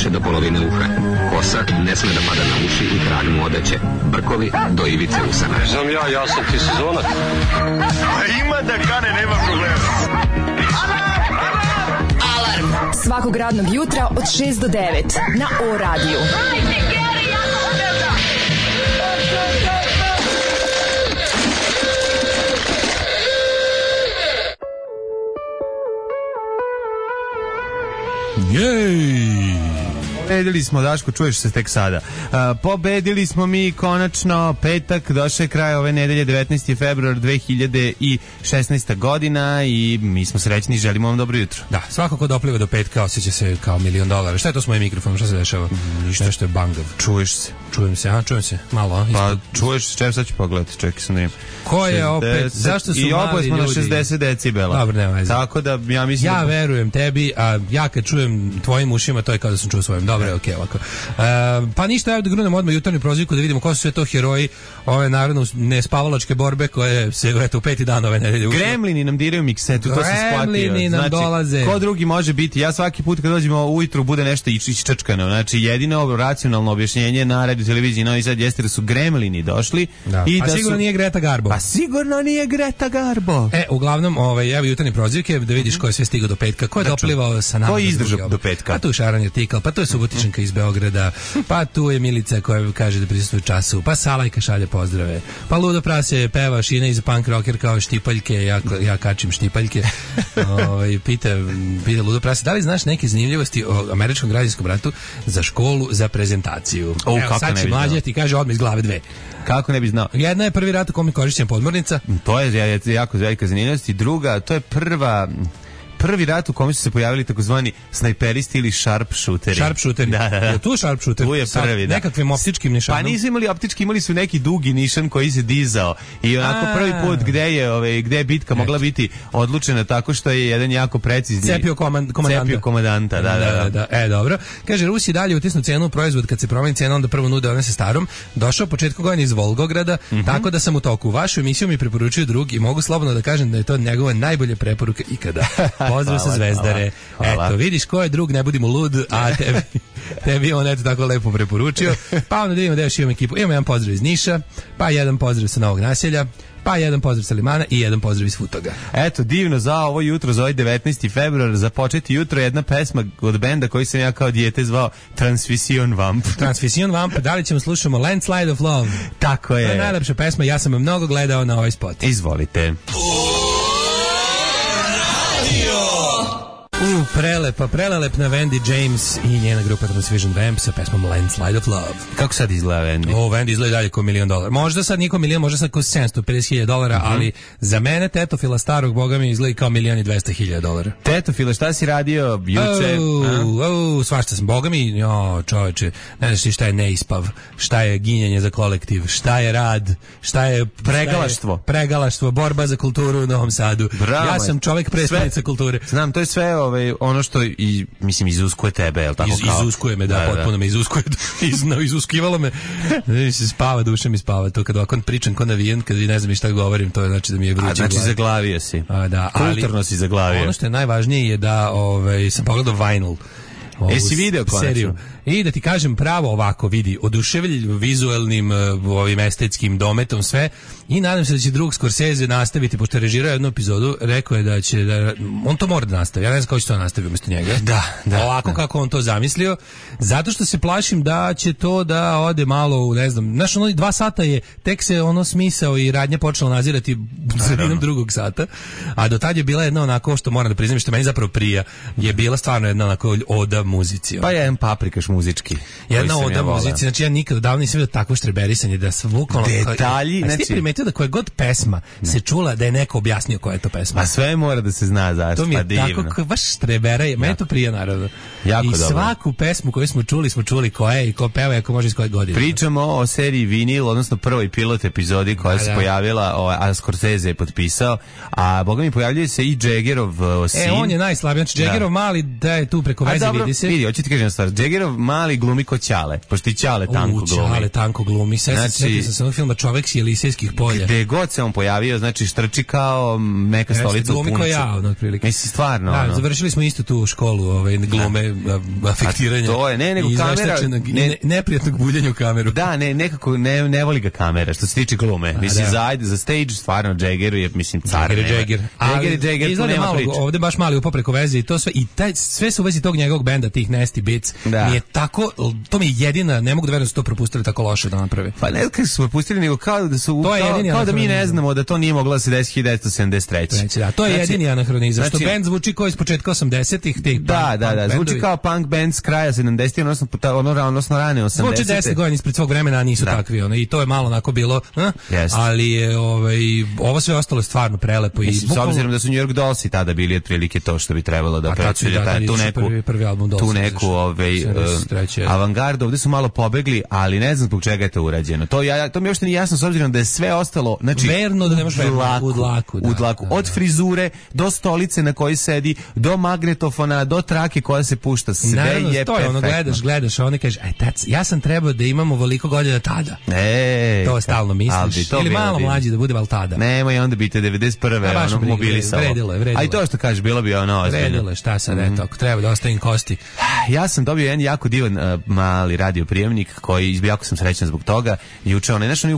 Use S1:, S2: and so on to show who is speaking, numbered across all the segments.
S1: više do polovine uha. Kosa ne sme da pada na uši i trag mu odeće. Brkovi do ivice usana.
S2: Znam ja sam ti sezonac.
S3: Ima da kane, nema problema.
S4: Alarm svakog radnog jutra od 6 do 9 na O-radiju.
S5: Jej! Pobedili smo, Daško, čuješ se tek sada. Pobedili smo mi konačno, petak, došao je kraj ove nedelje, 19. februar 2016. godina i mi smo srećni i želimo vam dobro jutro.
S6: Da, svako ko dopliva do petka osjeća se kao $1.000.000. Šta je to s mojim mikrofonom? Šta se dešava?
S5: Ništa.
S6: Nešto je bangav.
S5: Čuješ se.
S6: Čujem se, malo, a?
S5: Pa čuješ, čem sad ću pogledati, čekaj sam da im.
S6: Ko je opet, zašto su
S5: i
S6: mali ljudi?
S5: I oboje smo na 60 decibela.
S6: Dobro, nema veze.
S5: Tako da, ja mislim...
S6: Ja verujem tebi, a ja kad čujem tvojim ušima, to je kao da sam čuo svojim. Dobro, okej, ovako. Pa ništa, evo da grunemo odmah jutarnju prozivku da vidimo ko su sve to heroji ove naravno nespavalačke borbe koje se eto u peti dan ove nedelje.
S5: Gremlini nam diraju miksetu, to se shvatio.
S6: Gremlini nam dolaze.
S5: Ko drugi može biti? Ja svaki put kad dođemo ujutru bude nešto iščačkano. Znači jedino racionalno objašnjenje na radio televiziji Novi Sad jeste da su gremlini došli.
S6: Da. I da sigurno nije Greta Garbo.
S5: Pa sigurno nije Greta Garbo.
S6: Uglavnom, evo jutarnje prozivke da vidiš ko je sve stigao do petka, ko je doplivao sa nama.
S5: Ko je izdržao do petka?
S6: Pa tu je Šaran Artikal, pa tu je Subotičanka iz Beograda, pa tu je Milica koja kaže da prisustvuje času, pa Salajka šalje pozdrave, pa Ludo Prase peva Šina iz punk rocker kao štipaljke, ja kačim štipaljke. Pita Ludo Prase, da li znaš neke zanimljivosti o američkom građanskom ratu za školu za prezentaciju? Evo, sad će mlađe ti kaže odmah iz glave dve.
S5: Kako ne bi znao?
S6: Jedna je prvi rat u kome je korišćena podmornica.
S5: To je jako velika zanimljivost. I druga, to je prvi rat u kome su se pojavili takozvani snajperisti ili sharpshooteri.
S6: Sharpshooteri.
S5: Da.
S6: Je tu sharpshooter?
S5: Tu je prvi, da.
S6: Nekakvim optičkim nišanom.
S5: Pa nisu imali optički, imali su neki dugi nišan koji se dizao. I onako prvi put gde je bitka mogla biti odlučena tako što je jedan jako precizni
S6: cepio
S5: komandanta. Da.
S6: Dobro. Kaže, Rusi dalje utisnu cenu proizvod kad se promeni cena, onda prvo nude one sa starom. Došao početkom godine iz Volgograda, tako da sam u toku. Vašu emisiju mi preporučuju drugi i mogu slobodno da kažem da je to njegova najbolja preporuka ikada. Pozdrav sa Zvezdare.
S5: Hvala.
S6: Eto, vidiš ko je drug, ne budimo lud, a tebi on eto tako lepo preporučio. Pa onda da vidimo da još imamo ekipu. Imamo jedan pozdrav iz Niša, pa jedan pozdrav sa Novog Naselja, pa jedan pozdrav sa Limana i jedan pozdrav iz Futoga.
S5: Eto, divno za ovo jutro, za ovaj 19. februar, za početi jutro jedna pesma od benda koji sam ja kao dijete zvao Transfusion Vamp.
S6: Transfusion Vamp, da li ćemo slušamo Landslide of Love?
S5: Tako je.
S6: To je najlepša pesma, ja sam je mnogo gledao na ovaj spot.
S5: Izvolite.
S6: Prelelepna Wendy James i njena grupa Transfusion Vamp sa pesmom Landslide of Love.
S5: Kako sad izgleda Wendy?
S6: Wendy izgleda dalje kao $1.000.000. Možda sad niko milion, možda sad kao $750.000, ali za mene tetofila starog boga mi izgleda kao $1.200.000.
S5: Tetofila, šta si radio juče?
S6: Svašta sam, boga mi, čoveče, ne znaš ti šta je neispav, šta je ginjanje za kolektiv, šta je rad, šta je pregalaštvo, borba za kulturu u Novom Sadu.
S5: Bravo,
S6: ja sam čovjek predstavnica kulture.
S5: Znam, to je sve ono što izuskuje tebe, je li tako?
S6: Izuskuje me, da, potpuno me izuskuje. Izuskivalo me. Se spava, duša mi spava. To kad ovako pričam ko navijen, kad vi ne znam šta govorim, to je znači da mi je vruće.
S5: Znači zaglavio si.
S6: Da,
S5: kulturno si zaglavio.
S6: Ono što je najvažnije je da sam pogledao Vinyl.
S5: Jesi video
S6: seriju. I da ti kažem pravo ovako, vidi, oduševljiv vizuelnim ovim estetskim dometom sve i nadam se da će drug Scorsese nastaviti, pošto je režirao jednu epizodu, rekao je da će on to mora da nastavi, ja ne znam kako će to nastaviti umjesto njega.
S5: Da.
S6: Ovako kako on to zamislio, zato što se plašim da će to da ode malo u, ne znam, znaš, 2 sata je, tek se smisao i radnja počela nazirati sredinom drugog sata, a do tad je bila jedna onako, što moram da priznam, što meni zapravo prija, je bila stvarno jedna onako oda muzici.
S5: Pa jedan paprikaš muzički.
S6: Jedna oda muzici, znači ja nikada davno nisam vidio takvo štreberisanje da se bukvalno
S5: detalji,
S6: znači ti primetio da koja god pesma se čula da je neko objasnio koja je to pesma.
S5: A sve mora da se zna zašto,
S6: to mi je
S5: divno.
S6: Tako baš štrebera, meni to prija naravno.
S5: Jako
S6: i
S5: dobro.
S6: Svaku pesmu koju smo čuli koja je i ko peva, ako može iz koje godine.
S5: Pričamo o seriji Vinil, odnosno prvoj pilot epizodi koja se pojavila, a Scorsese je potpisao, a boga mi pojavljuje se i Jaggerov sin.
S6: On je najslabiji, znači Jaggerov mali da je tu preko veze, vidi se.
S5: Vidi, hoću ti kažem stvar, Jaggerov mali glumi ko Ćale, pošto i Ćale tanko glumi.
S6: Ćale tanko glumi. Setio sam se onog filma Čovek s Jelisejskih polja.
S5: Gde god se on pojavio, znači štrči kao neka stolica u puncu.
S6: Glumi ko ja, otprilike.
S5: Mislim, stvarno.
S6: Da, završili smo isto tu školu glume, afektiranja.
S5: To je, nego kamera...
S6: Neprijatnog buljenja u kameru.
S5: Da, nekako ne voli ga kamera, što se tiče glume. Mislim, za stage, stvarno, Jaggeru je, mislim, car. Jagger, tu nema priče.
S6: Ovde baš mali upo preko veze i to sve, i sve su u vezi tog njegovog benda, tih Nasty Beats. Mi je tako, to mi je jedina, ne mogu da verujem da su to propustili tako loše da naprave.
S5: Pa ne kako su propustili, nego kao da su, kao da mi ne znamo da to nije moglo da se desi 1973.
S6: Da, to je jedini anahronizam, što bend zvuči kao iz početka 80-ih.
S5: Da, zvuči kao punk band s kraja 70-ih, odnosno rane 80-ih.
S6: Zvuči 10 godina ispred svog vremena, a nisu takvi, i to je malo onako bilo, ali je ovo sve ostalo je stvarno prelepo.
S5: I s obzirom da su New York Dolls i tada bili otprilike to što bi trebalo da predstavlja tu neku avangardu, ovde su malo pobegli, ali ne znam zbog čega je to urađeno. To mi uopšte nije jasno s obzirom da je sve ostalo, znači
S6: verno da nemaš
S5: u dlaku, od frizure do stolice na kojoj sedi, do magnetofona, do trake koja se pušta, sve je
S6: to je ono, gledaš, a oni kaže, ja sam trebao da imam ovoliko godina tada. To stalno misliš. Ili malo mlađi da bude, ali tada.
S5: Nemoj onda biti 91. ono mobilisalo.
S6: Vredilo.
S5: A i to što kažeš, bilo bi ono ozbiljno.
S6: Vredilo, šta sad, eto, ako treba da ostavim kosti.
S5: Ja sam dobio jedan jako divan mali radio prijemnik koji, jako sam srećan zbog toga, juče onaj, znaš, oni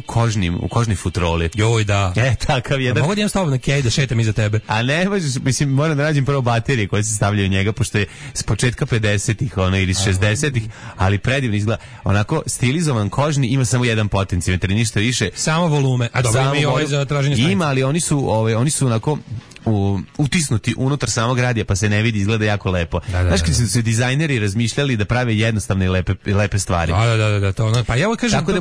S5: u kožnoj futroli.
S6: Joj, da.
S5: Takav jedan.
S6: Mogu da imam stavljeno na kej da šetam iza tebe.
S5: A ne možeš, mislim, moram da nađem prvo baterije koje se stavljaju u njega, pošto je s početka 50-ih, ili 60-ih, ali predivno izgleda. Onako, stilizovan kožni, ima samo jedan potencimetar, ništa više.
S6: Samo volume. A dobro, ima i ovaj za traženje stanice.
S5: Ima, ali oni su onako utisnuti unutar samog radija, pa se ne vidi, izgleda jako lepo. Znaš, kad su dizajneri razmišljali da prave jednostavne i lepe stvari.
S6: Da, to ono. Pa ja ovo kažem,
S5: tako da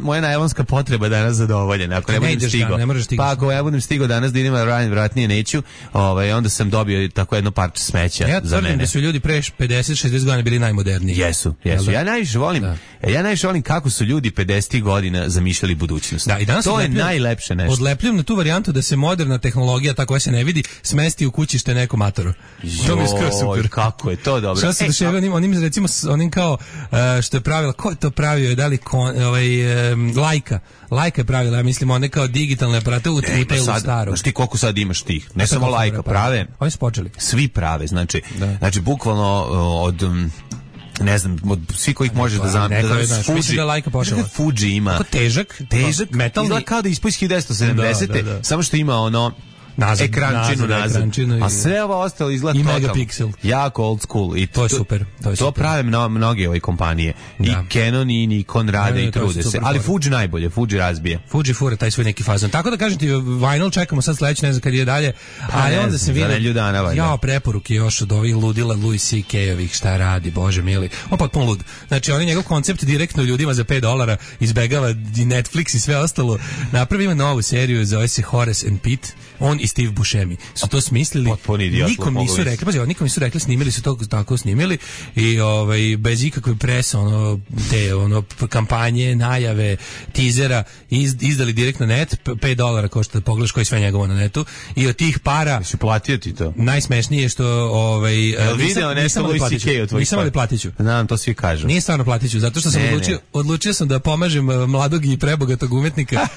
S5: moja najlonska potreba danas zadovoljena. Ako ne budem stigao. Pa ako ja budem stigao danas da idem na radim, vratnije neću, onda sam dobio tako jedno parče smeća za mene.
S6: Ja tvrdim da su ljudi pre 50-60 godina bili najmoderniji.
S5: Jesu. Ja najviše volim kako su ljudi 50 godina zamišljali budućnost. To je najlepše nešto.
S6: Odlepljujem na tu varijantu da se moderna tehnologija, tako se ne vidi, smesti u kućište neko matoro. To mi je skoro super.
S5: Kako je to dobro.
S6: Šta se dešava onim, recimo, onim kao, što je pravila, ko je to pravio, da li Lajka je pravila, ja mislim, one kao digitalne aparate u telu staru.
S5: Znaš ti koliko sad imaš tih? Ne samo Lajka, prave.
S6: Oni su počeli.
S5: Svi prave, znači bukvalno od... ne znam, od svih kojih možeš da zamisliti. Fuji ima.
S6: Kako težak, metalni.
S5: Izgleda kao da ispoj 1970. Samo što ima ono ekrančinu nazad. A sve ovo ostalo izgleda
S6: megapixel.
S5: Jako old school. I
S6: to je super.
S5: To prave mnoge ove kompanije. I Canon i Nikon rade i trude se. Ali Fuji najbolje, Fuji razbije.
S6: Fuji fura taj svoj neki fazon. Tako da kažem ti, vinyl čekamo sad sledeće, ne znam kad je dalje. Ali onda se vidi. Ja, preporuke još od ovih ludila Louis C.K.-ovih, šta radi, bože mili. On potpuno lud. Znači, on je njegov koncept direktno ljudima za $5 izbegava i Netflix i sve ostalo. Napravi ima novu seriju, zove se Horace and Pete. On i Steve Buscemi su to smislili. Nikom nisu rekli, nikom nisu rekli, snimili su to tako snimili i bez ikakve presa, te kampanje, najave, tizera, izdali direktno net, $5 košta da pogledaš koji sve njegovo na netu i od tih para
S5: si platio ti to.
S6: Najsmešnije je što
S5: video nešto Louis C.K. od tvojih.
S6: Nisam ali platiću.
S5: Znam, to svi kažu.
S6: Nije stvarno platiću, zato što sam odlučio sam da pomažem mladog i prebogatog umetnika.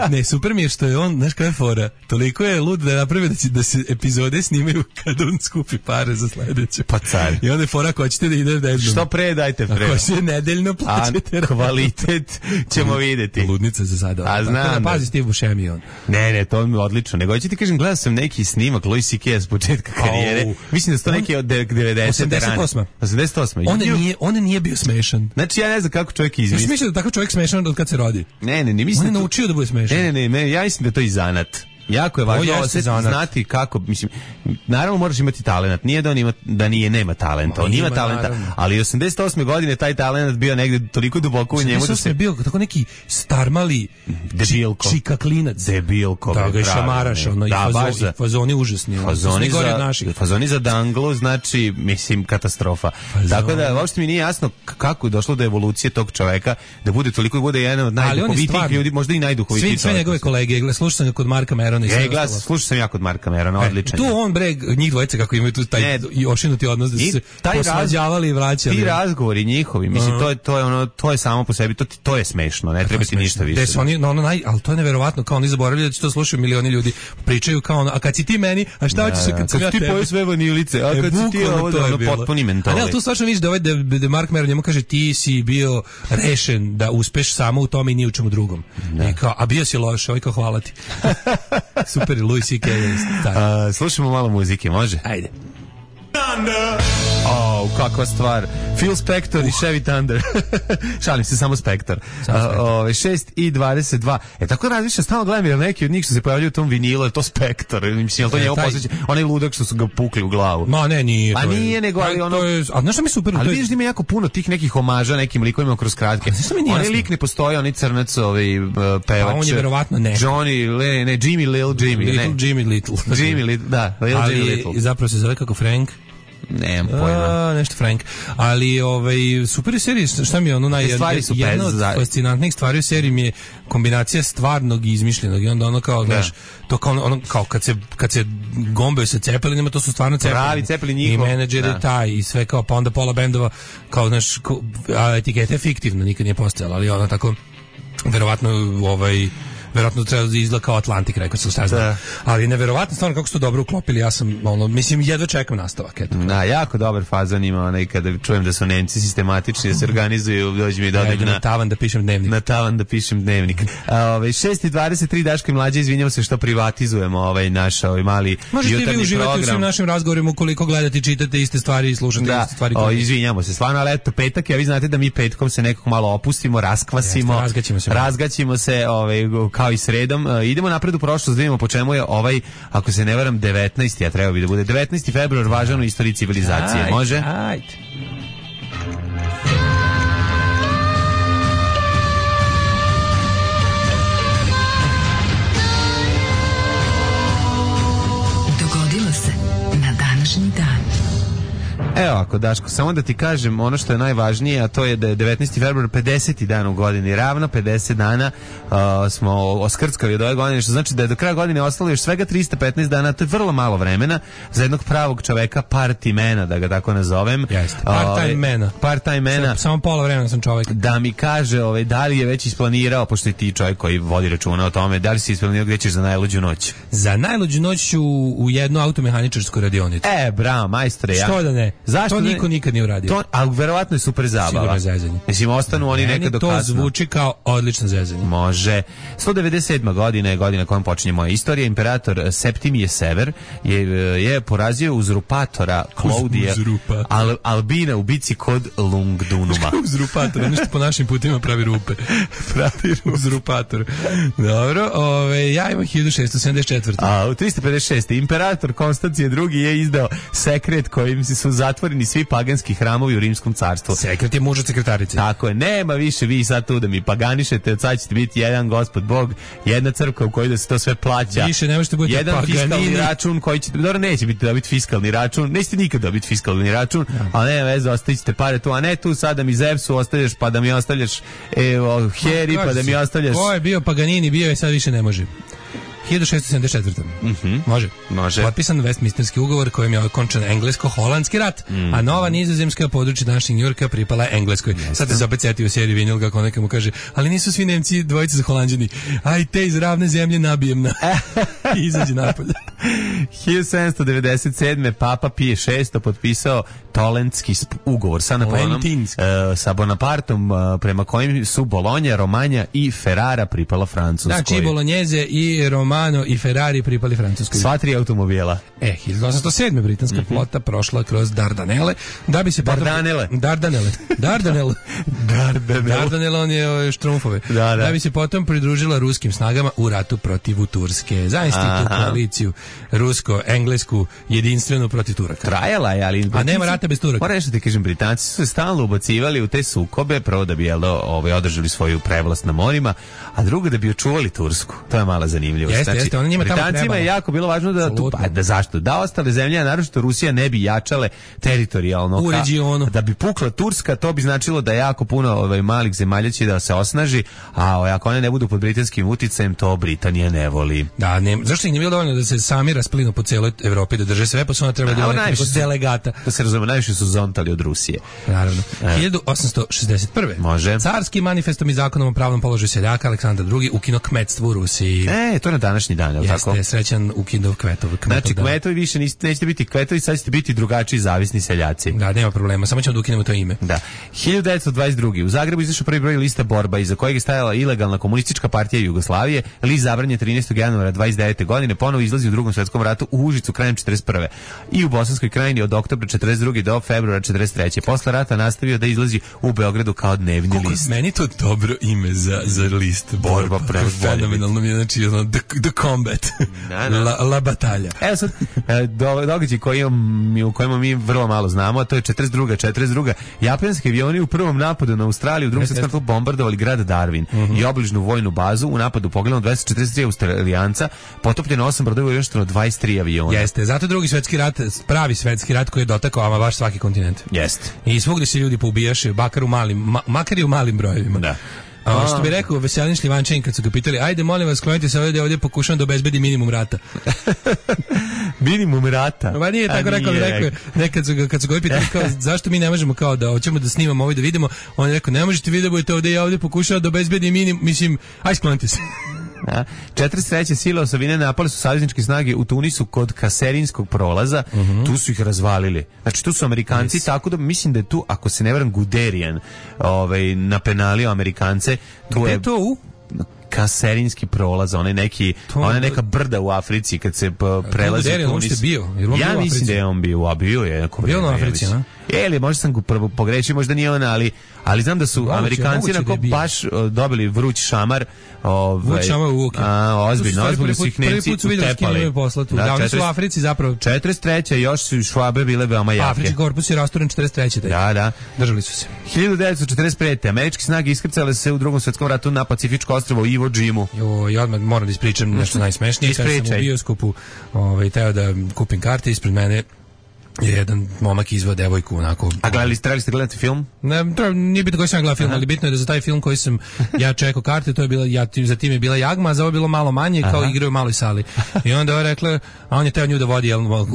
S6: Ne, super mi je što je on, znaš koja je fora, toliko je lud da napravi da se epizode snimaju kad on skupi pare za sledeće.
S5: Pa car.
S6: I onda je fora, ako hoćete da ide nedeljno.
S5: Što pre dajte pre.
S6: Ako se nedeljno plaćate.
S5: A kvalitet ćemo vidjeti.
S6: Ludnica za sada.
S5: A znam.
S6: Tako da pazi Steve Buscemi on.
S5: Ne, to mi je odlično. Nego hoću ti kažem, gledao sam neki snimak Louis C.K. s početka karijere. Mislim da su to neki od 90.
S6: 88. On nije bio smešan.
S5: Znači ja ne znam kako čovjek izmisli.
S6: Ja mislim da takav čovjek smešan od kad se rodi.
S5: Ne, mislim.
S6: On je naučio da bude smešan.
S5: Ne, ja mislim da to i zanat. Jako je važno znati kako, mislim, naravno moraš imati talenat, nije da on ima, da nema talenta, on ima talenta, naravno. Ali 88. godine taj talent bio negde toliko duboko u njemu da se...
S6: bio tako neki starmali čikaklinac.
S5: Debilko.
S6: Da ga šamaraš, i fazoni užasni.
S5: Fazoni za danglu, znači, mislim, katastrofa. Tako da, uopšte mi nije jasno kako je došlo do evolucije tog čoveka, da bude toliko, bude jedan od najduhovitijih ljudi, možda i najduhovitiji čovjek.
S6: Sve njegove kolege, slušao sam ga kod Marka Mera Merona i sve
S5: glas,
S6: ostalo.
S5: slušao sam ja kod Marka Merona, odličan.
S6: Tu on njih dvojice kako imaju tu taj ošinuti odnos da su se posvađavali i vraćali.
S5: Ti razgovori njihovi, mislim, to je samo po sebi, to je smešno, ne treba ti ništa više.
S6: Ali to je neverovatno, kao oni zaboravljaju da će to slušaju milioni ljudi, pričaju kao ono, a kad si ti meni, a šta hoćeš kad sam ja tebi?
S5: Kad ti poješ sve vanilice, a kad si ti ovo potpuni mentoli.
S6: A ne, tu stvarno vidiš da Mark Maron njemu kaže ti si bio rešen da uspeš samo u tome i ni u čemu drugom. I kao, a bio si loš, ovaj kao hvala ti. Super, Louis C.K.
S5: Slušamo malo muzike, može?
S6: Ajde.
S5: Kakva stvar. Phil Spector i Chevy Thunder. Šalim se, samo Spector. 6:22. Tako razmišljam, stalno gledam jer neki od njih što se pojavljaju u tom vinilu, je to Spector. Mislim, je li to njemu posjeća? Onaj ludak što su ga pukli u glavu.
S6: Ma ne, nije.
S5: Pa nije, nego, ali ono...
S6: A znaš što mi super?
S5: Ali vidiš da ima jako puno tih nekih omaža nekim likovima kroz kratke. Onaj lik ne postoji, onaj crnac, pevač.
S6: Pa on je verovatno ne.
S5: Jimmy Little. Da, Jimmy Little.
S6: Ali zapravo se zove kako Frank.
S5: Nemam pojma.
S6: Nešto Frank. Ali super je serija, šta mi je ono jedna od fascinantnih stvari u seriji mi je kombinacija stvarnog i izmišljenog i onda ono kao, znaš, to kao ono kao kad se gombaju sa Cepelinima, to su stvarno Cepelini. I menadžer je taj i sve kao, pa onda pola bendova kao, znaš, a etiketa je fiktivna, nikad nije postojala, ali ona tako verovatno verovatno treba da izgleda kao Atlantik, rekao sam, šta znam. Ali neverovatno stvarno kako su to dobro uklopili, ja sam, mislim, jedva čekam nastavak.
S5: Da, jako dobar fazon ima, kada čujem da su Nemci sistematični, da se organizuju, dođe mi dodaj
S6: na tavan da pišem dnevnik.
S5: Na tavan da pišem dnevnik. 6:23, Daško i Mlađa, izvinjamo se što privatizujemo naš mali jutarnji program.
S6: Možete vi uživati u svim našim razgovorima ukoliko gledate, čitate iste stvari i slušate iste stvari.
S5: Izvinjamo se, stvarno, ali eto, petak, vi znate da mi petkom se nekako malo opustimo, raskvasimo, razgaćimo se, kao i sredom. Idemo napred u prošlost, da vidimo po čemu je ako se ne varam, 19. a treba bi da bude 19. februar, važan u istoriji civilizacije. Može?
S6: Ajde.
S4: Dogodilo se na današnji dan.
S5: Evo ako, Daško, samo da ti kažem ono što je najvažnije, a to je da je 19. februar 50. dan u godini, ravno 50 dana smo oskrckali od ove godine, što znači da je do kraja godine ostalo još svega 315 dana, to je vrlo malo vremena za jednog pravog čoveka, party-mena, da ga tako nazovem.
S6: Jeste, part-time mena. Samo pola vremena sam čovek.
S5: Da mi kaže da li je već isplanirao, pošto je ti čovjek koji vodi računa o tome, da li si isplanirao gdje ćeš za najluđu noć?
S6: Za najluđu noć ću u jednu automehaničarsku radionicu.
S5: Bravo, majstore.
S6: Što da ne?
S5: Zašto
S6: to niko nikad nije uradio.
S5: Ali verovatno je super zabava.
S6: Sigurno zezanje.
S5: Mislim, ostanu oni nekad do kasno.
S6: To zvuči kao odlično zezanje.
S5: Može. 197. godina je godina kojom počinje moja istorija. Imperator Septimije Sever je porazio uzurpatora Klaudija Albina u bici kod Lungdunuma.
S6: Uzurpator, nešto po našim putima pravi rupe. Uzurpator. Dobro, ja imam 1674.
S5: A u 356. Imperator Konstancije II je izdao sekret kojim su zatvoreni svi paganski hramovi u Rimskom carstvu.
S6: Sekret je muž od sekretarice.
S5: Tako je, nema više vi sad tu da mi paganišete, od sad ćete biti jedan Gospod Bog, jedna crkva u kojoj da se to sve plaća.
S6: Više ne možete biti
S5: jedan
S6: paganini.
S5: Fiskalni račun koji ćete, dobro, neće biti dobiti fiskalni račun, nećete nikad dobiti fiskalni račun, a ne veze, ostavit ćete pare tu, a ne tu sad da mi Zevsu ostavljaš, pa da mi ostavljaš Heri, pa da mi ostavljaš...
S6: Ko je bio Paganini, bio je, sad više ne može. 1674. Može. Potpisan Westminsterski ugovor kojim je okončan englesko-holandski rat, a nova nizozemska područja današnjeg Njujorka pripala je Engleskoj. Sad se opet setio u seriji Vinil kako neka mu kaže, ali nisu svi Nemci dvojice za Holanđani. Aj te iz ravne zemlje nabijem na i izađe napolje.
S5: 1797. Papa Pije VI potpisao Tolentski ugovor sa Bonapartom, prema kojim su Bolonja, Romanja i Ferrara pripala Francuskoj.
S6: Znači Bolognese i Romano i Ferrari pripali Francuskoj.
S5: Sva tri automobila.
S6: 1807. britanska flota prošla kroz Dardanele da bi se Dardanele, on je štrumfove. Da bi se potom pridružila ruskim snagama u ratu protiv Turske. Zamislite tu koaliciju rusko-englesku jedinstvenu protiv Turaka.
S5: Trajala je, ali...
S6: A nema rata bez Turaka.
S5: Moram nešto ti kažem, Britanci su se stalno ubacivali u te sukobe, prvo da bi održali svoju prevlast na morima, a drugo da bi očuvali Tursku. To je mala zanimljivost.
S6: Jeste, oni njima tamo
S5: Britancima
S6: trebalo.
S5: je jako bilo važno da zašto? Da ostale zemlje, a naročito Rusija, ne bi jačale teritorijalno.
S6: U regionu.
S5: Da bi pukla Turska, to bi značilo da jako puno malih zemalja će da se osnaži, a ako one ne budu pod britanskim uticajem, to Britanija ne voli.
S6: Da, zašto ih nije bilo dovoljno da se sami rasplinu po cijeloj Evropi, da drže sve, pa su ona treba da imaju delegata.
S5: Da se razume, najviše su zontali od Rusije.
S6: Naravno. 1861.
S5: Može.
S6: Carski manifestom i zakonom o pravnom položaju seljaka Aleksandar II ukinuo kmetstvo u Rusiji.
S5: To je na današnji dan, je li tako?
S6: Jeste, srećan ukinuo kmetov.
S5: Znači, kmetovi više nećete biti kmetovi, sad ćete biti drugačiji zavisni seljaci.
S6: Da, nema problema, samo ćemo da ukinemo to ime.
S5: Da. 1922. U Zagrebu izašao prvi broj lista Borba, iza kojeg je stajala ilegalna komunistička partija Jugoslavije. List zabranjen 13. januara 29. godine, ponovo izlazi u Drugom svjetskom ratu u Užicu krajem 41. I u Bosanskoj krajini od oktobra 42. do februara 43. Posle rata nastavio da izlazi u Beogradu kao dnevni list.
S6: Meni to dobro ime za list Borba. Fenomenalno mi je, znači, the combat. La batalja.
S5: Evo sad, događaj u kojima mi vrlo malo znamo, a to je 42. Japanski avioni u prvom napadu na Australiju u Drugom svjetskom ratu bombardovali grad Darwin i obližnu vojnu bazu. U napadu pogledano 243 Australijanca, potopljeno 8 brodova i uništeno 23 aviona.
S6: Jeste, zato Drugi svjetski rat, pravi svjetski rat koji je dotakao ama baš svaki kontinent.
S5: Jeste.
S6: I svugdje se ljudi poubijaše, makar i u malim brojevima.
S5: Da.
S6: Što bi rekao Veselin Šljivančanin kad su ga pitali, ajde molim vas, klonite se ovdje pokušavam da obezbedi minimum rata.
S5: Minimum rata?
S6: Ma nije tako rekao, nekad kad su ga pitali kao, zašto mi ne možemo kao da hoćemo da snimamo ovo i da vidimo, on je rekao, ne možete vi da budete ovdje, ja ovdje pokušavam da obezbedi minimum, mislim, aj sklonite se.
S5: 43. sile osovine napale su savezničke snage u Tunisu kod Kaserinskog prolaza, tu su ih razvalili. Znači tu su Amerikanci, tako da mislim da je tu, ako se ne varam, Guderian napenalio Amerikance.
S6: Gde je to u?
S5: Kaserinski prolaz, ona neka brda u Africi kad se prelazi u Tunis. Ja mislim da je on bio je.
S6: Bio na Africi, a?
S5: Ili možda sam pogrešio, možda nije on, ali znam da su Amerikanci baš dobili vruć šamar.
S6: Vruć šamar u uke.
S5: Ozbiljno su ih Nemci utepali.
S6: Da, oni su u Africi zapravo.
S5: 43. još su Švabe bile veoma jake.
S6: Afrički korpus je rasturen 43.
S5: Da.
S6: Držali su se.
S5: 1945. Američke snage iskrcale se u Drugom svjetskom ratu na Pacifičko ostrvo Iwo Jimu.
S6: Ja odmah moram da ispričam nešto najsmešnije. Kad sam u bioskopu teo da kupim karte, ispred mene je jedan momak izvao devojku onako.
S5: A trebali ste gledati film?
S6: Ne, nije bitno koji sam gledao film, ali bitno je da za taj film koji sam ja čekao karte, to je bila, za tim je bila Jagma, a za ovo je bilo malo manje, kao igraju u maloj sali. I onda je rekla, a on je teo nju da vodi,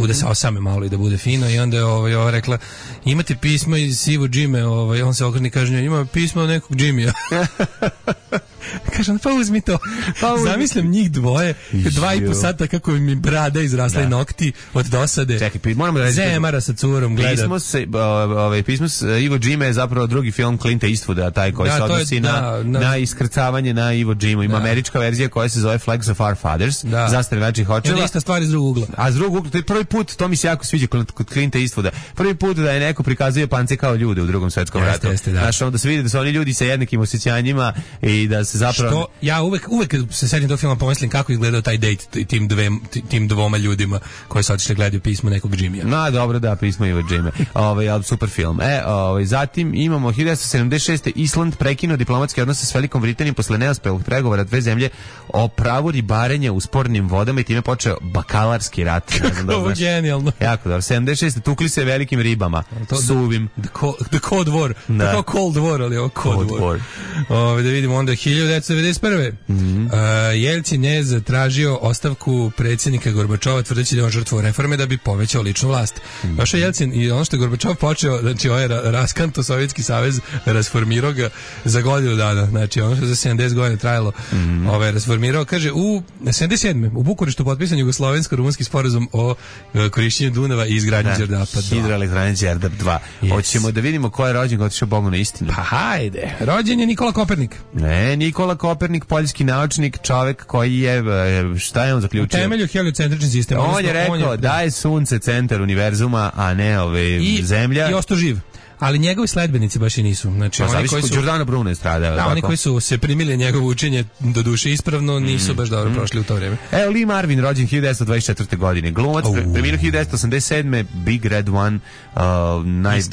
S6: da se osame malo i da bude fino, i onda je ova rekla, imate pismo iz Iwo Jime, on se okrene i kaže, ima pismo od nekog Jimija. Kažem, pa uzmi to. Zamislim njih dvoje, 2,5 sata kako mi brada izrasla i nokti od dosade.
S5: Čekaj, moramo da reći.
S6: Zemara sa curom gleda.
S5: Pismo s Iwo Jime je zapravo drugi film Clinta Eastwooda, taj koji se odnosi na iskrcavanje na Iwo Jimu. Ima američka verzija koja se zove Flags of Our Fathers, zastave naših očeva.
S6: I ista stvar iz drugog ugla.
S5: A iz drugog ugla, to je prvi put, to mi se jako sviđa kod Clinta Eastwooda. Prvi put da je neko prikazuje Japance kao ljude u Drugom svjetskom ratu. Znaš, onda se vidi da su oni ljudi sa jednakim osjećanjima i da se zapravo...
S6: Što ja uvek se setim tog filma, pomislim kako izgledao taj date tim dvoma ljudima koji su otišli gledaju pismo nekog Jimija.
S5: Dobro, da, pismo Iwo Jime. Super film. Zatim imamo 1976. Island prekinuo diplomatske odnose s Velikom Britanijom posle neuspelih pregovora dve zemlje o pravu ribarenja u spornim vodama i time počeo bakalarski rat.
S6: Kako genijalno.
S5: Jako dobro. 76. tukli se velikim ribama. Suvim.
S6: The Cold War. Tako Cold War, ali ovo Cold War. Da vidimo onda 1991. Jelcin je zatražio ostavku predsjednika Gorbačova tvrdeći da je on žrtvovao reforme da bi povećao ličnu vlast. Došao Jelcin i ono što je Gorbačov počeo, znači ovaj raskanto Sovjetski savez rasformirao ga za godinu dana. Znači ono što za 70 godina trajalo, rasformirao, kaže u 77. u Bukureštu potpisan jugoslovensko-rumunski sporazum o korišćenju Dunava i izgradnji Đerdapa 2.
S5: Hidroelektrane Đerdap 2. Hoćemo da vidimo ko je rođen, otišao Bogu na istinu.
S6: Pa hajde. Rođen je Nikola Kopernik.
S5: Ne, Nikola Kopernik, poljski naučnik, čovek koji je, šta je on zaključio?
S6: U temelju heliocentrični sistem.
S5: On je rekao da je sunce centar univerzuma, a ne zemlja.
S6: I ostao živ. Ali njegovi sledbenici baš i nisu. Znači, oni koji su
S5: Giordano Bruno je stradao.
S6: Da, oni koji su se primili njegovo učenje do duše ispravno nisu baš dobro prošli u to vrijeme.
S5: Evo Lee Marvin, rođen 1924. godine. Glumac, preminuo 1987. Big Red One,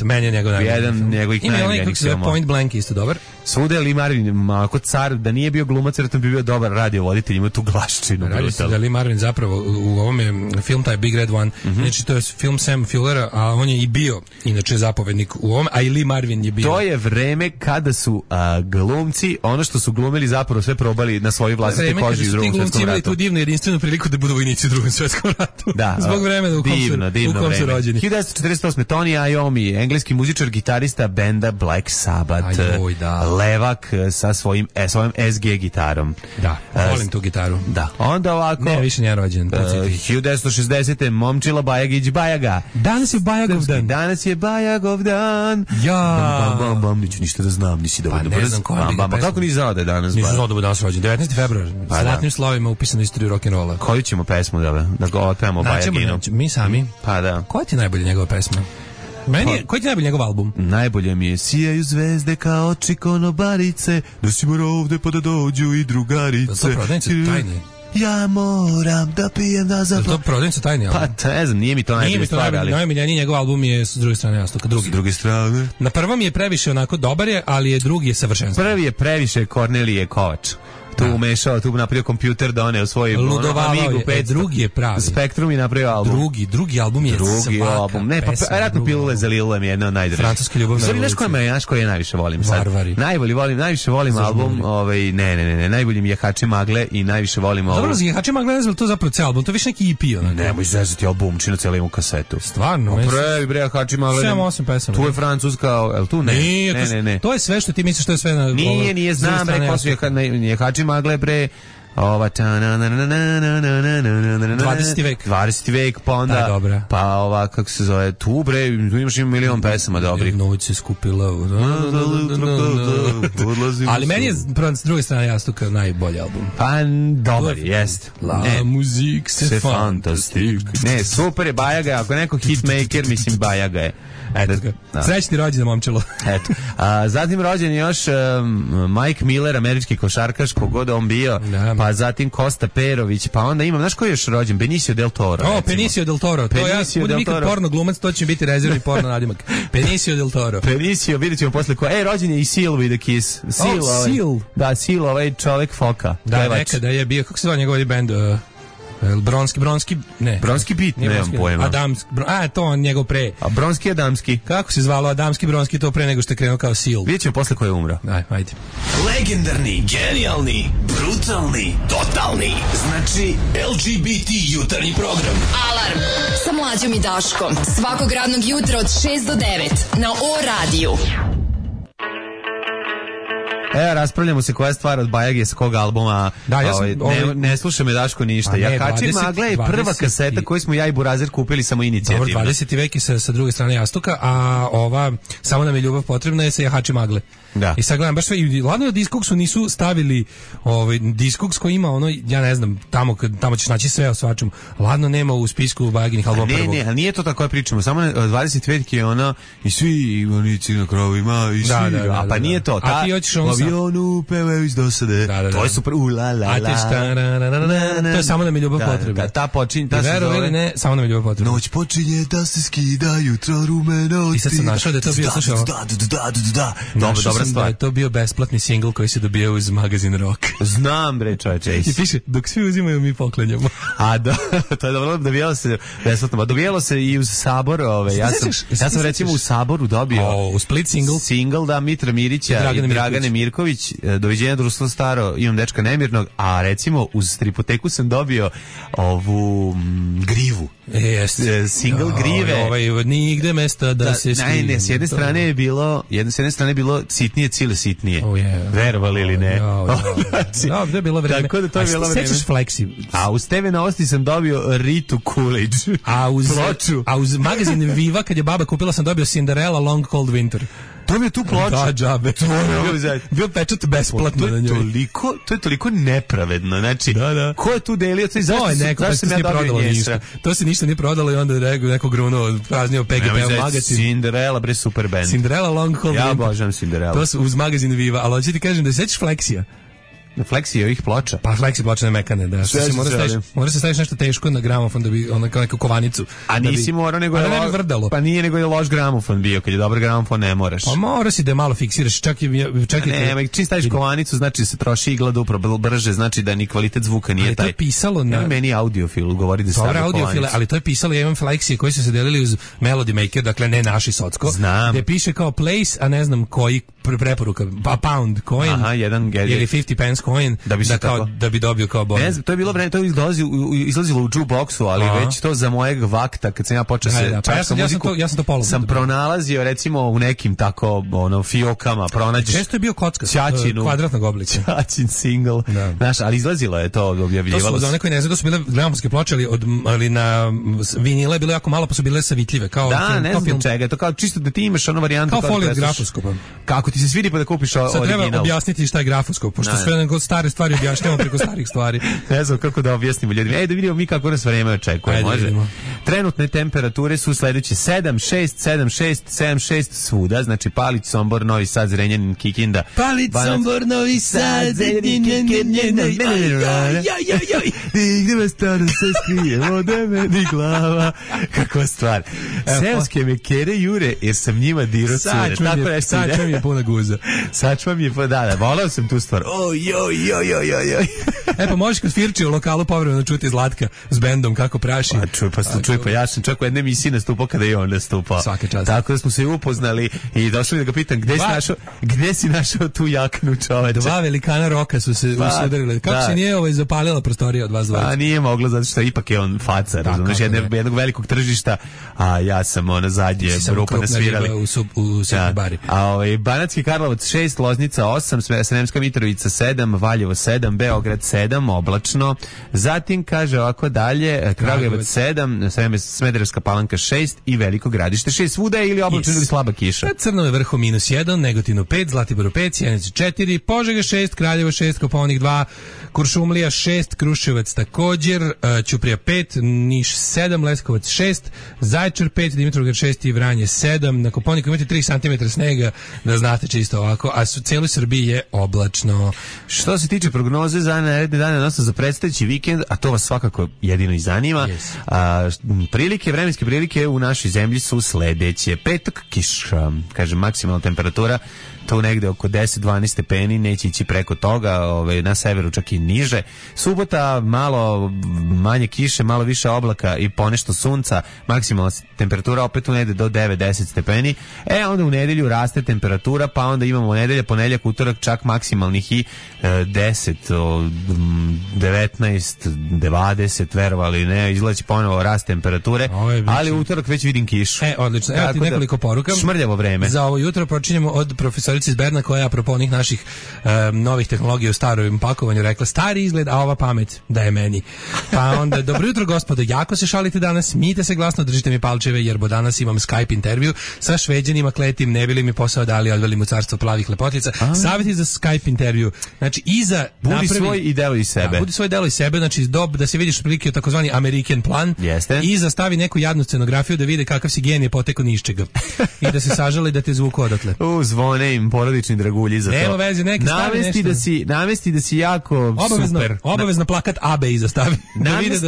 S6: meni je njegov
S5: jedan njegovih najboljenijih filmova.
S6: Point Blank isto dobar.
S5: Svuda je Lee Marvin ako car, da nije bio glumac, vjerojatno bi bio dobar radiovoditelj, ima tu glaščinu.
S6: Radi se da Lee Marvin zapravo u ovom je film taj Big Red One, znači to je film Sam Fullera, a on je i bio inače zapovednik u ovom, a i Lee Marvin je bio.
S5: To je vreme kada su glumci, ono što su glumili zapravo sve probali na svojoj vlastitoj koži u Drugom svjetskom ratu.
S6: Imali tu divnu jedinstvenu priliku da budu vojnici u Drugom svjetskom ratu. Da, zbog vremena u kom su rođeni.
S5: 1948. Tony Iommi, engleski muzičar, gitarista benda Black Sabbath. Levak sa svojom SG gitarom.
S6: Da, volim tu gitaru.
S5: Da. Onda ovako...
S6: Ne, više nije rođen.
S5: 1960. Momčila Bajagić Bajaga.
S6: Danas je Bajagov dan.
S5: Danas je Bajagov dan.
S6: Ja.
S5: Bam, neću ništa da znam, nisi dovoljno brz. Pa kako nisi znao da je danas?
S6: Nisam znao da je danas rođen. 19. februar. Sa zlatnim slovima upisano istoriju rock'n'rolla.
S5: Koju ćemo pesmu da ga otpevamo Bajaginu?
S6: Mi sami.
S5: Pa da.
S6: Koja ti je najbolja njegova pesma? Koji ti je najbolji njegov album?
S5: Najbolje mi je Sijaju zvezde kao oči konobarice, nosimo ovde pa da dođu i drugarice.
S6: To prodavnice tajne.
S5: Ja moram da pijem da zaplam.
S6: To prodavnice tajne.
S5: Pa ne znam, nije mi to najbolje stvar, ali...
S6: Najmiljeniji njegov album je S druge strane jastuka.
S5: S druge strane.
S6: Na prvom je previše onako dobar je, ali je drugi je savršenstvo.
S5: Prvi je previše Kornelije Kovač. Tu umešao, tu napravio kompjuter, doneo svoj Amigu 500.
S6: Drugi je pravi.
S5: Spektrum i napravio album.
S6: Drugi album je svaka.
S5: Ne, pa vjerojatno Pilule za Lilulem je jedna od najdražih.
S6: Francuska ljubavna
S5: revolucija. Znaš koji ja najviše volim sad?
S6: Varvari.
S5: Najviše volim album, ne, najbolji mi je Jahači magle i najviše volim ovo.
S6: Dobro, Jahači magle ne znam, to zapravo ceo album, to je više neki EP.
S5: Nemoj zezati album, čino cijelu imu kasetu.
S6: Stvarno?
S5: Previ Jahači magle.
S6: 7-8 pesama.
S5: Tu je Francuska, el tu ne.
S6: Ne. To je sve što ti misliš, to je sve na...
S5: Nije, znam, rekao su Jahači magle, bre, ova
S6: 20. vek.
S5: 20. vek, pa onda pa ova, kako se zove, tu bre, tu imaš milion pesama dobrih.
S6: Noć se skupila. Ali meni je s druge strane jastuka najbolji album.
S5: Pa dobar, jest.
S6: La muzik se fantastik.
S5: Ne, super je, Bajaga, ako neko hitmaker, mislim Bajaga je.
S6: Srećni rođendan, momčilo.
S5: Eto. Zatim rođen je još Mike Miller, američki košarkaš, kogod on bio, pa zatim Kosta Perović, pa onda imam, znaš ko je još rođen? Benicio del Toro.
S6: Benicio del Toro. To ja budem ikad porno glumac, to će biti rezervni porno nadimak. Benicio del Toro.
S5: Benicio, vidjet ćemo posle ko. Rođen je i Seal with a Kiss. Seal. Da, Seal, ovaj čovek foka.
S6: Da, nekada je bio, kako se zove njegov bend? Bronski, ne.
S5: Bronski beat, nemam pojma.
S6: To on njegov pre.
S5: A Bronski Adamski.
S6: Kako se zvalo Adamski Bronski to pre nego što je krenuo kao Seal?
S5: Vidjet ćemo posle ko je umro.
S6: Ajde.
S7: Legendarni, genijalni, brutalni, totalni. Znači LGBT jutarnji program.
S4: Alarm sa Mlađom i Daškom. Svakog radnog jutra od 6 do 9 na O-radiju.
S5: Raspravljamo se koja je stvar od Bajage sa kog albuma. Da, ne sluša me Daško ništa. Jahači magle je prva kaseta koju smo ja i Burazer kupili samo inicijativno.
S6: Dobro, 20. vek je sa druge strane jastuka, a ova Samo nam je ljubav potrebna je sa Jahači magle.
S5: Da.
S6: I sad gledam baš sve, i ladno je Discogsu nisu stavili Discogs koji ima ono, ja ne znam, tamo ćeš naći sve o svačemu. Ladno nema u spisku Bajaginih albuma prvog.
S5: Ne, ali nije to tako je pričamo. Samo 20 vek je ona i svi ivanici na krovima i svi. A pa nije to.
S6: A ti hoćeš ono
S5: avionu pevaju iz dosade. To je super.
S6: To je Samo nam je ljubav potrebna.
S5: Ta počinje,
S6: ta se zove. Ili ne, Samo nam je ljubav potrebna.
S5: Noć počinje da se skida, jutro rumeno.
S6: I sad sam našao da je to bio, slušao. Dobra stvar. Da je to bio besplatni singl koji se dobio uz magazin Rock.
S5: Znam, bre, čoveče.
S6: I piše, dok svi uzimaju, mi poklanjamo.
S5: A da, to je dobro, dobijalo se besplatno. Dobijalo se i uz Sabor. Ja sam recimo u Saboru dobio
S6: u Split
S5: single, da, Mitra Mirića i Dragane Mirković, Doviđenja društvo staro, imam dečka nemirnog, a recimo uz Stripoteku sam dobio ovu Grivu. Single Grive.
S6: Nigde mesta da se skrivi.
S5: Ne, s jedne strane je bilo sitnije, cile sitnije. Verovali ili ne?
S6: Da, to je bilo vreme.
S5: Tako da to je bilo vreme.
S6: Sećaš Flexi?
S5: A uz TV Novosti sam dobio Ritu Coolidge.
S6: A uz magazin Viva, kad je baba kupila, sam dobio Cinderella Long Cold Winter.
S5: To mi je tu ploča.
S6: Da, džabe. Bio pečat besplatno na njoj.
S5: To je toliko nepravedno. Znači, ko je tu delio? Zašto sam ja dobio nješta?
S6: To se ništa nije prodalo i onda je neko grunuo, praznio PGP magazin.
S5: Cinderella, bre, super band.
S6: Cinderella Long Cold Winter.
S5: Ja obožavam Cinderella.
S6: To su uz magazin Viva, ali hoću ti kažem da sećaš Flexija.
S5: Flexi ovih ploča.
S6: Pa Flexi pločane mekane, da. Mora se staviš nešto teško na gramofon da bi ono kao neku kovanicu.
S5: A nisi morao nego je
S6: vrdalo.
S5: Pa nije nego je loš gramofon bio, kad je dobar gramofon ne moraš.
S6: Pa mora si da je malo fiksiraš, čak i
S5: čim staviš kovanicu, znači se troši igla duplo brže, znači da ni kvalitet zvuka nije taj.
S6: Ali to je pisalo na
S5: meni audiofil govori da
S6: stavlja audiofile, ali to je pisalo, ja imam Flexi koji su se delili uz Melody Maker, dakle ne naši socko.
S5: Znam.
S6: Gde piše kao place, a ne znam koji preporuka, pa pound coin.
S5: Aha, jedan
S6: ili 50 pence coin da bi dobio kao bonus.
S5: Ne znam, to je bilo vreme, to izlazilo u jukeboxu, ali već to za mojeg vakta kad sam ja počeo se čačkam muziku.
S6: Ja sam to polovno.
S5: Sam pronalazio recimo u nekim tako fiokama, pronađeš.
S6: Često je bio kocka kvadratnog oblika.
S5: Ćaćin single. Znaš, ali izlazilo je to, objavljivalo.
S6: To su za one koji ne znaju, to su bile gramofonske ploče, ali na vinile je bilo jako malo, pa su bile sa vitljive kao
S5: da, ne znam čega, to kao čisto da ti imaš ono varijantu
S6: kao folija od grafoskopa.
S5: Kako ti se svidi pa da kupiš original.
S6: Sad treba objasniti šta je grafoskop, pošto sve nego stare stvari objašnjavamo preko starih stvari.
S5: Ne znam kako da objasnimo ljudima. Da vidimo mi kako nas vreme očekuje. Može. Trenutne temperature su sledeće 7, 6 svuda, znači Palić, Sombor, Novi Sad, Zrenjanin, Kikinda.
S6: Palić, Sombor, Novi Sad, Zrenjanin, Kikinda.
S5: Gdje me stvarno se skrije od meni glava. Kakva stvar. Seoske me kere jure jer sam njima dirao cure.
S6: Sačva mi je puna guza.
S5: Sačva mi je, da, volao sam tu stvar.
S6: Pa možeš kod Firči u lokalu povremeno čuti Zlatka s bendom kako praši.
S5: Pa ja sam čak u jedne emisiji nastupao kada je on nastupao.
S6: Svaka čast.
S5: Tako da smo se upoznali i došli da ga pitam gde si našao tu jaknu, čoveče.
S6: Dva velikana roka su se usudarili. Kako se nije zapalila prostorija od vas dvojica?
S5: Nije moglo, zato što ipak je on faca, razumiješ, jednog velikog tržišta, a ja sam zadnje rupa nasvirali.
S6: U Svetoj Bari.
S5: Banatski Karlovac 6, Loznica 8, Sremska Mitrovica 7, Valjevo 7, Beograd 7, oblačno. Zatim kaže ovako dalje, Kragujevac 7, Smederevska Palanka 6 i Veliko Gradište 6. Svuda je ili oblačno ili slaba kiša.
S6: Crnome Vrhu -1, Negotinu 5, Zlatiboru 5, Sjenici 4, Požega 6, Kraljevo 6, Kopaonik 2, Kuršumlija 6, Kruševac također, Ćuprija 5, Niš 7, Leskovac 6, Zaječar 5, Dimitrovgrad 6 i Vranje 7. Na Kopaoniku imate 3 cm snega, da znate čisto ovako, a u cijeloj Srbiji je oblačno.
S5: Što se tiče prognoze za naredne dane, odnosno za predstojeći vikend, a to vas svakako jedino i zanima, vremenske prilike u našoj zemlji su sledeće. Petak kiša, kaže maksimalna temperatura to negde oko 10-12 stepeni, neće ići preko toga, na severu čak i niže. Subota malo manje kiše, malo više oblaka i ponešto sunca, maksimalna temperatura opet u negde do 9-10 stepeni. Onda u nedelju raste temperatura, pa onda imamo nedelja, ponedeljak, utorak čak maksimalnih i 10, 19, 20, verovali ne, izlazi ponovo rast temperature, ali utorak već vidim kišu.
S6: Odlično, evo ti nekoliko poruka.
S5: Šmrljavo vreme.
S6: Za ovo jutro počinjemo od profesorice iz Berna koja je apropo onih naših novih tehnologija u starom pakovanju rekla stari izgled, a ova pamet da je meni. Pa onda, dobro jutro gospodo, jako se šalite danas, smijte se glasno, držite mi palčeve jer bo danas imam Skype intervju sa Šveđanima kletim, ne bili mi posao dali, odveli mu carstvo plavih lepotica. Savjeti za Skype intervju. Znači,
S5: budi svoj i delo iz sebe.
S6: Budi svoj delo iz sebe, znači da se vidiš prilike takozvani American plan.
S5: Jeste.
S6: I zastavi neku jadnu scenografiju da vide kakav si genije poteko ni iz čega. I da se sažali da te zvuku odatle.
S5: Zvone im porodični dragulji za to.
S6: Nema veze, neki stavi nešto.
S5: Navesti da si jako super.
S6: Obavezno plakat AB iza stavi. Da vide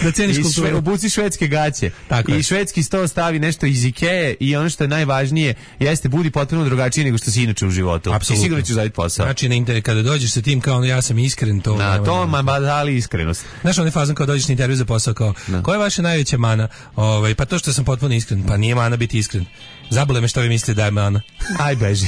S6: da ceniš kulturu.
S5: Obuci švedske gaće.
S6: Tako
S5: i švedski sto stavi nešto iz Ikee i ono što je najvažnije jeste budi potpuno drugačiji nego što si inače u životu.
S6: Apsolutno.
S5: I sigurno ćeš zaditi posao.
S6: Znači na intervju kada dođeš sa tim kao ja sam iskren, to
S5: dali iskrenost.
S6: Znaš onaj fazon kao dođeš na intervju za posao kao koja je vaša najveća mana? Pa to što sam potpuno iskren. Pa nije mana biti iskren. Zabole me što vi mislite da je mana.
S5: Aj beži.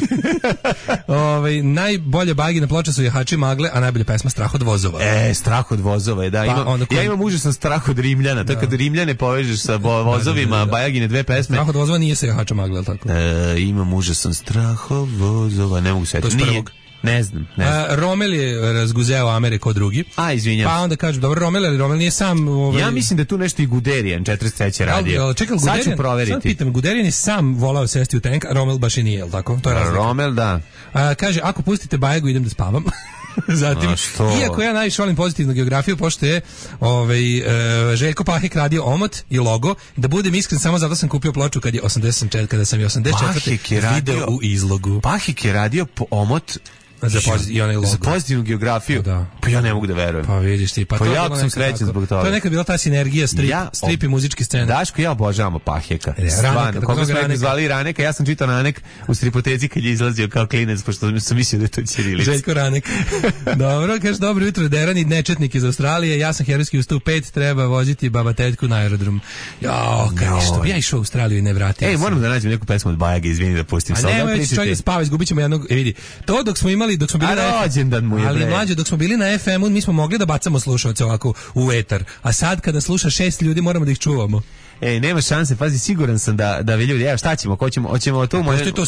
S6: Najbolje bagina ploča su Jahači magle, a najbolja pesma Strah od vozova.
S5: Strah od vozova je, da. Ja imam užasan strah od Rimljana. To kad Rimljane povežeš sa vozovima, Bajagine dve pesme.
S6: Strah od vozova nije sa Jahača magle, ali tako?
S5: Imam užasan strah od vozova, ne mogu setiti.
S6: To je prvog.
S5: Ne znam.
S6: Rommel je razguzeo Ameriku drugi.
S5: Izvinjam.
S6: Pa onda kažu, dobro, Rommel nije sam...
S5: Ja mislim da tu nešto i Guderian 43. radio.
S6: Čekaj, Guderian,
S5: sad ću proveriti.
S6: Sad pitam, Guderian je sam volao sesti u tank, a Rommel baš i nije, jel tako? To je razlika.
S5: Rommel, da.
S6: Kaže, ako pustite Bajagu, idem da spavam. Zatim, iako ja najviše volim pozitivnu geografiju, pošto je Željko Pahek radio omot i logo, da budem iskren, samo zato sam kupio ploču kada sam je 84. video u izlogu.
S5: Pahek je radio omot
S6: i onaj logo.
S5: Za pozitivnu geografiju?
S6: Da.
S5: Pa ja ne mogu da verujem.
S6: Pa vidiš ti.
S5: Pa jako sam srećan zbog toga.
S6: To je nekad bila ta sinergija strip i muzičke scene.
S5: Daško, ja obožavam Paheka. Stvarno, koga smo nekog zvali Raneka, ja sam čitao Ranek u stripoteci kad je izlazio kao klinec, pošto sam mislio da je to ćirilica.
S6: Željko Ranek. Dobro, kaže, dobro jutro, derani nečetnik iz Australije, ja sam herojski ustao u 5, treba voziti baba tetku na aerodrom. Što bi ja išao u Australiju i ne vratio.
S5: Ej, moram da nađem neku pesmu od Bajage, izvini da pustim.
S6: A nema, već čovjek da spava, izgubit ćemo jednog, vidi. To dok smo bili na
S5: rođendan mu je,
S6: ali mlađe, dok smo bili na FM-u, mi smo mogli da bacamo slušalce ovako u etar. A sad kada sluša 6 ljudi, moramo da ih čuvamo.
S5: Ej, nema šanse, pazi, siguran sam da vi ljudi, evo šta ćemo, hoćemo to
S6: moje... Pošto je to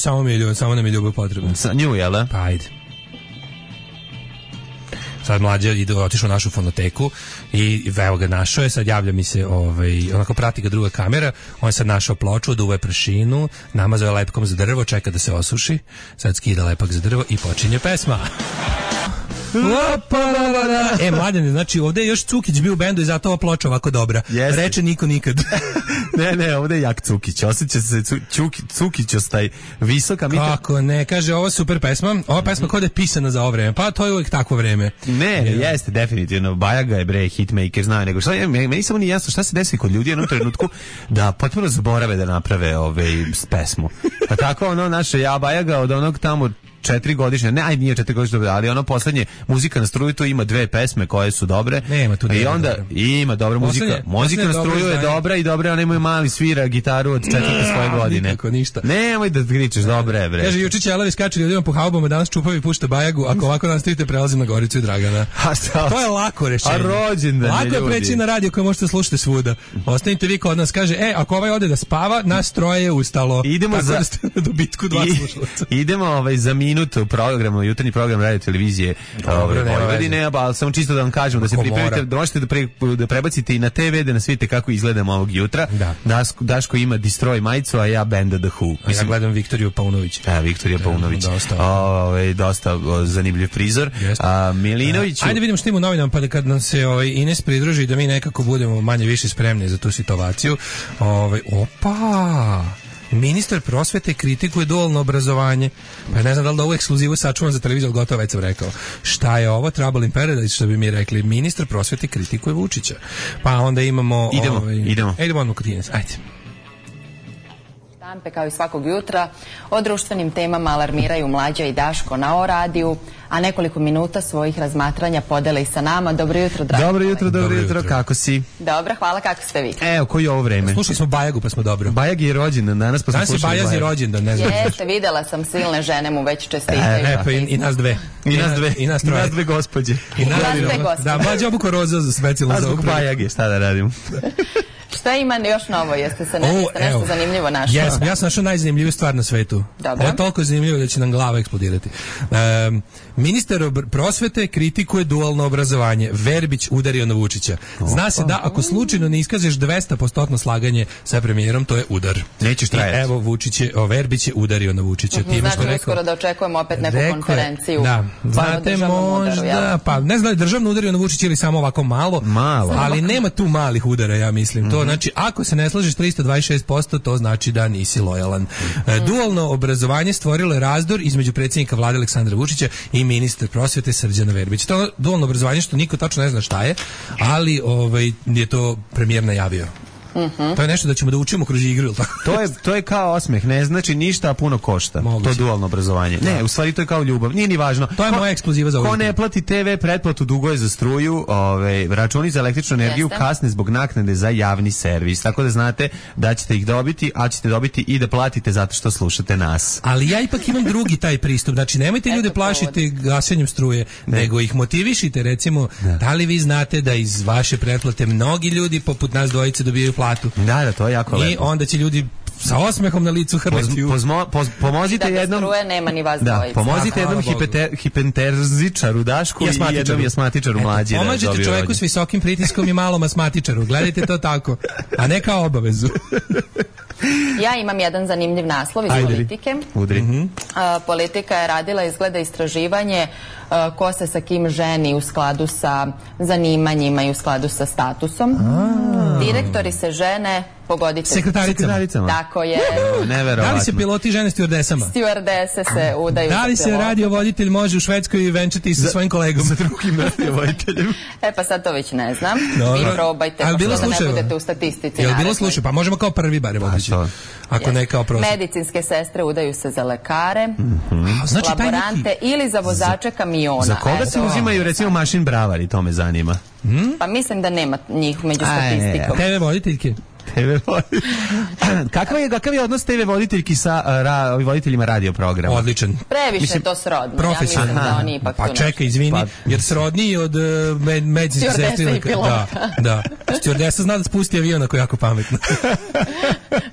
S6: samo nam je ljubav potrebno.
S5: Sa nju, jel da?
S6: Pa ajde. Sad mlađe otišao u našu fonoteku i evo ga našao je, sad javlja mi se, onako prati ga druga kamera, on je sad našao ploču, duve prašinu, namazao je lepkom za drvo, čeka da se osuši, sad skida lepak za drvo i počinje pesma. Mladen, znači ovdje je još Cukić bio u bendu i zato ova ploča ovako dobra. Jeste. Reče niko nikad.
S5: ne, ovdje je jak Cukić. Osjeća se Cukić ostaj visoka.
S6: Kako ne, kaže, ovo super pesma. Ova pesma kod je pisana za ovo vreme. Pa to je uvijek takvo vreme.
S5: Ne, jeste, definitivno. Bajaga je bre hitmaker, znaju. Nego meni samo nije jasno šta se desi kod ljudi u jednom trenutku da potpuno zaborave da naprave pesmu. Pa tako naše Bajaga od onog tamo 4 godišnje, nije 4 godišnje, ali ono poslednje Muzika na struju, to ima 2 pesme koje su dobre.
S6: Nema tu.
S5: I onda ima dobra muzika. Muzika na struju je dobra i dobra, ona ima mali svira gitaru od 4. svoje godine.
S6: Nikako ništa.
S5: Nemoj da kričeš, dobre je bre.
S6: Kaže Jučić Jelavi skače ljudima po haubama, danas čupavi pušta Bajagu, ako ovako nastavite prelazim na Goricu i Dragana. To je lako rešenje.
S5: A rođendan je ljudi.
S6: Lako je preći na radio koje možete slušati svuda. Ostanite vi kod nas, kaže, ako ovaj ode da spava, nas troje je ustalo.
S5: Idemo za
S6: dobitku 2 slušalaca.
S5: Idemo za minut u programu, jutarnji program radio televizije Vojvodine, ali samo čisto da vam kažem da se pripremite, da možete da prebacite i na TV, da nas vidite kako izgledamo ovog jutra. Daško ima Destroy majicu, a ja Band of the Who.
S6: Ja gledam Viktoriju Paunović.
S5: Viktorija Paunović. Dosta zanimljiv prizor. Milinović.
S6: Ajde vidimo što ima u novinama, pa da kad nam se Ines pridruži, da mi nekako budemo manje više spremni za tu situaciju. Ministar prosvete kritikuje dualno obrazovanje. Pa ne znam da li da ovu ekskluzivu sačuvam za televiziju, ali gotovo već sam rekao. Šta je ovo? Trouble in Paradise, što bi mi rekli. Ministar prosvete kritikuje Vučića. Pa onda imamo... Idemo odmah kod Ines. Ajde.
S8: Štampe kao i svakog jutra o društvenim temama alarmiraju Mlađa i Daško na O radiju, a nekoliko minuta svojih razmatranja podele i sa nama. Dobro jutro, dragi.
S5: Dobro jutro, kako si?
S8: Dobro, hvala, kako ste vi?
S5: Evo, koji je ovo vreme?
S6: Slušali smo Bajagu, pa smo dobro.
S5: Bajag je rođendan danas, pa smo slušali
S6: Bajagu. Danas je rođendan, ne znam.
S8: Jeste, videla sam, silne žene mu već čestitaju.
S6: Pa i nas dve.
S5: I nas dve gospođe.
S6: Da, Mlađa obuko roza za specijalno za
S5: ovog Bajage, šta da radim?
S8: Šta ima još novo? Jeste se nešto zanimljivo našao?
S6: Ja sam našao najzanimljiviju stvar na svetu.
S8: Dobro.
S6: Ovo je toliko zanimljivo da će nam glava eksplodirati. Ministar prosvete kritikuje dualno obrazovanje. Verbić udario na Vučića. Zna se da ako slučajno ne iskažeš 200% slaganje sa premijerom, to je udar.
S5: Nećeš trajati.
S6: I evo Verbić je udario na Vučića.
S8: Znači uskoro da očekujemo opet neku konferenciju.
S6: Da, znate možda, pa ne znam da je državno udario na Vučića ili samo ovako malo, ali nema tu malih udara, ja mislim. To znači, ako se ne slažeš 326%, to znači da nisi lojalan. Dualno obrazovanje stvorilo je razdor između predsjednika vlade Aleksandra Vučića i ministra prosvete Srđana Verbića. To dualno obrazovanje što niko tačno ne zna šta je, ali je to premijer najavio. To je nešto da ćemo da učimo kroz igru, ili tako?
S5: To je kao osmeh, ne znači ništa, a puno košta. To je dualno obrazovanje. Ne, u stvari to je kao ljubav. Nije ni važno.
S6: To je moja ekskluziva za ovo.
S5: Ko ne plati TV pretplatu, dugo je za struju, računi za električnu energiju kasne zbog naknade za javni servis. Tako da znate da ćete ih dobiti, a ćete dobiti i da platite zato što slušate nas.
S6: Ali ja ipak imam drugi taj pristup. Znači, nemojte ljude plašiti gašenjem struje, nego ih motivišite. Recimo, da li vi znate da iz vaše pretplate mnogi ljudi poput nas dvojice dobijaju platu?
S5: Da, to je jako lepo.
S6: I onda će ljudi sa osmehom na licu hrvati.
S5: Pomozite jednom...
S8: Da, struje nema ni vas dvojice.
S5: Pomozite jednom hipertenzičaru Dašku i jednom jasmatičaru Mlađi.
S6: Pomažete čovjeku s visokim pritiskom i malom astmatičaru. Gledajte to tako. A ne kao obavezu.
S8: Ja imam jedan zanimljiv naslov iz politike. Politika je radila izgleda istraživanje ko se sa kim ženi u skladu sa zanimanjima i u skladu sa statusom. Direktori se žene Pogodite.
S6: Sekretaricama.
S8: Tako je.
S5: Neverovatno.
S6: Da li se piloti žene stewardesama?
S8: Stewardese se udaju.
S6: Da li se radiovoditelj može u Švedskoj venčati sa svojim kolegom?
S5: Sa drugim radiovoditeljem.
S8: Pa sad to već ne znam.
S6: Dobro.
S8: Vi probajte, pošto da ne budete u statistici.
S6: Je li bilo slučaj? Pa možemo kao prvi barem otići. Ako ne kao prosjek.
S8: Medicinske sestre udaju se za lekare,
S6: znači,
S8: laborante ili za vozače kamiona.
S5: Za koga se uzimaju recimo mašin bravari, to me zanima.
S8: Pa mislim da nema njih među statistikom.
S6: TV voditeljke.
S5: Kakav je odnos TV voditeljki sa voditeljima radio programa?
S6: Odličan.
S8: Previše to srodno. Ja mislim da oni ipak
S6: pa čekaj, izvini, jer srodniji od medicinske sestre. Da. Stewardesa zna da spusti avion ako je jako pametno.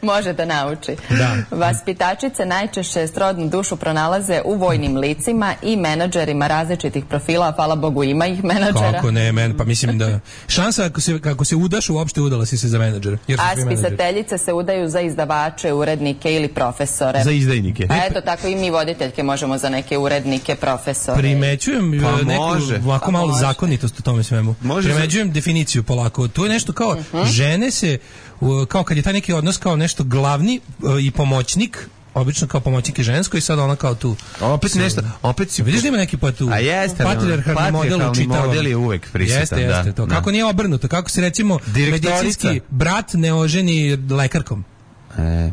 S8: Može da nauči.
S6: Da.
S8: Vaspitačice najčešće srodnu dušu pronalaze u vojnim licima i menadžerima različitih profila, hvala Bogu ima ih menadžera.
S6: Kako ne, pa mislim da šansa kako se udaš uopšte udala si se za menadžera.
S8: A spisateljice se udaju za izdavače, urednike ili profesore.
S5: Za izdajnike.
S8: A eto, tako i mi voditeljke možemo za neke urednike, profesore.
S6: Primećujem neku ovako malu zakonitost u tome svemu. Primećujem definiciju polako. To je nešto kao žene se, kao kad je taj neki odnos kao nešto glavni i pomoćnik, obično kao pomoćnik je žensko i sad ona kao tu.
S5: Opet nešto, opet si...
S6: Vidiš da ima neki pa tu.
S5: A jeste,
S6: patrijarhalni model
S5: je uvek prisutan.
S6: Jeste, to. Kako nije obrnuto, kako se recimo medicinski brat ne oženi lekarkom.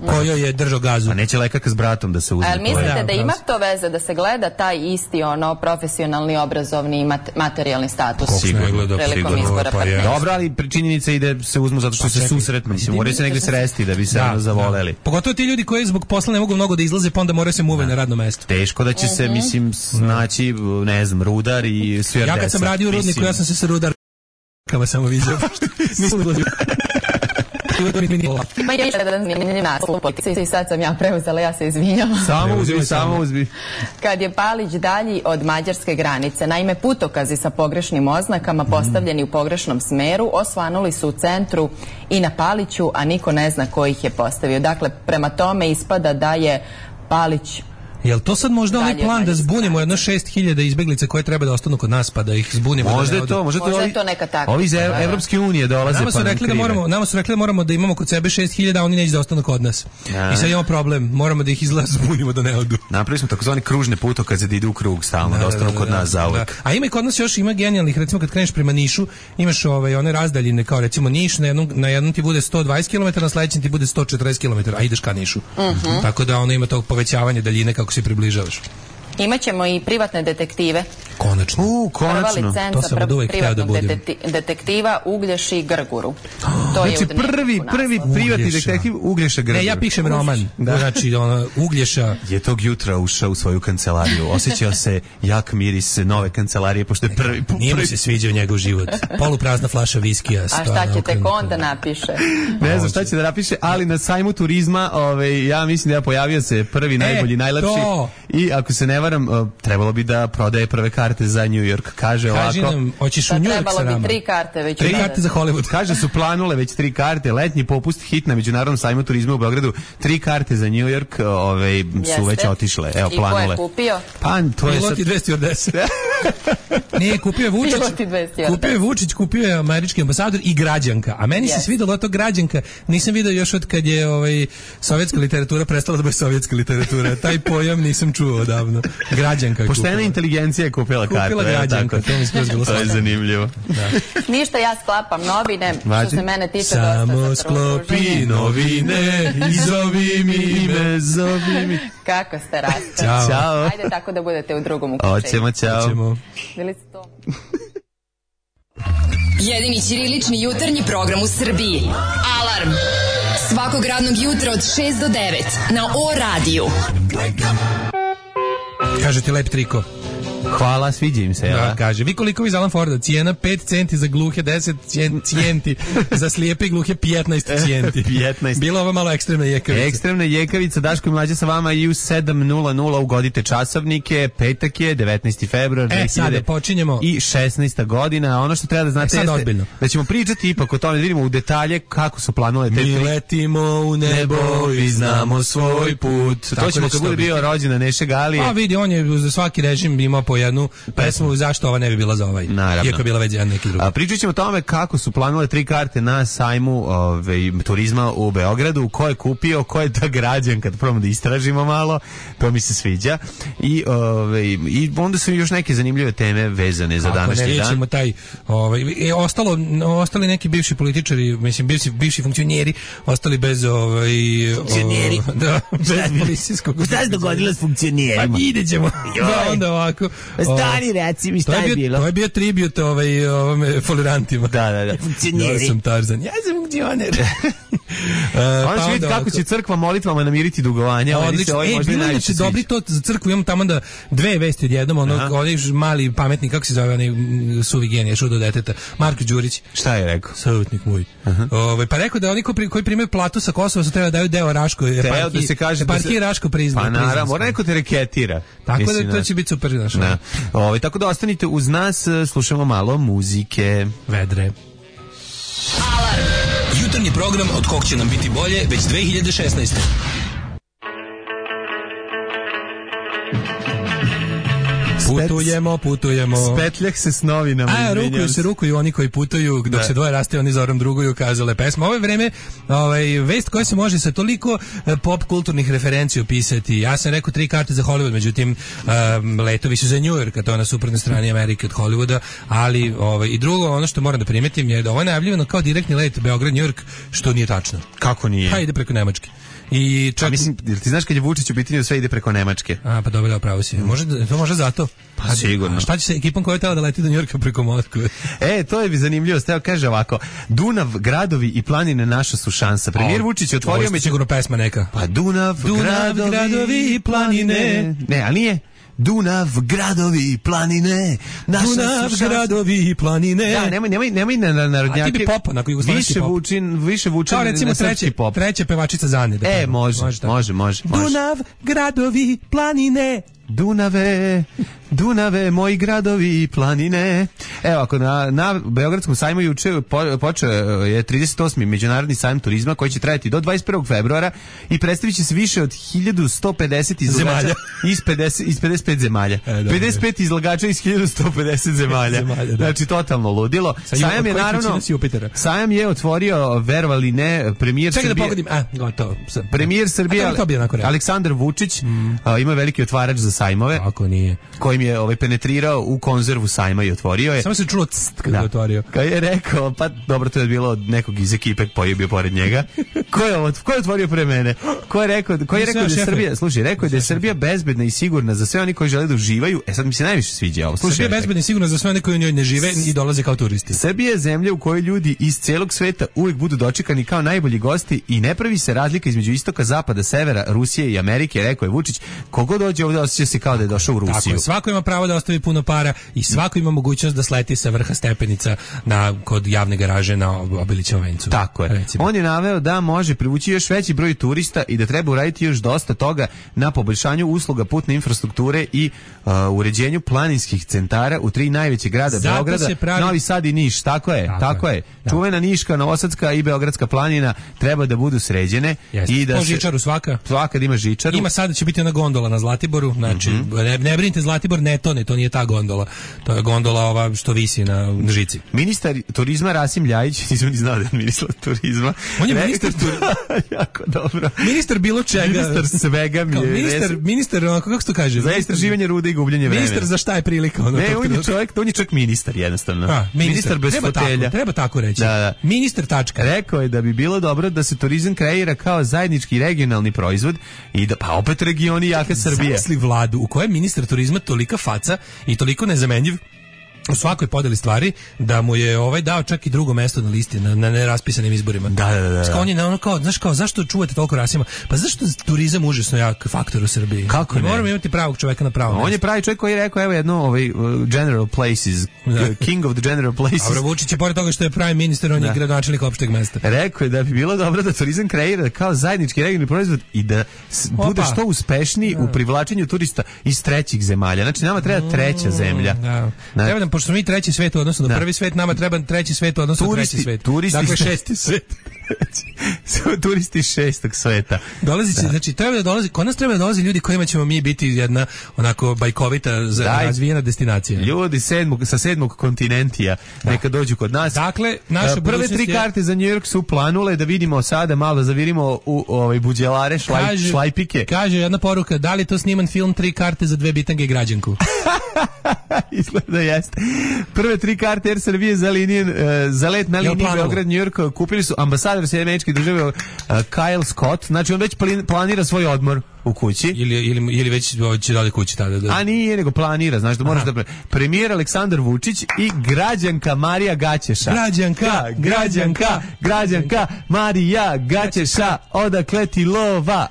S6: Kojoj je držao gazu.
S5: A neće lekarka s bratom da se uzme.
S8: Ali mislite da ima to veze da se gleda taj isti profesionalni, obrazovni i materijalni status prilikom izbora partnera?
S5: Dobro, ali činjenica ide se uzmu zato što se susretnu. Mislim, moraju se negde sresti da bi se zavoleli.
S6: Pogotovo ti ljudi koji zbog posla ne mogu mnogo da izlaze, pa onda moraju se muve na radno mesto.
S5: Teško da će se, mislim, naći, ne znam, rudar i stewardesa.
S6: Ja kad sam radio u rudniku, ja sam se sa rudarkama samo vidio. Nisam ulazio.
S8: Ma je jedan zanimljiv naslov i sad sam ja preuzela, ja se izvinjam.
S5: Samo uzbi.
S8: Kad je Palić dalji od mađarske granice, naime putokazi sa pogrešnim oznakama postavljeni u pogrešnom smeru osvanuli su u centru i na Paliću, a niko ne zna ko ih je postavio. Dakle, prema tome ispada da je Palić...
S6: Jel to sad možda ovaj plan da zbunimo jedno 6.000 izbeglica koje treba da ostanu kod nas pa da ih zbunimo?
S5: Možda je to neka takva. Ovi iz Evropske unije dolaze
S6: nama su rekli da moramo da imamo kod sebe 6.000, a oni neće da ostanu kod nas. I sad imamo problem, moramo da ih zbunimo da ne odu.
S5: Napravili smo takozvani kružne putokaze da idu u krug stalno, da ostanu kod nas zauvek.
S6: A ima i kod nas još ima genijalnih, recimo kad kreneš prema Nišu, imaš one razdaljine kao recimo Niš, na jednom ti bude 120 km, na sledećem ti bude 140 km, a ideš ka Nišu. Tako da ono ima to povećavanje daljine kako se približavaš.
S8: Imaćemo i privatne detektive.
S6: Konačno.
S8: Prva licenca privatnog detektiva Uglješi Grguru.
S5: Znači prvi privatni detektiv Uglješa Grguru.
S6: Ja pišem roman. Znači Uglješa
S5: je tog jutra ušao u svoju kancelariju. Osjećao se jak miris nove kancelarije pošto je prvi put.
S6: Nije mu se sviđao njegov život. Poluprazna flaša viskija.
S8: A šta će tek onda napiše?
S5: Ne znam šta će da napiše, ali na sajmu turizma ja mislim da je pojavio se prvi najbolji, najlepši. I ako se ne varam, trebalo bi da prodaje prve karte za New York. Kaže ovako.
S6: Nam, hoćeš u New York sa nama?
S8: 3 karte već.
S6: 3 karte za Hollywood.
S5: Kaže su planule već 3 karte. Letnji popust hit na Međunarodnom sajmu turizma u Beogradu. 3 karte za New York su već otišle. Evo planule.
S8: I ko je kupio?
S5: Pa to je sad...
S6: Pilot i 210. Nije, kupio je Vučić. Kupio je Vučić, kupio je američki ambasador i građanka. A meni se svidelo to građanka. Nisam video još od kad je sovjetska literatura prestala da bude sovjetska literatura. Taj pojam nisam čuo odavno. Građanka je kupila.
S5: Poštena inteligencija je kupila kartu.
S6: Kupila građanka, to mi skroz bilo.
S5: To je zanimljivo.
S8: Ništa, ja sklapam novine, što se mene tiče
S6: samo sklopi novine i zovi mi ime, zovi mi.
S8: Kako ste rasti?
S5: Ćao.
S8: Ajde tako da budete u drugom uključenju.
S5: Hoćemo, ćao.
S8: Bili ste to?
S4: Jedini ćirilični jutarnji program u Srbiji. Alarm! Svakog radnog jutra od 6 do 9 na O-radiju.
S6: Kaže ti lep triko.
S5: Hvala, sviđa im se.
S6: Da, kaže, vi koliko iz Alan Forda, cijena 5 centi za gluhe, 10 cijenti za slijepe i gluhe, 15 cijenti.
S5: 15.
S6: Bila ova malo ekstremna jekavica.
S5: Ekstremna jekavica, Daško i Mlađa sa vama i u 7:00 ugodite časovnike, petak je, 19. februar, 2016. godina. Ono što treba da znate jeste da ćemo pričati ipak o tome, da vidimo u detalje kako su planule te...
S6: Mi letimo u nebo i znamo svoj put.
S5: To ćemo kad bude bio rođena Neše Galije.
S6: A vidi, on je za svaki režim imao po jednu pesmu, zašto ova ne bi bila za ovaj?
S5: Naravno.
S6: Iako je bila već jedan neki drugi.
S5: Pričat ćemo o tome kako su planule 3 karte na sajmu turizma u Beogradu, ko je kupio, ko je ta građan, kad probamo da istražimo malo, to mi se sviđa. I onda su još neke zanimljive teme vezane za današnji dan.
S6: Ćemo taj, ostali neki bivši političari, mislim, bivši funkcioneri, ostali bez
S5: funkcioneri?
S6: Da, bez policijskog.
S5: Šta se dogodilo s funkcionerima?
S6: Pa vidjet ćemo. Da, onda ovako.
S5: Stani, reci mi šta je bilo.
S6: To je bio tribut ovome folirantima.
S5: Da.
S6: Funkcioneri. Ja sam Tarzan. Ja sam funkcioner.
S5: Onda će vidjeti kako će crkva molitvama namiriti dugovanja.
S6: Odlično. Bilo je će dobri to za crkvu. Imam tamo da 2 vesti odjednom. Onaj mali pametnik, kako se zove, onaj suvi genije, šudo deteta, Marko Đurić.
S5: Šta je rekao?
S6: Savjetnik moj. Pa rekao da oni koji primaju platu sa Kosova su treba da daju deo Raško.
S5: Teo da se kaže da se
S6: Raško priznao.
S5: Pa naravno, mora neko te reketira.
S6: Tako da to će biti super.
S5: Tako da ostanite uz nas, slušamo malo muzike.
S6: Vedre.
S7: Alarm! Jutarnji program od kog će nam biti bolje već 2016.
S6: Putujemo.
S5: Spetljak se s novinama.
S6: Rukuju oni koji putuju, dok se dvoje raste, oni zorom druguju, kazale pesma. Ovo je vreme, vest koja se može sa toliko pop kulturnih referencija opisati. Ja sam rekao 3 karte za Hollywood, međutim, letovi su za New York, a to je na suprotnoj strani Amerike od Hollywooda, ali i drugo, ono što moram da primetim je da ovo je najavljivano kao direktni let Beograd-New York, što nije tačno.
S5: Kako nije?
S6: Pa ide preko Nemačke. I čak...
S5: mislim, ti znaš kad je Vučić u pitanju sve ide preko Nemačke?
S6: Pa dobro, pravo si. To može zato.
S5: Pa sigurno.
S6: A šta će se ekipom koja je tela da leti do Njujorka preko Moskve?
S5: To je zanimljivo. Evo kaže ovako: Dunav, gradovi i planine naša su šansa. Premijer Vučić otvorio mi
S6: sigurno pesma neka.
S5: Pa Dunav, gradovi i planine. Ne, ali nije. Dunav, gradovi i planine.
S6: Dunav, gradovi i planine.
S5: Da, nemoj na narodnjake.
S6: A ti bi popa, na jugoslavenski pop.
S5: Više vučin
S6: kao recimo treća pevačica Zane. Da
S5: može.
S6: Dunav, gradovi, planine.
S5: Dunave, moji gradovi i planine. Evo, ako na Beogradskom sajmu juče počeo je 38. međunarodni sajam turizma koji će trajati do 21. februara i predstavit će se više od 1150 izlagača iz 55 zemalja. 55 izlagača iz 1150 zemalja. Znači, totalno ludilo. Sajam je naravno, sajam je otvorio, verovali ne, premijer Srbije.
S6: Čekaj da pogodim, gotovo.
S5: Premijer Srbije Aleksandar Vučić ima veliki otvarač za sajmove.
S6: Ako nije.
S5: Kojim je penetrirao u konzervu sajma i otvorio je.
S6: Samo se čulo cst kada je otvorio.
S5: Kad je rekao, pa dobro, to je bilo od nekog iz ekipe koji je bio pored njega. Ko je otvorio pre mene? Ko je rekao da je Srbija, slušaj, rekao je da je Srbija bezbedna i sigurna za sve oni koji žele da uživaju. Sad mi se najviše sviđa ovo. Slušaj,
S6: Srbija je bezbedna i sigurna za sve oni koji u njoj ne žive i dolaze kao turisti.
S5: Srbija je zemlja u kojoj ljudi iz celog sveta uvijek budu dočekani kao najbolji gosti i ne pravi se razlika između istoka, zapada, severa, Rusije i Amerike, rekao je Vučić. Kogo dođe ovdje osjeća se kao da je došao u Rusiju.
S6: Tako, svako ima pravo da ostavi puno para i svako ima mogućnost da sleti sa vrha stepenica kod javne garaže na Obilićevom vencu.
S5: Tako je. Recimo. On je naveo da može privući još veći broj turista i da treba uraditi još dosta toga na poboljšanju usluga putne infrastrukture i uređenju planinskih centara u 3 najveće grada Beograda, Novi Sad i Niš. Tako je. Da. Čuvena Niška, Novosadska i Beogradska planina treba da budu sređene.
S6: I da žičaru svaka
S5: da ima žičaru.
S6: Ima sada će biti ona gondola na Zlatiboru, znači ne brinite, Zlatibor ne tone, to nije ta gondola. To je gondola ova što visi na žici.
S5: Ministar turizma Rasim Ljajić, nisam ni znao da je ministar turizma.
S6: On je ministar turizma.
S5: Jako dobro.
S6: Ministar bilo čega.
S5: Ministar svega mi je.
S6: Ministar, kako se to kaže?
S5: Za istraživanje rude i gubljenje vremena.
S6: Ministar za šta je prilika?
S5: On je čovjek ministar jednostavno. Ministar bez fotelja.
S6: Treba tako reći.
S5: Da.
S6: Ministar tačka.
S5: Rekao je da bi bilo dobro da se turizam kreira kao zajednički regionalni proizvod i da pa opet regioni jaka Srbija.
S6: Zamisli vladu u kojoj ministar turizma tolika faca i toliko nezamenjiv u svakoj podeli stvari da mu je dao čak i drugo mesto na listi na neraspisanim izborima.
S5: Da.
S6: On je zašto čuvate toliko Rasima? Pa zašto turizam užasno jak faktor u Srbiji?
S5: Kako ne?
S6: Moramo imati pravog čoveka na pravom mestu.
S5: On je pravi čovjek koji je rekao General Places, King of the General Places.
S6: Dobro, Vučić je pored toga što je pravi ministar, on je gradonačelnik opšteg mesta.
S5: Rekao je da bi bilo dobro da turizam kreira kao zajednički regionalni proizvod i da bude što uspešniji u privlačenju turista iz trećih zemalja. Znači nama treba treća zemlja.
S6: Treba nam, pošto smo mi treći svet u odnosu na prvi svet, nama treba treći svet u odnosu na treći svet.
S5: Dakle,
S6: 6. svet.
S5: Su turisti šestog sveta.
S6: Dolazi se, znači treba da dolazi, kod nas treba da dolazi ljudi kojima ćemo mi biti jedna onako bajkovita razvijena destinacija.
S5: Ljudi sa sedmog kontinentija neka dođu kod nas.
S6: Dakle, naše
S5: prve 3 karte za New York su planule, da vidimo sada malo da zavirimo u buđelare, šlajpike.
S6: Kaže jedna poruka, da li to sniman film 3 karte za 2 bitange i građanku?
S5: Izgleda jeste. Prve 3 karte Air Srbije za let na liniji Beograd-New York kupili su ambasador Američkih država Kyle Scott. Znači on već planira svoj odmor u kući.
S6: Ili već će da ode kući tada.
S5: A nije, nego planira, znaš da moraš da... Premijer Aleksandar Vučić i građanka Marija Gaćeša. Građanka Marija Gaćeša. Odakle ti lova?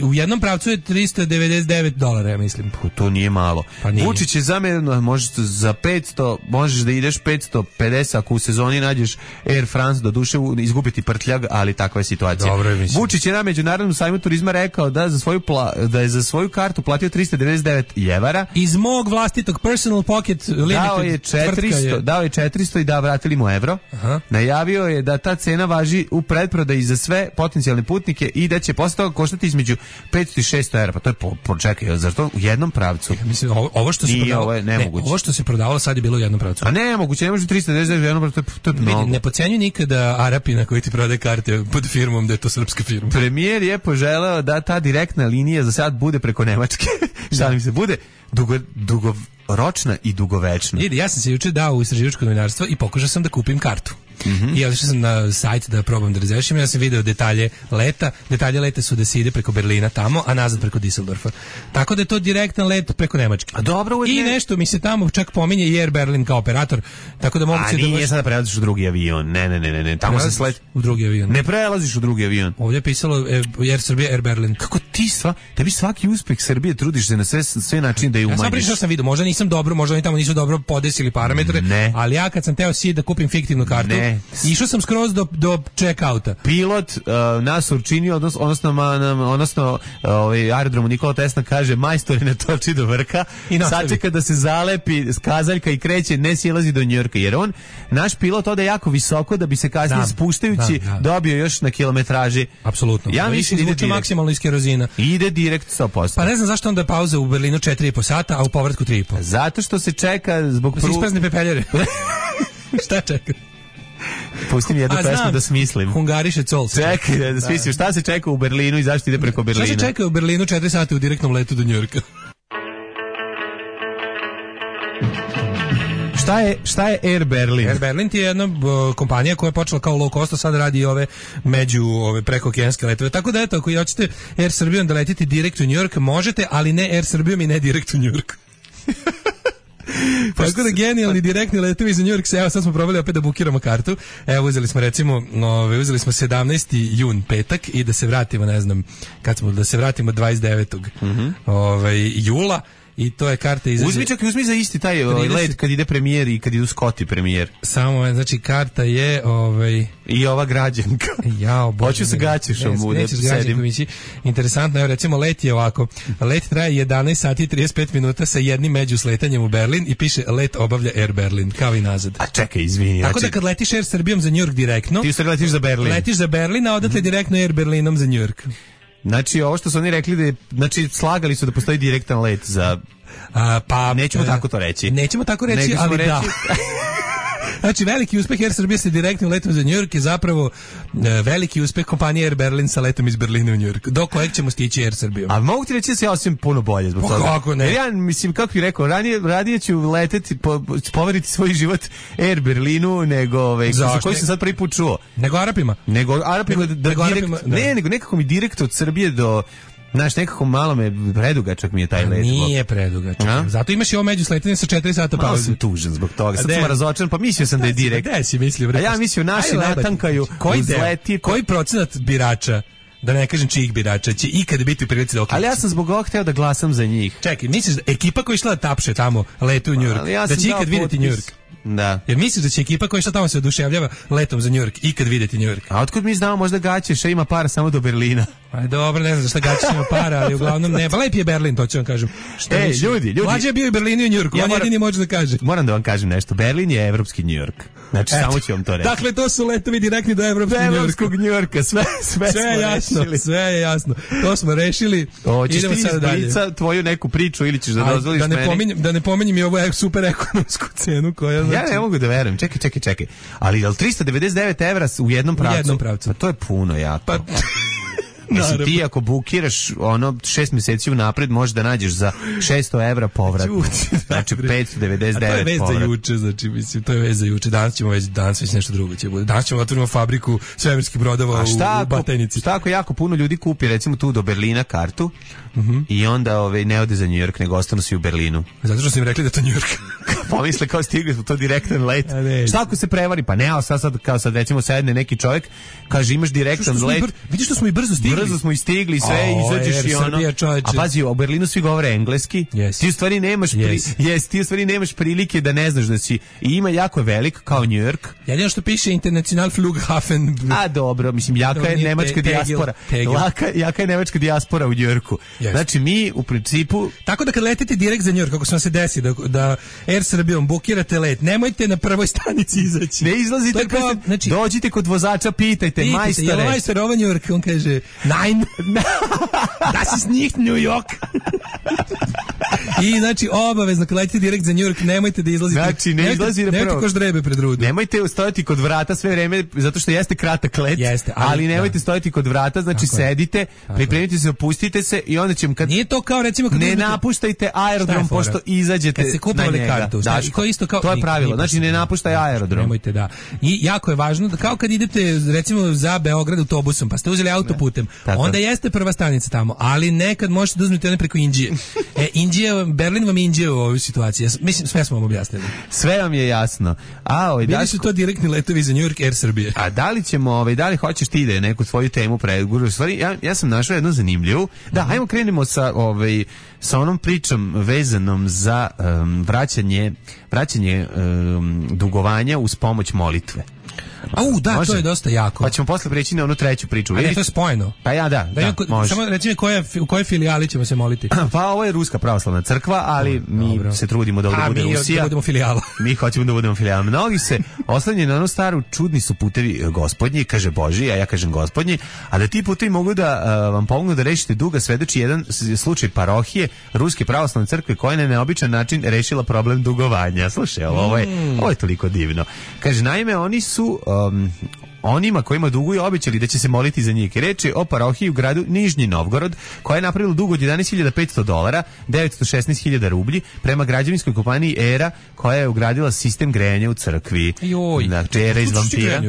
S6: U jednom pravcu je $399, ja mislim.
S5: To nije malo. Vučić je zamjerno, možeš za 500, možeš da ideš 550 ako u sezoni nađeš Air France, do duše izgubiti prtljag, ali takva je situacija. Vučić je na Međunarodnom sajmu turizma rekao da je za svoju kartu platio $399.
S6: Iz mog vlastitog personal pocket limited
S5: dao je 400 i vratili mu evro. Najavio je da ta cena važi u pretprodaji za sve potencijalne putnike i da će posle toga koštati između 500 i 600 evra. Pa to je počekaj, zar to u jednom pravcu?
S6: Ja mislim, ovo što se prodavalo sad je bilo u jednom pravcu.
S5: A nemoguće, ne može 399 u jednom pravcu, to je mnogo.
S6: Ne podcenjuj nikada Arapina koji ti prodaje karte pod firmom da je to srpska firma.
S5: Premijer je poželeo da ta direktna linija za sad bude preko Nemačke. Šta mi se bude? Dugoročna i dugovečna.
S6: Ja sam se juče dao u istraživačko novinarstvo i pokušao sam da kupim kartu. I otišao sam na sajt da probam da razrešim. Ja sam video detalje leta. Detalje leta su da se ide preko Berlina tamo, a nazad preko Düsseldorfa. Tako da je to direktan let preko Nemačke.
S5: A dobro,
S6: i nešto mi se tamo čak pominje i Air Berlin kao operator. Tako da moguće da
S5: nije sada prelaziš u drugi avion. Ne. Tamo se sled
S6: u drugi avion.
S5: Ne prelaziš u drugi avion.
S6: Ovdje je pisalo Air Srbija, Air Berlin.
S5: Kako tebi svaki uspeh Srbije trudiš se na sve načine da je umanjiš.
S6: Ja sam pričao, sam video, možda nisam dobro, možda oni tamo nisu dobro podesili parametre, ali ja kad sam teo da kupim fiktivnu kartu, išao sam skroz do check-outa.
S5: Pilot nas učinio, odnosno aerodromu Nikola Tesla kaže, majstor je ne toči do vrha, sačeka da se zalepi kazaljka i kreće, ne silazi do Njujorka, jer naš pilot ode jako visoko da bi se kasnije spuštajući dobio još na kilometraži.
S6: Apsolutno.
S5: Ja mislim da ide
S6: maksimalno iz kerozina.
S5: Ide direkt 100%.
S6: Pa ne znam zašto onda je pauza u Berlinu 4,5 sata, a u povratku 3,5.
S5: Zato što se čeka zbog
S6: se isprazne pepeljare. Šta čeka?
S5: Pusti mi jednu pesmu da smislim.
S6: Hungariše Col.
S5: Čekaj, da smislim. Šta se čeka u Berlinu i zašto ide preko Berlina?
S6: Šta se čeka u Berlinu 4 sata u direktnom letu do Njujorka?
S5: Šta je Air Berlin?
S6: Air Berlin je jedna kompanija koja je počela kao low cost, a sad radi ove prekookeanske letove. Tako da eto, ako hoćete Air Srbijom da letite direkt u New York, možete, ali ne Air Srbijom i ne direkt u New York. Tako da genijalni direktni letovi za New York. Evo sad smo probali opet da bukiramo kartu. Evo uzeli smo recimo 17. jun, petak, i da se vratimo, ne znam kad smo, da se vratimo 29. Jula. I to je karta izađe...
S5: Uzmi za isti taj let kad ide premijer i kad idu Scott premijer.
S6: Samo, znači, karta je...
S5: I ova građanka. Hoću se gaćešom da sedim.
S6: Interesantno, evo recimo let je ovako. Let traje 11 sati i 35 minuta sa jednim međusletanjem u Berlin i piše let obavlja Air Berlin, kao i nazad.
S5: A čekaj, izvini.
S6: Tako da kad letiš Air Srbijom za New York direktno...
S5: Ti u stvari letiš za Berlin.
S6: Letiš za Berlin, a odatle direktno Air Berlinom za New York.
S5: Znači, ovo što su oni rekli da je, znači, slagali su da postoji direktan let za... Pa nećemo tako to reći.
S6: Nećemo tako reći, ali da. Znači, veliki uspeh Air Srbije sa direktnim letom za New York je zapravo veliki uspeh kompanije Air Berlin sa letom iz Berlina u New York. Do kojeg ćemo stići Air Srbijom?
S5: A mogu ti reći da se ja osim puno bolje zbog toga.
S6: Kako ne?
S5: Jer ja, mislim, kako bih rekao, radije ću leteti, poveriti svoj život Air Berlinu nego za koji sam sad prvi put čuo.
S6: Nego Arapima?
S5: Nego nekako mi direkt od Srbije do... Znaš, nekako malo predugačak mi je taj let.
S6: Nije predugačak. Zato imaš i ovo međusletanje sa 4 sata pauze.
S5: Malo sam tužan zbog toga. Sad sam razočaran, pa mislio sam da je direkt.
S6: Gde si mislio?
S5: A ja mislio naši natankaju uzleti.
S6: Koji procenat birača, da ne kažem čijih birača, će ikada biti u prilici da okliči?
S5: Ali ja sam zbog ovog hteo da glasam za njih.
S6: Čekaj, misliš da ekipa koja je išla da tapše tamo letu u New York, da će ikad vidjeti New York?
S5: Da.
S6: Jer misliš da će ekipa koja šta tamo se oduševljava letom za New York ikad vidjeti New York?
S5: A otkud mi znamo, možda Gaćeša ima para samo do Berlina.
S6: Aj dobro, ne znam za šta gaći ima para, ali uglavnom ne. Pa lep je Berlin, to ću vam kažem.
S5: Ljudi.
S6: Mlađe je bio u Berlinu i Njujorku, on jedini može da kaže.
S5: Moram da vam kažem nešto. Berlin je evropski Njujork. Znači, samo ću vam to reći.
S6: Dakle, to su letovi direktni do evropskog
S5: Njujorka. Sve
S6: je jasno, sve je jasno. To smo rešili.
S5: Idemo sada dalje. Tvoju neku priču ili ćeš da dozvoliš meni?
S6: Da ne pominjem i ovu super ekonomsku cenu koja znači...
S5: Ja ne mogu da verujem. Čekaj. Ali je li 399 evra u jednom pravcu?
S6: U jednom pravcu.
S5: Pa to je puno jako. Mislim, ti ako bukiraš 6 mjeseci unapred možeš da nađeš za 600 evra povratno. Znači 599 povratno. To je
S6: vez za juče, znači mislim, to je vez za juče. Danas već nešto drugo će bude. Danas ćemo otvorimo fabriku svemirskih brodova u Batajnici.
S5: Šta ako jako puno ljudi kupi recimo tu do Berlina kartu i onda ne ode za New York, nego ostanu svi u Berlinu.
S6: Zato što su im rekli da to New York.
S5: Pomisle kao stigli smo to direktan let. Šta ako se prevari? Pa ne, sad recimo sedne neki čovjek, kaže imaš direktan let.
S6: Vidiš što smo i brzo stigli.
S5: Brzo smo i stigli, sve izađeš i ono. A pazi, u Berlinu svi govore engleski. Ti u stvari nemaš prilike da ne znaš da si. I ima jako velik kao New York.
S6: Jedino što piše International Flughafen.
S5: A dobro, mislim jaka je nemačka dijaspora. Jaka je nemačka dijaspora u New Yorku. Znači mi u principu.
S6: Tako da kad letite direkt za New York, kako se vam se desi da Air Srbijom bukirate let, nemojte na prvoj stanici izaći.
S5: Ne izlazite, znači, dođite kod vozača, pitajte majstore.
S6: Jel majstor ovo New York? On kaže, nein, das ist nicht New York. I znači obavezno kad letite direkt za New York, nemojte da izlazite.
S5: Znači ne izlazite
S6: nemojte ko ždrebe pred rudu.
S5: Nemojte stojati kod vrata sve vreme, zato što jeste kratak let. Ali nemojte stojati kod vrata, znači sedite, pripremite se, opustite se i onda ćemo kad
S6: nije to kao recimo kad
S5: ne napuštajte aerodrom pošto izađete na njega.
S6: Kartu, to isto kao
S5: to je pravilo, znači ne napuštaj aerodrom.
S6: Nemojte da. I jako je važno da kao kad idete recimo za Beograd autobusom, pa ste uzeli autoputem, onda jeste prva stanica tamo, ali nekad možete da uzmete one preko Inđije. Berlin vam je Inđija u ovoj situaciji. Mislim, sve smo vam objasnili.
S5: Sve vam je jasno.
S6: Bili su to direktni letovi za New York Air Srbije.
S5: A da li ćemo, da li hoćeš ti da neku svoju temu preguraš? Stvari, ja sam našao jednu zanimljivu. Da, ajmo krenemo sa onom pričom vezanom za vraćanje dugovanja uz pomoć molitve.
S6: Da, može? To je dosta jako.
S5: Pa ćemo posle preći na onu treću priču.
S6: A ne, to je spojeno.
S5: Pa može.
S6: Samo recimo u kojoj filijali ćemo se moliti.
S5: Pa ovo je Ruska pravoslavna crkva, ali mi se trudimo da ovdje bude Rusija.
S6: Da budemo filijala.
S5: Mi hoćemo da budemo filijala. Mnogi se oslanjaju na onu staru, čudni su putevi Gospodnji, kaže Božji, a ja kažem Gospodnji, a da ti putevi mogu da vam pomognu da rešite duga, svedoči jedan slučaj parohije Ruske pravoslavne crkve koja je na neobičan način rešila problem dugovanja. Slušaj, ovo je toliko divno. Kaže, naime, oni su onima kojima duguju obećali da će se moliti za njih. Reč je o parohiji u gradu Nižnji Novgorod, koja je napravila dug od $11.500, 916.000 rublji, prema građevinskoj kompaniji ERA, koja je ugradila sistem grejanja u crkvi. Znači, ERA iz vampira.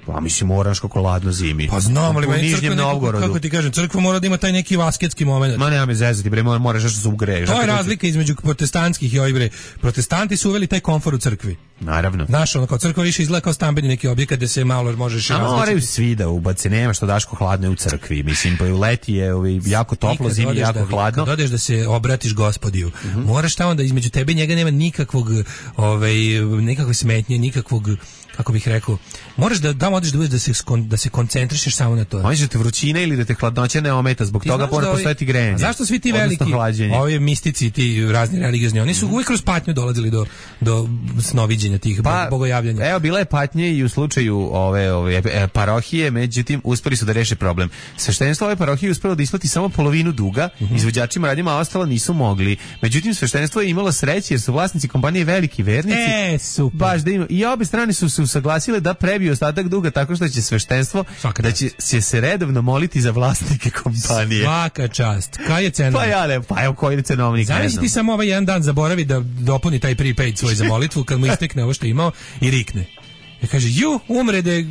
S5: Pa mislim, moraš kako ladno zimi.
S6: Pa znam, ali meni crkva, kako ti kažem, crkva mora da ima taj neki vasketski moment.
S5: Ma nema me zezati, bre, moraš nešto se ugreješ.
S6: To je razlika između protestantskih i ovih, bre. Protestanti su uveli taj komfor u crkvi.
S5: Naravno.
S6: Znaš, ono, kao crkva više izgleda kao stambeni neki objekat gde se malo možeš
S5: različiti. A moraju svi da ubace, nema što Daško hladno je u crkvi. Mislim, pa u leti je jako toplo, zimi je jako hladno.
S6: Kad odeš da se obratiš Gospodiju, moraš tamo da između tebe i njega nema nikakve smetnje, nikakvog, kako bih rekao, moraš da tamo odeš da se koncentrišeš samo na to.
S5: Možeš da te vrućina ili da te hladnoća ne ometa, zbog toga mora postojati grejanje.
S6: A zašto svi ti veliki, ovi mistici, ti razni religiozni, oni su uvijek kroz patnju dolazili do snoviđenja tih bogojavljanja.
S5: Evo, bila je patnje i u slučaju ove parohije, međutim, uspeli su da reše problem. Sveštenstvo ove parohije uspelo da isplati samo polovinu duga, izvođačima radnjima, a ostalo nisu mogli. Međutim, sveštenstvo je imalo sreće jer su vlasnici kompanije veliki vernici.
S6: Super.
S5: Baš da ima. I obe strane su se usaglasile da prebiju ostatak duga tako što će sveštenstvo da će se redovno moliti za vlasnike kompanije.
S6: Svaka čast. Kaj je cena?
S5: Pa evo koji je cenovnik.
S6: Zamisli ti samo ovaj jedan dan zaboravi da dopuni taj prepaid svoj za molitvu kad mu istekne ovo što je imao i rikne. Ja kaže, umrede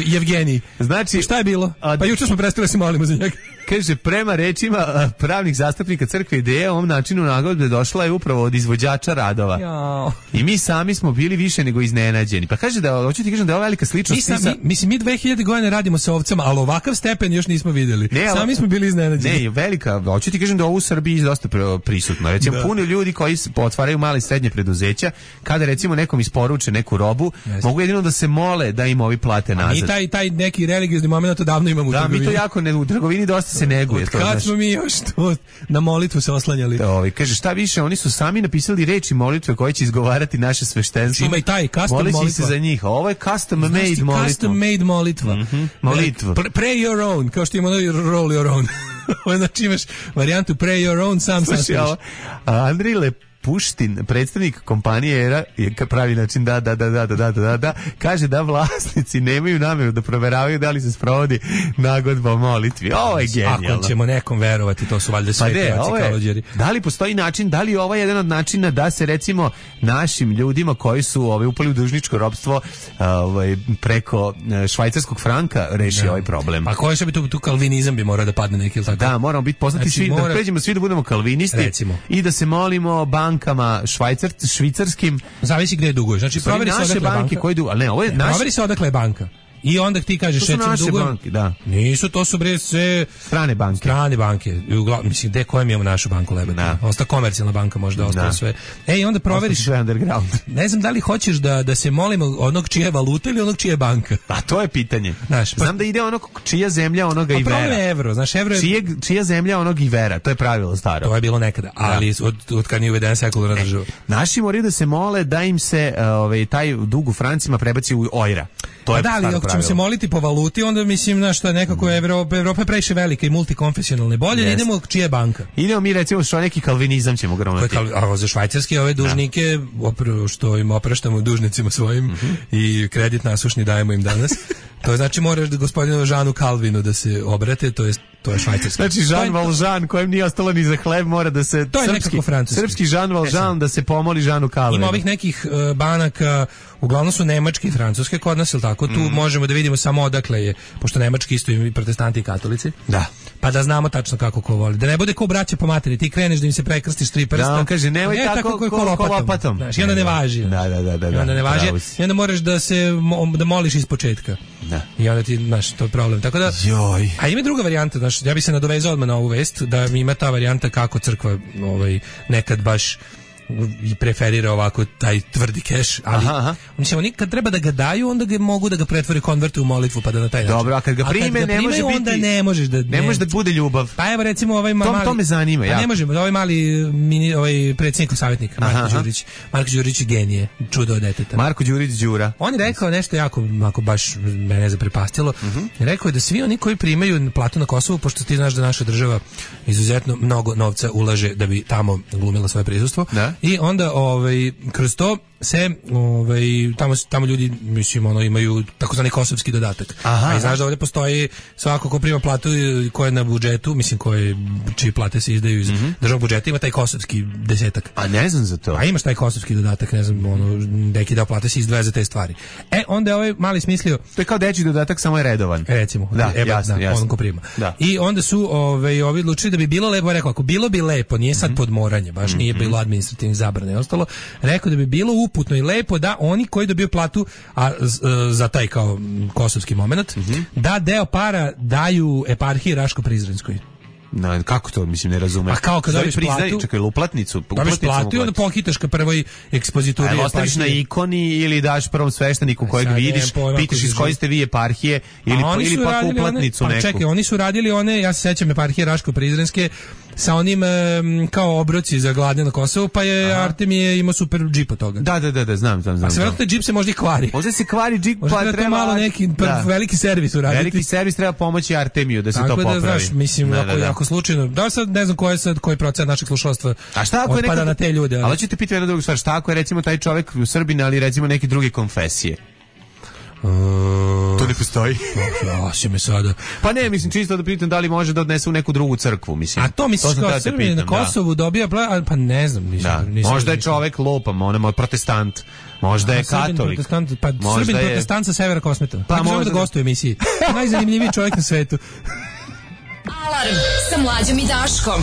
S6: Jevgenij.
S5: Znači,
S6: šta je bilo? Pa juče smo prestali da se molimo za njega.
S5: Kaže, prema rečima pravnih zastupnika crkve ideja o ovom načinu nagodbe došla je upravo od izvođača radova.
S6: Jao.
S5: I mi sami smo bili više nego iznenađeni. Pa kaže da, hoću ti kažem da je ova velika sličnost.
S6: Mi 2000 godina radimo sa ovcama, ali ovakav stepen još nismo vidjeli. Sami smo bili iznenađeni.
S5: Ne, velika, hoću ti kažem da ovo u Srbiji dosta prisutno. Recimo, puno ljudi koji otvaraju male i srednje preduzeća, kada recimo nekom isporuče neku robu, mogu jedino da se mole da im ovi plate nazad.
S6: A mi taj neki religiozni moment odavno imamo u trgovini.
S5: Da, mi to jako u trgovini dosta se neguje.
S6: Kad smo mi još to na molitvu se oslanjali.
S5: Kaže, šta više, oni su sami napisali reči molitve koje će izgovarati naše sveštenstvo.
S6: Ima i taj custom molitva.
S5: Se za njih. Ovo je custom made molitva.
S6: Custom made molitva.
S5: Molitva.
S6: Pray your own, kao što ima roll your own. Znači imaš varijantu pray your own, sam sastaviš.
S5: Andrej Puštin, predstavnik kompanije ERA, pravi način da, kaže da vlasnici nemaju namjeru da proveravaju da li se sprovodi nagodba o molitvi. Ovo je genijalno.
S6: Ako ćemo nekom verovati, to su valjda sve pevaci kalođeri.
S5: Da li postoji način, da li je ovo jedan od načina da se recimo našim ljudima koji su upali u dužničko ropstvo preko švajcarskog franka reši ovaj problem?
S6: A koji bi tu kalvinizam bi morao da padne neki ili tako?
S5: Da, moramo biti poznati svi, da pređemo svi da budemo kalvinisti, recimo, i da se molimo bankama švicarskim.
S6: Zavisi gde duguješ. Znači proveri se odakle banke koji duguju, al ne, ovo je naš. Proveri se odakle je banka. I onda ti kažeš recimo dugujem.
S5: Banke, da.
S6: Nisu, to su bre sve
S5: strane banke.
S6: Strane banke. Mislim gde koje mi imamo našu banku lebati. Osta komercijalna banka možda ostalo sve. Ej, onda proveriš
S5: sve underground.
S6: Ne znam da li hoćeš da se molimo onog čija je valuta ili onog čija je banka.
S5: A to je pitanje. Znaš, znam da ide onog čija zemlja onoga i vera.
S6: Problem je evro, znaš, evro je
S5: čija zemlja onog i vera. To je pravilo staro.
S6: To je bilo nekada, ali od kad nije uvedena sekularna država.
S5: Naši moraju da se mole da im se taj dug u francima prebaci u ojra.
S6: Da, ali ako ćemo se moliti po valuti, onda mislim na što nekako Evropa je previše velika i multikonfesionalna. Bolje da idemo čija je banka.
S5: Idemo mi recimo što neki kalvinizam ćemo gronati.
S6: A za švajcarske ove dužnike, što im opraštamo dužnicima svojim i kredit nasušni dajemo im danas. To znači moraš da gospodinu Žanu Kalvinu da se obrate, to je švajcarski.
S5: Znači Jean Valjean kojem nije ostalo ni za hleb mora da se
S6: to je nekako francuski.
S5: Srpski Jean Valjean da se pomoli Žanu Kalvinu.
S6: Ima ovih nekih banaka, uglavnom su nemačke i francuske kod nas, ili tako? Tu možemo da vidimo samo odakle je, pošto nemački isto i protestanti i katolici.
S5: Da.
S6: Pa da znamo tačno kako ko voli. Da ne bude ko braća po materi, ti kreneš da im se prekrstiš 3 prsta.
S5: Da, on kaže nemoj tako kolopatom.
S6: Znaš, i onda ne važi.
S5: Da.
S6: I onda ne važi. I onda moraš da moliš iz početka.
S5: Da.
S6: I onda ti, znaš, to je problem. Tako da, a ima druga varijanta, znaš, ja bi se nadovezao odmah na ovu vest, da mi ima ta varijanta kako crkva nekad baš i preferira ovako taj tvrdi keš, ali mislim, oni kad treba da ga daju, onda ga mogu da ga pretvore konverte u molitvu, pa da na taj način.
S5: Dobro, a kad ga prime, ne može biti,
S6: onda ne možeš da
S5: ne može da bude ljubav.
S6: Pa evo recimo ovaj mali,
S5: to me zanima, ja.
S6: Ne možemo, ovaj mali predsjednikov savjetnik Marko Đurić genije, čudo od deteta.
S5: Marko Đurić Đura.
S6: On je rekao nešto jako baš mene zaprepastilo. Rekao je da svi oni koji primaju platu na Kosovu, pošto ti znaš da naša država izuzetno mnogo novca ulaže da bi tamo glumila svoje prisustvo. I onda kroz to se tamo ljudi mislim imaju takozvani kosovski dodatak. A znaš da ovdje postoji svako ko prima platu koja je na budžetu, mislim čiji plate se izdaju iz državnog budžeta, ima taj kosovski desetak.
S5: A ne znam za to.
S6: A imaš taj kosovski dodatak, ne znam, neki deo plate se izdvaja za te stvari. Onda je ovaj mali smislio.
S5: To je kao dečji dodatak, samo je redovan.
S6: Recimo, jasno. On ko prima. Da. I onda su ovi odlučili da bi bilo lepo, rekao, ako bilo bi lepo, nije sad podmoranje, baš nije bilo administrativnih zabrana i ostalo, rekao da bi bilo uputno i lepo da oni koji dobiju platu za taj kao kosovski moment, da deo para daju eparhiji Raško-Prizrenskoj.
S5: No, kako to, mislim, ne razumem.
S6: A kao kad dobiš platu...
S5: Čekaj, uplatnicu.
S6: Dobiš platu i onda pohitaš ka prvoj ekspozituri.
S5: A ostaviš na ikoni ili daš prvom svešteniku kojeg vidiš, pitaš iz koje ste vi eparhije ili pak uplatnicu neku.
S6: Čekaj, oni su radili one, ja se sećam eparhije Raško-Prizrenske, sa onim kao obroci za gladnje na Kosovu, pa je Artemije imao super džip od toga.
S5: Da, znam.
S6: A sve vjerojatno džip se možda i kvari.
S5: Možda se kvari džip,
S6: pa treba malo neki veliki servis uraditi.
S5: Veliki servis treba pomoći Artemiju da se to popravi.
S6: Tako da, znaš, mislim, ako slučajno, da sad ne znam koji procenat našeg slušalaštva otpada na te ljude.
S5: Ali ćete pitati jednu drugu stvar, šta ako je recimo taj čovjek u Srbiji, ali recimo neke druge konfesije? To ne postoji.
S6: Ja si me sada.
S5: Pa ne, mislim, čisto da pitam da li može da odnese u neku drugu crkvu, mislim.
S6: A to misliš kao Srbije na Kosovu dobija, pa ne znam.
S5: Možda je čovjek lopam, on je protestant. Možda je katolik.
S6: Srbin protestant sa severa Kosmeta. Pa možda da gostuje u emisiji. Najzanimljiviji čovjek na svetu.
S4: Alarm sa Mlađom i Daškom.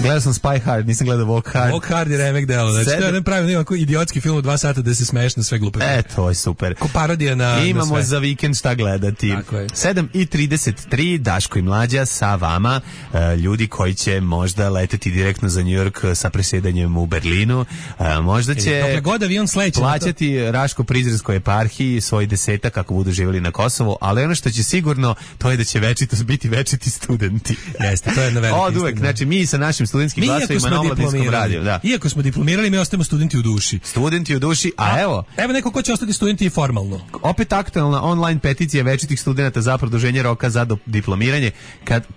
S5: Gledao sam Spy Hard, nisam gledao Walk Hard.
S6: Walk Hard je remek delo. Znači, to je jedan pravi ovako idiotski film u 2 sata da se smeješ na sve glupe.
S5: To je super.
S6: Ko parodija na
S5: Imamo
S6: na
S5: za vikend šta gledati.
S6: Tako je.
S5: 7:33, Daško i Mlađa sa vama, ljudi koji će možda leteti direktno za New York sa presjedanjem u Berlinu. Možda će
S6: dokle god avion sleće
S5: plaćati Raško-Prizrenskoj eparhiji svoj 10 kako budu živjeli na Kosovu, ali ono što će sigurno, to je da će biti večiti studenti.
S6: Jeste, to je jedna velika istina.
S5: Oduvek, znači mi sa našim studentskim glasovima na Omladinskom radiju. Da.
S6: Iako smo diplomirali, mi ostajemo studenti u duši.
S5: Studenti u duši, a evo
S6: neko ko će ostati studenti i formalno.
S5: Opet aktualna online peticija večitih studenata za produženje roka za diplomiranje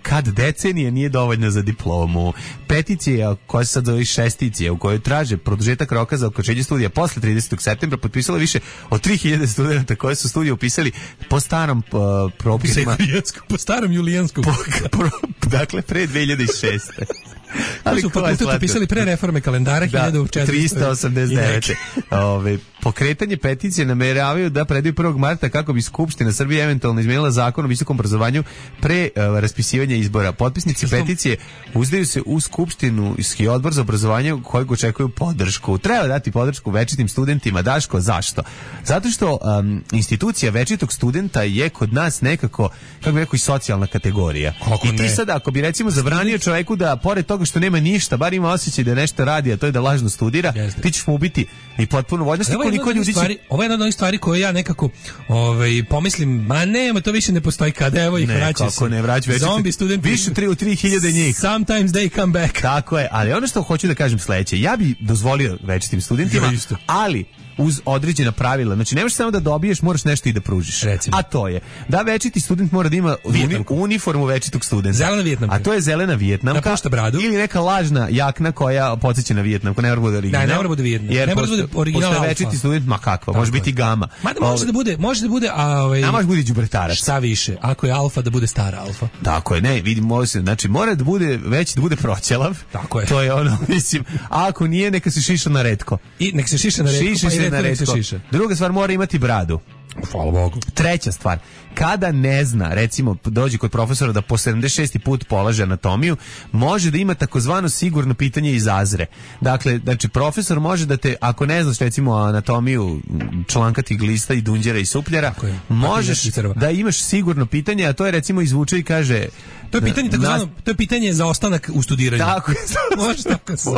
S5: kad decenije nije dovoljno za diplomu. Peticija koja se sad zove šesticija u kojoj traže produžetak roka za okončanje studija posle 30. septembra potpisalo više od 3000 studenata koji su studije upisali po starom propisima.
S6: Po starom julijanskom.
S5: Dakle, pre 2006.
S6: Ali su fakultet upisali pre reforme kalendara
S5: 1489. Pokretanje peticije nameravaju da predaju 1. marta kako bi Skupština Srbije eventualno izmenila zakon o visokom obrazovanju pre raspisivanja izbora. Potpisnici peticije uzdaju se u Skupštinski odbor za obrazovanje kojeg očekuju podršku. Treba dati podršku večitim studentima. Daško, zašto? Zato što institucija večitog studenta je kod nas nekako, kako bi rekao, i socijalna kategorija. I ti sad, ako bi recimo zabranio čoveku da pored toga što nema ništa, bar ima osjećaj da nešto radi, a to je da lažno studira, ti ćeš mu ubiti i potpuno voljnosti.
S6: Ovo je jedna od onih stvari koje ja nekako pomislim, ma nema, to više ne postoji, kada evo ih vraća se.
S5: Ne vraća,
S6: zombi studenti.
S5: Više 3000 njih.
S6: Sometimes they come back.
S5: Tako je, ali ono što hoću da kažem sledeće, ja bi dozvolio večitim studentima, ali uz određena pravila. Znači, nemaš samo da dobiješ, moraš nešto i da pružiš.
S6: Recimo.
S5: A to je da večiti student mora da ima uniformu večitog studenta.
S6: Zelena vijetnamka.
S5: A to je zelena vijetnamka.
S6: Da pušta bradu.
S5: Ili neka lažna jakna koja podsjeća na vijetnamku. Ne mora bude original.
S6: Da, ne mora bude vijetnam.
S5: Jer
S6: ne mora bude original alfa.
S5: Večiti student, ma kakva, može biti gama.
S6: Mada može da bude, a
S5: može bude đubretarac.
S6: Šta više, ako je alfa da bude stara alfa.
S5: Tako je, ne, vidim, znači mora da bude već da bude proćelav.
S6: Tako je.
S5: To je ono, mislim, a ako nije neka se šiša na retko.
S6: I nek se šiša na retko,
S5: šiša se na retko. Druga stvar, mora imati bradu.
S6: Hvala Bogu.
S5: Treća stvar, kada ne zna, recimo dođe kod profesora da po 76. put polaže anatomiju, može da ima takozvano sigurno pitanje iz azre. Dakle, znači profesor može da te, ako ne znaš recimo anatomiju člankatih glista i dunđera i supljera, možeš da imaš sigurno pitanje, a to je recimo izvuče i kaže...
S6: To je pitanje to je pitanje za ostanak u studiranju.
S5: Tako je.
S6: Može tako se.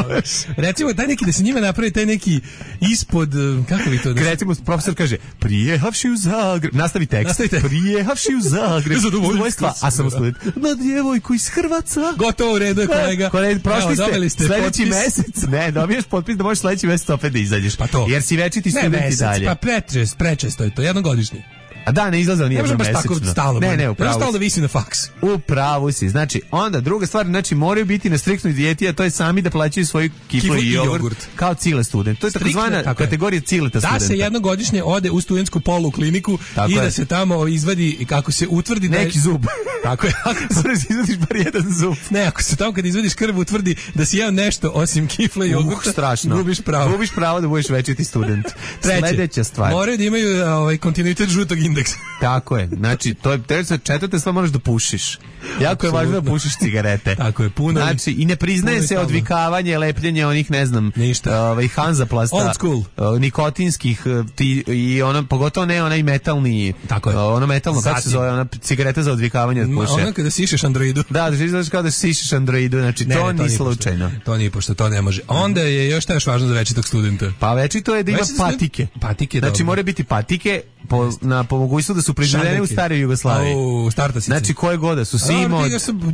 S6: Recimo taj neki da se njima napravi taj neki ispod, kako bi to...
S5: Recimo profesor kaže, prijehavši u Zagreb, nastavi tekst. Prijehavši u Zagreb. Zadovoljstva, a samo student. Na djevojku iz Hrvatska.
S6: Gotovo, u redu je kolega.
S5: Prošli ste sledeći mesec. Ne, dobiješ potpis da možeš sledeći mesec opet da izađeš.
S6: Pa to.
S5: Jer si večiti student i dalje.
S6: Pa prečesto je to, jednogodišnji.
S5: A da, ne izlaza nijedno mesečno.
S6: Ne može baš tako stalno.
S5: Ne, upravo.
S6: Stalno da visi na faks.
S5: Upravo si. Znači, onda druga stvar, znači moraju biti na striktnoj dijeti, a to je sami da plaćaju svoju kiflu i jogurt kao cile student. To je takozvana kategorija cileta studenta.
S6: Da se jednogodišnje ode u studentsku polu kliniku i da se tamo izvadi, kako se utvrdi
S5: neki zub.
S6: Tako je.
S5: Moraš izvadiš bar jedan zub.
S6: Ne, ako se tamo kad izvadiš krv utvrdi da si jeo nešto osim kifle i jogurta,
S5: strašno.
S6: Gubiš pravo.
S5: Gubiš pravo da budeš večiti student. Sledeća stvar.
S6: Moraju da imaju kontinuitet žutog indeksa.
S5: Tako je. Znači, to je četvrta stvar, moraš da pušiš. Jako je važno da pušiš cigarete.
S6: Tako je, puno.
S5: Znači, i ne priznaje se odvikavanje, lepljenje onih, ne znam, Hanzaplasta, nikotinskih i ono, pogotovo ne onaj metalni, ono metalno, kako se zove, ona cigareta za odvikavanje od puše.
S6: Ono kada sišeš androidu.
S5: Da izgledaš kao da sišeš androidu, znači to nije slučajno.
S6: To nije pošto, to ne može. Onda je još šta još važno za večitog studenta?
S5: Pa večito je da ima patike. Znači, mora biti patike, po mogućstvu da su proizvedene u staroj Jugoslaviji. Znači, koje goda su Simo...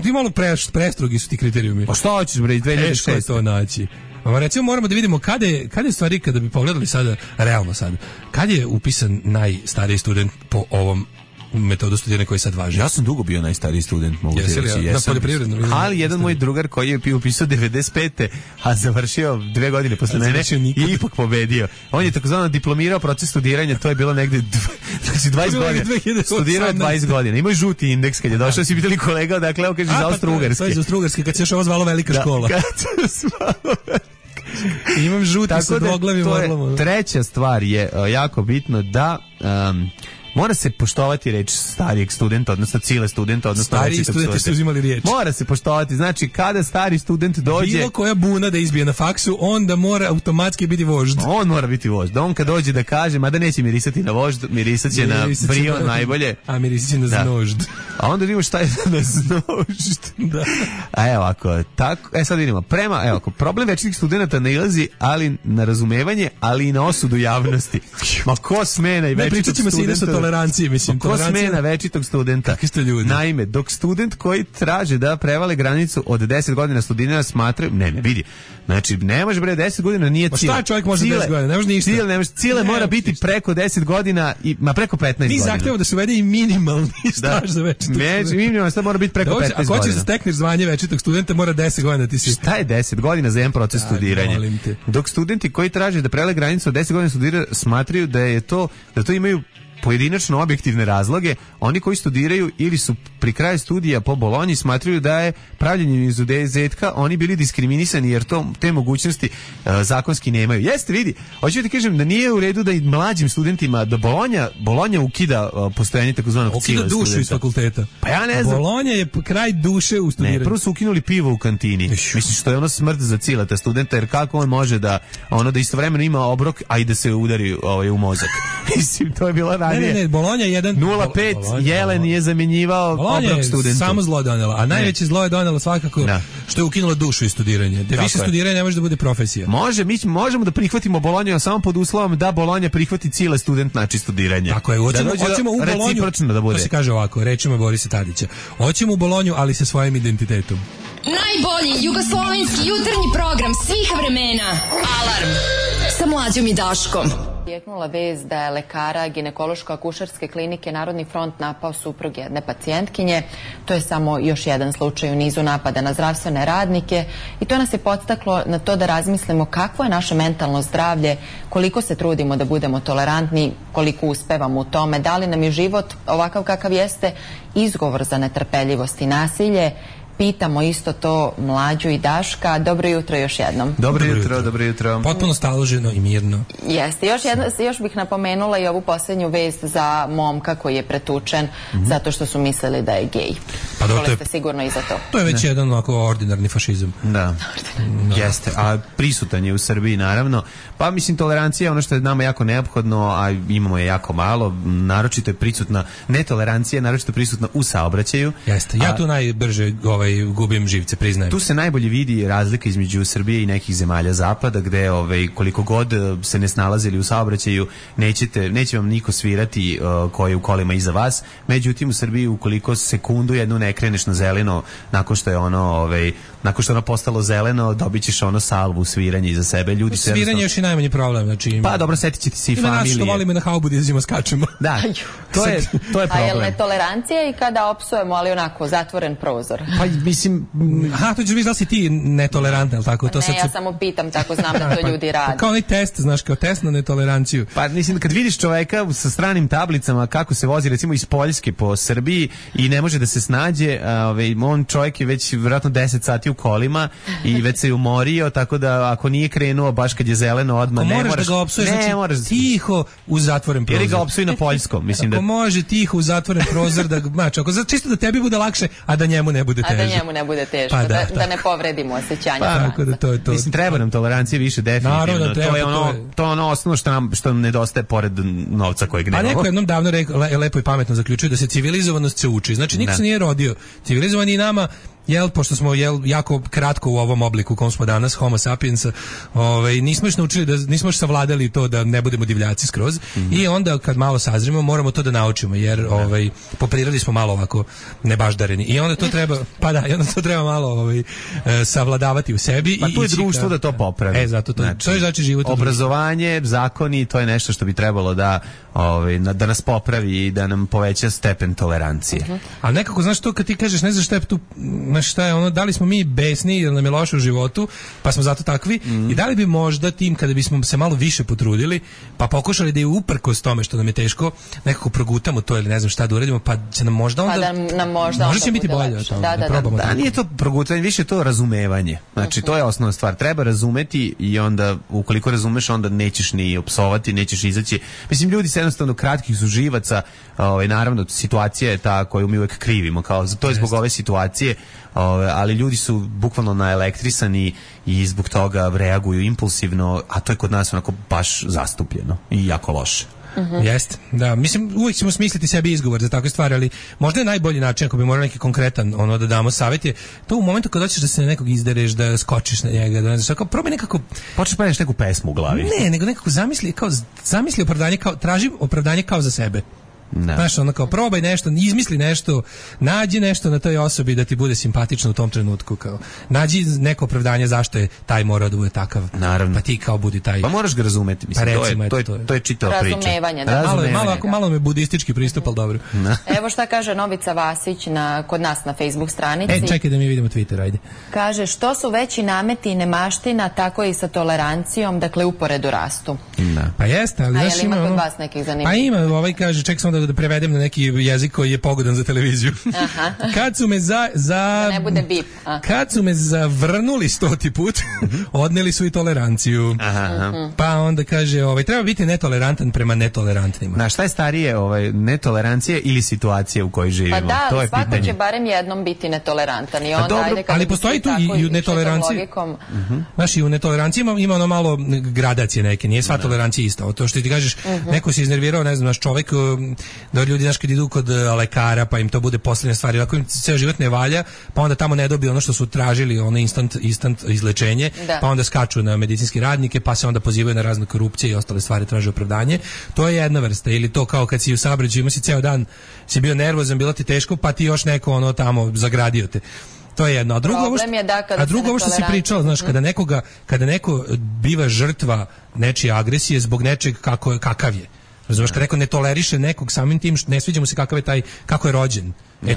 S6: Ti malo prestrogi su ti kriterijumi.
S5: Pa šta hoćeš, bre, 2006?
S6: Teško je to naći. Recimo, moramo da vidimo kada je stvari, kada bi pogledali sada, realno sad, kad je upisan najstariji student po ovom metodu studiranja koji sad važi.
S5: Ja sam dugo bio najstariji student, mogu ti reći.
S6: Na poljoprivrednom.
S5: Ali jedan moj drugar koji je upisao 95. a završio 2 godine posle mene i ipak pobedio. On je takozvano diplomirao proces studiranja, to je bilo negde 20 godina. Studirao je 20 godina. Imao je žuti indeks kad je došao, si pitali kolega, dakle, kaže iz Austro-Ugarske.
S6: To je iz Austro-Ugarske, kad se još ovo zvalo velika škola. Imam žuti sa dvoglavim orlom.
S5: Treća stvar je jako bitno da Mora se poštovati reč starijeg studenta, odnosno cile studenta, odnosno
S6: stariji studenti su uzimali riječ.
S5: Mora se poštovati, znači kada stari student dođe,
S6: bilo koja buna da izbije na faksu, onda mora automatski biti vožd.
S5: On mora biti vožd. On kad dođe da kaže, mada neće mirisati na vožd, mirisat će na brio najbolje.
S6: A mirisat će na znožd.
S5: A onda vidimo šta je na znožd.
S6: Da.
S5: A evo ako tako, sad vidimo. Problem večitih studenta nailazi ali na razumevanje, ali i na osudu javnosti. Ma ko smena i večitog studenta?
S6: Se tolerancije, mislim.
S5: Ko smena večitog studenta?
S6: Kakvi ste ljudi?
S5: Naime, dok student koji traže da prevale granicu od 10 godina studiranja smatraju, ne vidi. Znači, ne može 10 godina nije cilj.
S6: Šta čovjek može 10 godina? Ne može ništa.
S5: Cilj mora biti preko 10 godina i preko 15 godina.
S6: Mi zahtevamo da se uvede i minimalni staž za večitog studenta.
S5: Minimalni staž mora biti preko 15 godina.
S6: Ako hoćeš da stekneš zvanje večitog studenta, mora 10 godina ti si.
S5: Šta je 10 godina za jedan proces studiranja? Dok studenti koji traže da prevale granicu od 10 godina studiranja smatraju da to imaju pojedinačno objektivne razloge, oni koji studiraju ili su pri kraju studija po Bolonji smatraju da je pravljenjem izuzetka oni bili diskriminisani jer te mogućnosti zakonski nemaju. Jeste, vidi, hoću ti kažem da nije u redu da i mlađim studentima, da Bolonja ukida postojanje takozvanog cila studenta.
S6: Ukida dušu iz fakulteta.
S5: Pa ja ne znam.
S6: Bolonja je kraj duše u studiranju.
S5: Ne, prvo su ukinuli pivo u kantini. Mislim što je ono smrt za cilata studenta, jer kako on može da istovremeno ima obrok, a i da se udari u mozak. Mislim, to je bilo
S6: Ne, Bolonja je
S5: 0,5 Jelen je zamjenjivao obrok studentu.
S6: Samo zlo donela, a najveće zlo je donelo svakako što je ukinulo dušu iz studiranja. Da više studiranje ne može da bude profesija.
S5: Mi možemo da prihvatimo Bolonju samo pod uslovom da Bolonja prihvati cile student način studiranja.
S6: Tako je, hoćemo u Bolonju,
S5: da bude.
S6: To se kaže ovako, rečima Borisa Tadića. Hoćemo u Bolonju, ali sa svojim identitetom.
S4: Najbolji jugoslovenski jutarnji program svih vremena. Alarm sa Mlađom i Daškom.
S8: Jeknula vez da je lekara ginekološko-akušerske klinike Narodni front napao suprug jedne pacijentkinje. To je samo još jedan slučaj u nizu napada na zdravstvene radnike i to nas je podstaklo na to da razmislimo kakvo je naše mentalno zdravlje, koliko se trudimo da budemo tolerantni, koliko uspevamo u tome, da li nam je život ovakav kakav jeste izgovor za netrpeljivost i nasilje. Pitamo isto to Mlađu i Daška. Dobro jutro još jednom.
S5: Dobro jutro.
S6: Potpuno staloženo i mirno.
S8: Jeste. Još bih napomenula i ovu posljednju vest za momka koji je pretučen zato što su mislili da je gej.
S6: Pa
S8: dobro, ste sigurno i za to.
S6: To je već jedan ovako ordinarni fašizam.
S5: Da. Jeste. A prisutan je u Srbiji naravno. Pa mislim tolerancija je ono što je nama jako neophodno, a imamo je jako malo. Naročito je prisutna netolerancija, naročito je prisutna u saobraćaju.
S6: Jeste. Ja tu najbrže gubim živce, priznajem.
S5: Tu se najbolje vidi razlika između Srbije i nekih zemalja zapada gde koliko god se ne snalazili u saobraćaju neće vam niko svirati koji je u kolima iza vas. Međutim u Srbiji ukoliko sekundu jednu ne kreneš na zeleno nakon što je ono postalo zeleno, dobit ćeš salvu sviranje iza sebe. Ljudi se
S6: sviranje još i najmanji problem, znači
S5: pa dobro, setit ćete se i familije.
S6: Ima nas što volimo na haubu da izimo skačemo.
S5: Da. To je problem.
S8: A je li netolerancija i kada opsujemo, ali onako zatvoren prozor?
S5: Pa mislim,
S6: to ćeš da si ti netolerantna, tako? To
S8: ja samo pitam, tako znam da to ljudi rade.
S6: Kao onaj test, znaš, kao test na netoleranciju.
S5: Pa mislim, kad vidiš čoveka sa stranim tablicama kako se vozi, recimo iz Poljske po Srbiji i ne može da se snađe, on čovjek je već vjerojatno 10 sati u kolima i već se je umorio, tako da ako nije krenuo baš kad je zeleno odmah, ne moraš
S6: da ga opsuješ, znači tiho u zatvoren prozor.
S5: Jer ga opsuji na poljskom, mislim da.
S6: Ako može tiho u zatvoren prozor da znači, ako čisto da tebi bude lakše, a da njemu ne bude teže.
S8: A da njemu ne bude teško, da ne povredimo osjećanja.
S6: Tako da to je to.
S5: Mislim, treba nam tolerancije više, definitivno.
S6: Naravno,
S5: to je ono osnovno što nam nedostaje pored novca kojeg nemamo.
S6: A neko jednom davno lepo i pametno zaključio da se civilizovanost se uči. Znači, niko se nije rodio. Civilizovani i nama pošto smo jako kratko u ovom obliku u kom smo danas, homo sapiens, nismo još naučili, nismo još savladali to da ne budemo divljaci skroz i onda kad malo sazrimo moramo to da naučimo jer po prirodi smo malo ovako nebaždareni i onda to treba, malo savladavati u sebi.
S5: Pa tu je društvo da to popravi.
S6: Zato to je znači život.
S5: Obrazovanje, zakoni, to je nešto što bi trebalo da nas popravi i da nam poveća stepen tolerancije.
S6: Ali nekako, znaš to kad ti kažeš, ne znaš šta je ono, da li smo mi besni jer nam je loše u životu, pa smo zato takvi i da li bi možda tim kada bismo se malo više potrudili, pa pokušali da je uprkos tome što nam je teško, nekako progutamo to ili ne znam šta da uradimo, pa će nam možda onda možda će biti bolje.
S5: Da, nije to progutanje, više to razumevanje. Znači, to je osnovna stvar. Treba razumeti i onda, ukoliko razumeš, onda nećeš ni opsovati, nećeš izaći. Mislim, ljudi se jednostavno kratkih su živaca, naravno situacija je ta koju mi uvek krivimo, kao to je zbog ove situacije, ali ljudi su bukvalno naelektrisani i zbog toga reaguju impulsivno, a to je kod nas onako baš zastupljeno i jako loše.
S6: Jeste, da, mislim, uvijek ćemo smisliti sebi izgovor za takve stvari, ali možda je najbolji način ako bi morali neki konkretan da damo savjet je to u momentu kad hoćeš da se na nekog izdereš, da skočiš na njega, da ne znaš, kao probaj nekako
S5: počneš praviti neku pesmu u glavi.
S6: Ne, nego nekako zamisli opravdanje, kao traži opravdanje kao za sebe. Znaš, ono kao probaj nešto, izmisli nešto, nađi nešto na toj osobi da ti bude simpatično u tom trenutku, kao nađi neko opravdanje zašto je taj mora da bude takav.
S5: Naravno.
S6: Pa ti kao budi taj.
S5: Pa moraš ga razumeti, mislim,
S6: pa recimo,
S5: to je čitava priča.
S8: Razumevanje, da.
S6: Malo me budistički pristup, ali dobro.
S8: Evo šta kaže Novica Vasić kod nas na Facebook stranici.
S6: Čekaj da mi vidimo Twitter, ajde.
S8: Kaže, što su veći nameti i nemaština, tako i sa tolerancijom, dakle uporedu rastu.
S6: Pa jeste, ali
S8: znaš, ima kod vas nekih zanimljivih?
S6: Pa ima, kaže, ček samo da prevedem na neki jezik koji je pogodan za televiziju. Kad su me
S8: da ne bude bip.
S6: Kad su me zavrnuli 100. put, odneli su i toleranciju. Pa onda kaže, treba biti netolerantan prema netolerantnima.
S5: Na šta je starije, netolerancija ili situacija u kojoj živimo?
S8: Pa da,
S5: to je
S8: svako
S5: pitanje.
S8: će barem jednom biti netolerantan i onda
S6: dobro, ali postoji tu i u netoleranciji. Znaš, i u netoleranciji ima ono malo gradacije neke, nije sva tolerancija ista. To što ti kažeš, neko se iznervirao, ne znam, naš čovjek, da ljudi, znaš, kad idu kod lekara, pa im to bude posljednja stvar, ako im ceo život ne valja, pa onda tamo ne dobiju ono što su tražili, ono instant izlečenje, pa onda skaču na medicinske radnike, pa se onda pozivaju na razne korupcije i ostale stvari, traže opravdanje. To je jedna vrsta. Ili to kao kad si u saobraćaju, ima si ceo dan, si bio nervozan, bilo ti teško, pa ti još neko tamo zagradio te. To je jedno. A drugo ovo što si pričao, znaš, kada neko biva žrtva nečije agresije zbog nečeg kakav je. Razumeš, kad neko ne toleriše nekog samim tim, ne sviđa mu se kako je rođen.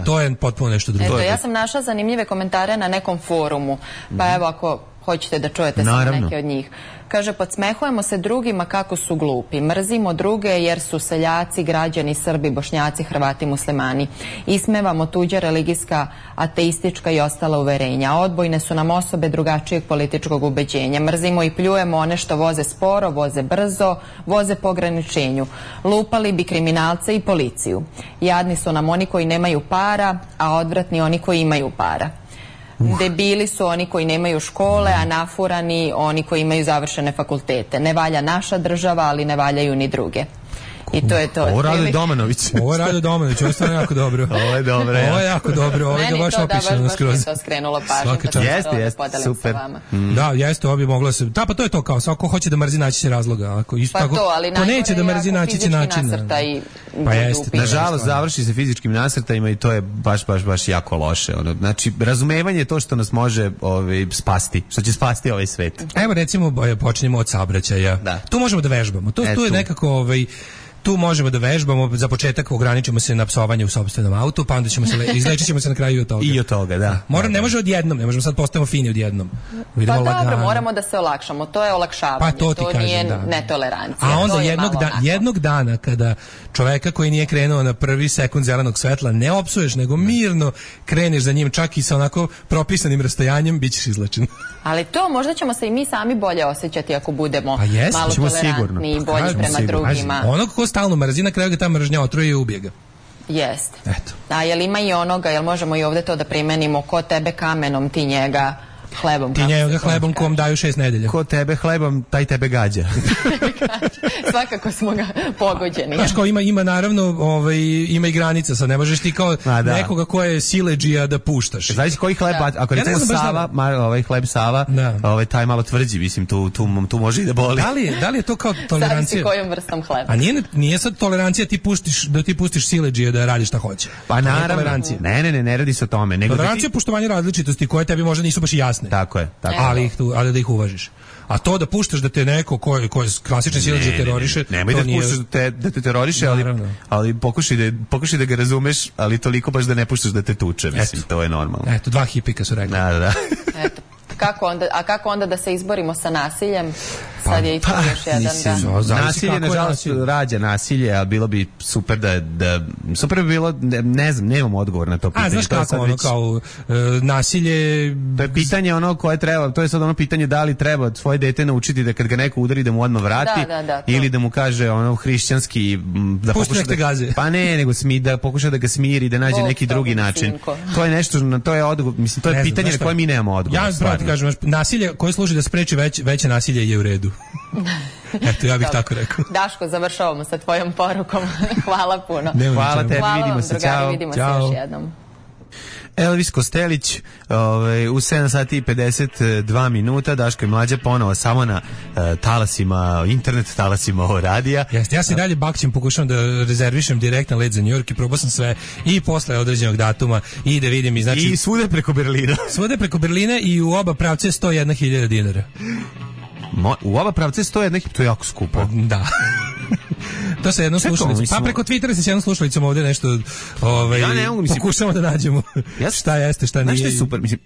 S6: To je potpuno nešto drugo.
S8: Eto, ja sam našla zanimljive komentare na nekom forumu, pa evo ako hoćete da čujete samo neke od njih. Kaže, podsmehujemo se drugima kako su glupi, mrzimo druge jer su seljaci, građani, Srbi, Bošnjaci, Hrvati, muslimani. Ismevamo tuđa religijska, ateistička i ostala uverenja. Odbojne su nam osobe drugačijeg političkog ubeđenja. Mrzimo i pljujemo one što voze sporo, voze brzo, voze po ograničenju. Lupali bi kriminalce i policiju. Jadni su nam oni koji nemaju para, a odvratni oni koji imaju para. Debili su oni koji nemaju škole, a nafurani oni koji imaju završene fakultete. Ne valja naša država, ali ne valjaju ni druge. I to je to.
S5: Ovo radi Domanović.
S6: Ovo je stvarno jako dobro.
S5: Ovo je dobro.
S6: Ovo je jako dobro. Ovo je baš opišeno skroz.
S8: Meni to baš skrenulo pažnju.
S5: Jeste, super.
S6: Da, jeste, ovo bi moglo se... Pa to je to kao, svako hoće da mrzi, naći će razloga.
S8: Pa to, ali
S6: ko neće da mrzi, naći će način.
S8: Pa jeste.
S5: Nažalost, završi se fizičkim nasrtajima i to je baš jako loše. Znači, razumevanje je to što nas može spasti, što će spasti ovaj svet.
S6: Evo, recimo, počinjemo od saobraćaja. Tu možemo da vežbamo. Tu je nekako... Tu možemo da vežbamo, za početak ograničimo se na psovanje u sopstvenom autu, pa onda izlečit ćemo se na kraju od toga.
S5: I od toga, da.
S6: Ne može odjednom, ne možemo sad postavimo fini odjednom.
S8: Pa dobro, moramo da se olakšamo, to je olakšavanje,
S6: pa to nije
S8: netolerancija.
S6: A onda jednog dana kada čoveka koji nije krenuo na prvi sekund zelenog svetla ne opsuješ, nego mirno kreneš za njim, čak i sa onako propisanim rastojanjem, bit ćeš izlečen.
S8: Ali to možda ćemo se i mi sami bolje osjećati ako budemo malo tolerantni i bolji prema drugima.
S6: Onog ko stalno mrzi, na kraju ga ta mržnja otruje i ubije ga.
S8: Jeste. A jel ima i onoga, jel možemo i ovdje to da primenimo, ko tebe kamenom, ti njega hlebom.
S6: Ti njega hlebom kom daju 6 nedelja.
S5: Ko tebe hlebom, taj tebe gađa.
S8: Svakako smo ga pogođeni.
S6: Znaš, kao ima naravno, ima i granica, sad ne možeš ti kao nekoga ko je siledžija da puštaš.
S5: Znači koji hleb, ako recimo Sava, hleb Sava, taj malo tvrđi, mislim, tu može i da boli.
S6: Da li je to kao tolerancija?
S8: Zavisi kojom vrstom hleba.
S6: A nije sad tolerancija da ti pustiš siledžije da radi šta hoće.
S5: Pa naravno. Ne radi se o tome.
S6: Tolerancija je poštovanje različitosti koje tebi možda nisu baš jasne.
S5: Tako je.
S6: Ali da ih uvažiš. A to da puštaš da te neko ko je klasičan siledžija teroriše,
S5: nemoj da puštaš da te teroriše, ali pokušaj da ga razumeš, ali toliko baš da ne puštaš da te tuče, mislim, to je normalno.
S6: Eto, dva hipika su rekli.
S5: Da.
S8: Eto, kako onda da se izborimo sa nasiljem? Sad je i to još jedan
S5: nasilje, nažalost, rađa nasilje, a bilo bi super da super bi bilo, ne znam, nemam odgovor na to pitanje.
S6: A znaš kako, ono kao nasilje...
S5: To je pitanje ono koje treba, to je sad ono pitanje da li treba svoje dete naučiti da kad ga neko udari da mu odmah vrati, ili da mu kaže ono hrišćanski da pokuša da
S6: gaze.
S5: Pa ne, nego da pokuša da ga smiri, da nađe neki drugi način. To je nešto, to je odgovor, mislim, to je pitanje na koje mi nemamo odgovor.
S6: Ja pravo ti kažem, nasilje koje služi da spreči veće nasilje je u redu. Eto, ja bih tako rekao.
S8: Daško, završavamo sa tvojom porukom. Hvala puno.
S5: Hvala tebi, vidimo se.
S8: Drugari, vidimo se još jednom.
S5: Elvis Kostelić u 7 sati i 52 minuta. Daško i Mlađa ponovo samo na talasima, internet talasima ovo radija.
S6: Ja se dalje bakćem, pokušavam da rezervišem direktan let za New York i probao sam sve i posle određenog datuma i da vidim i znači...
S5: I svude preko Berlina.
S6: Svude preko Berlina i u oba pravce 101.000 dinara.
S5: U oba pravce 101.000, to je jako skupo.
S6: Da. To sa jednom slušalicom. Pa preko Twittera se s jednom slušalicom ovdje nešto
S5: ja ne mogu,
S6: pokušamo da nađemo šta jeste, šta nije.
S5: Znaš što je super? Mislim,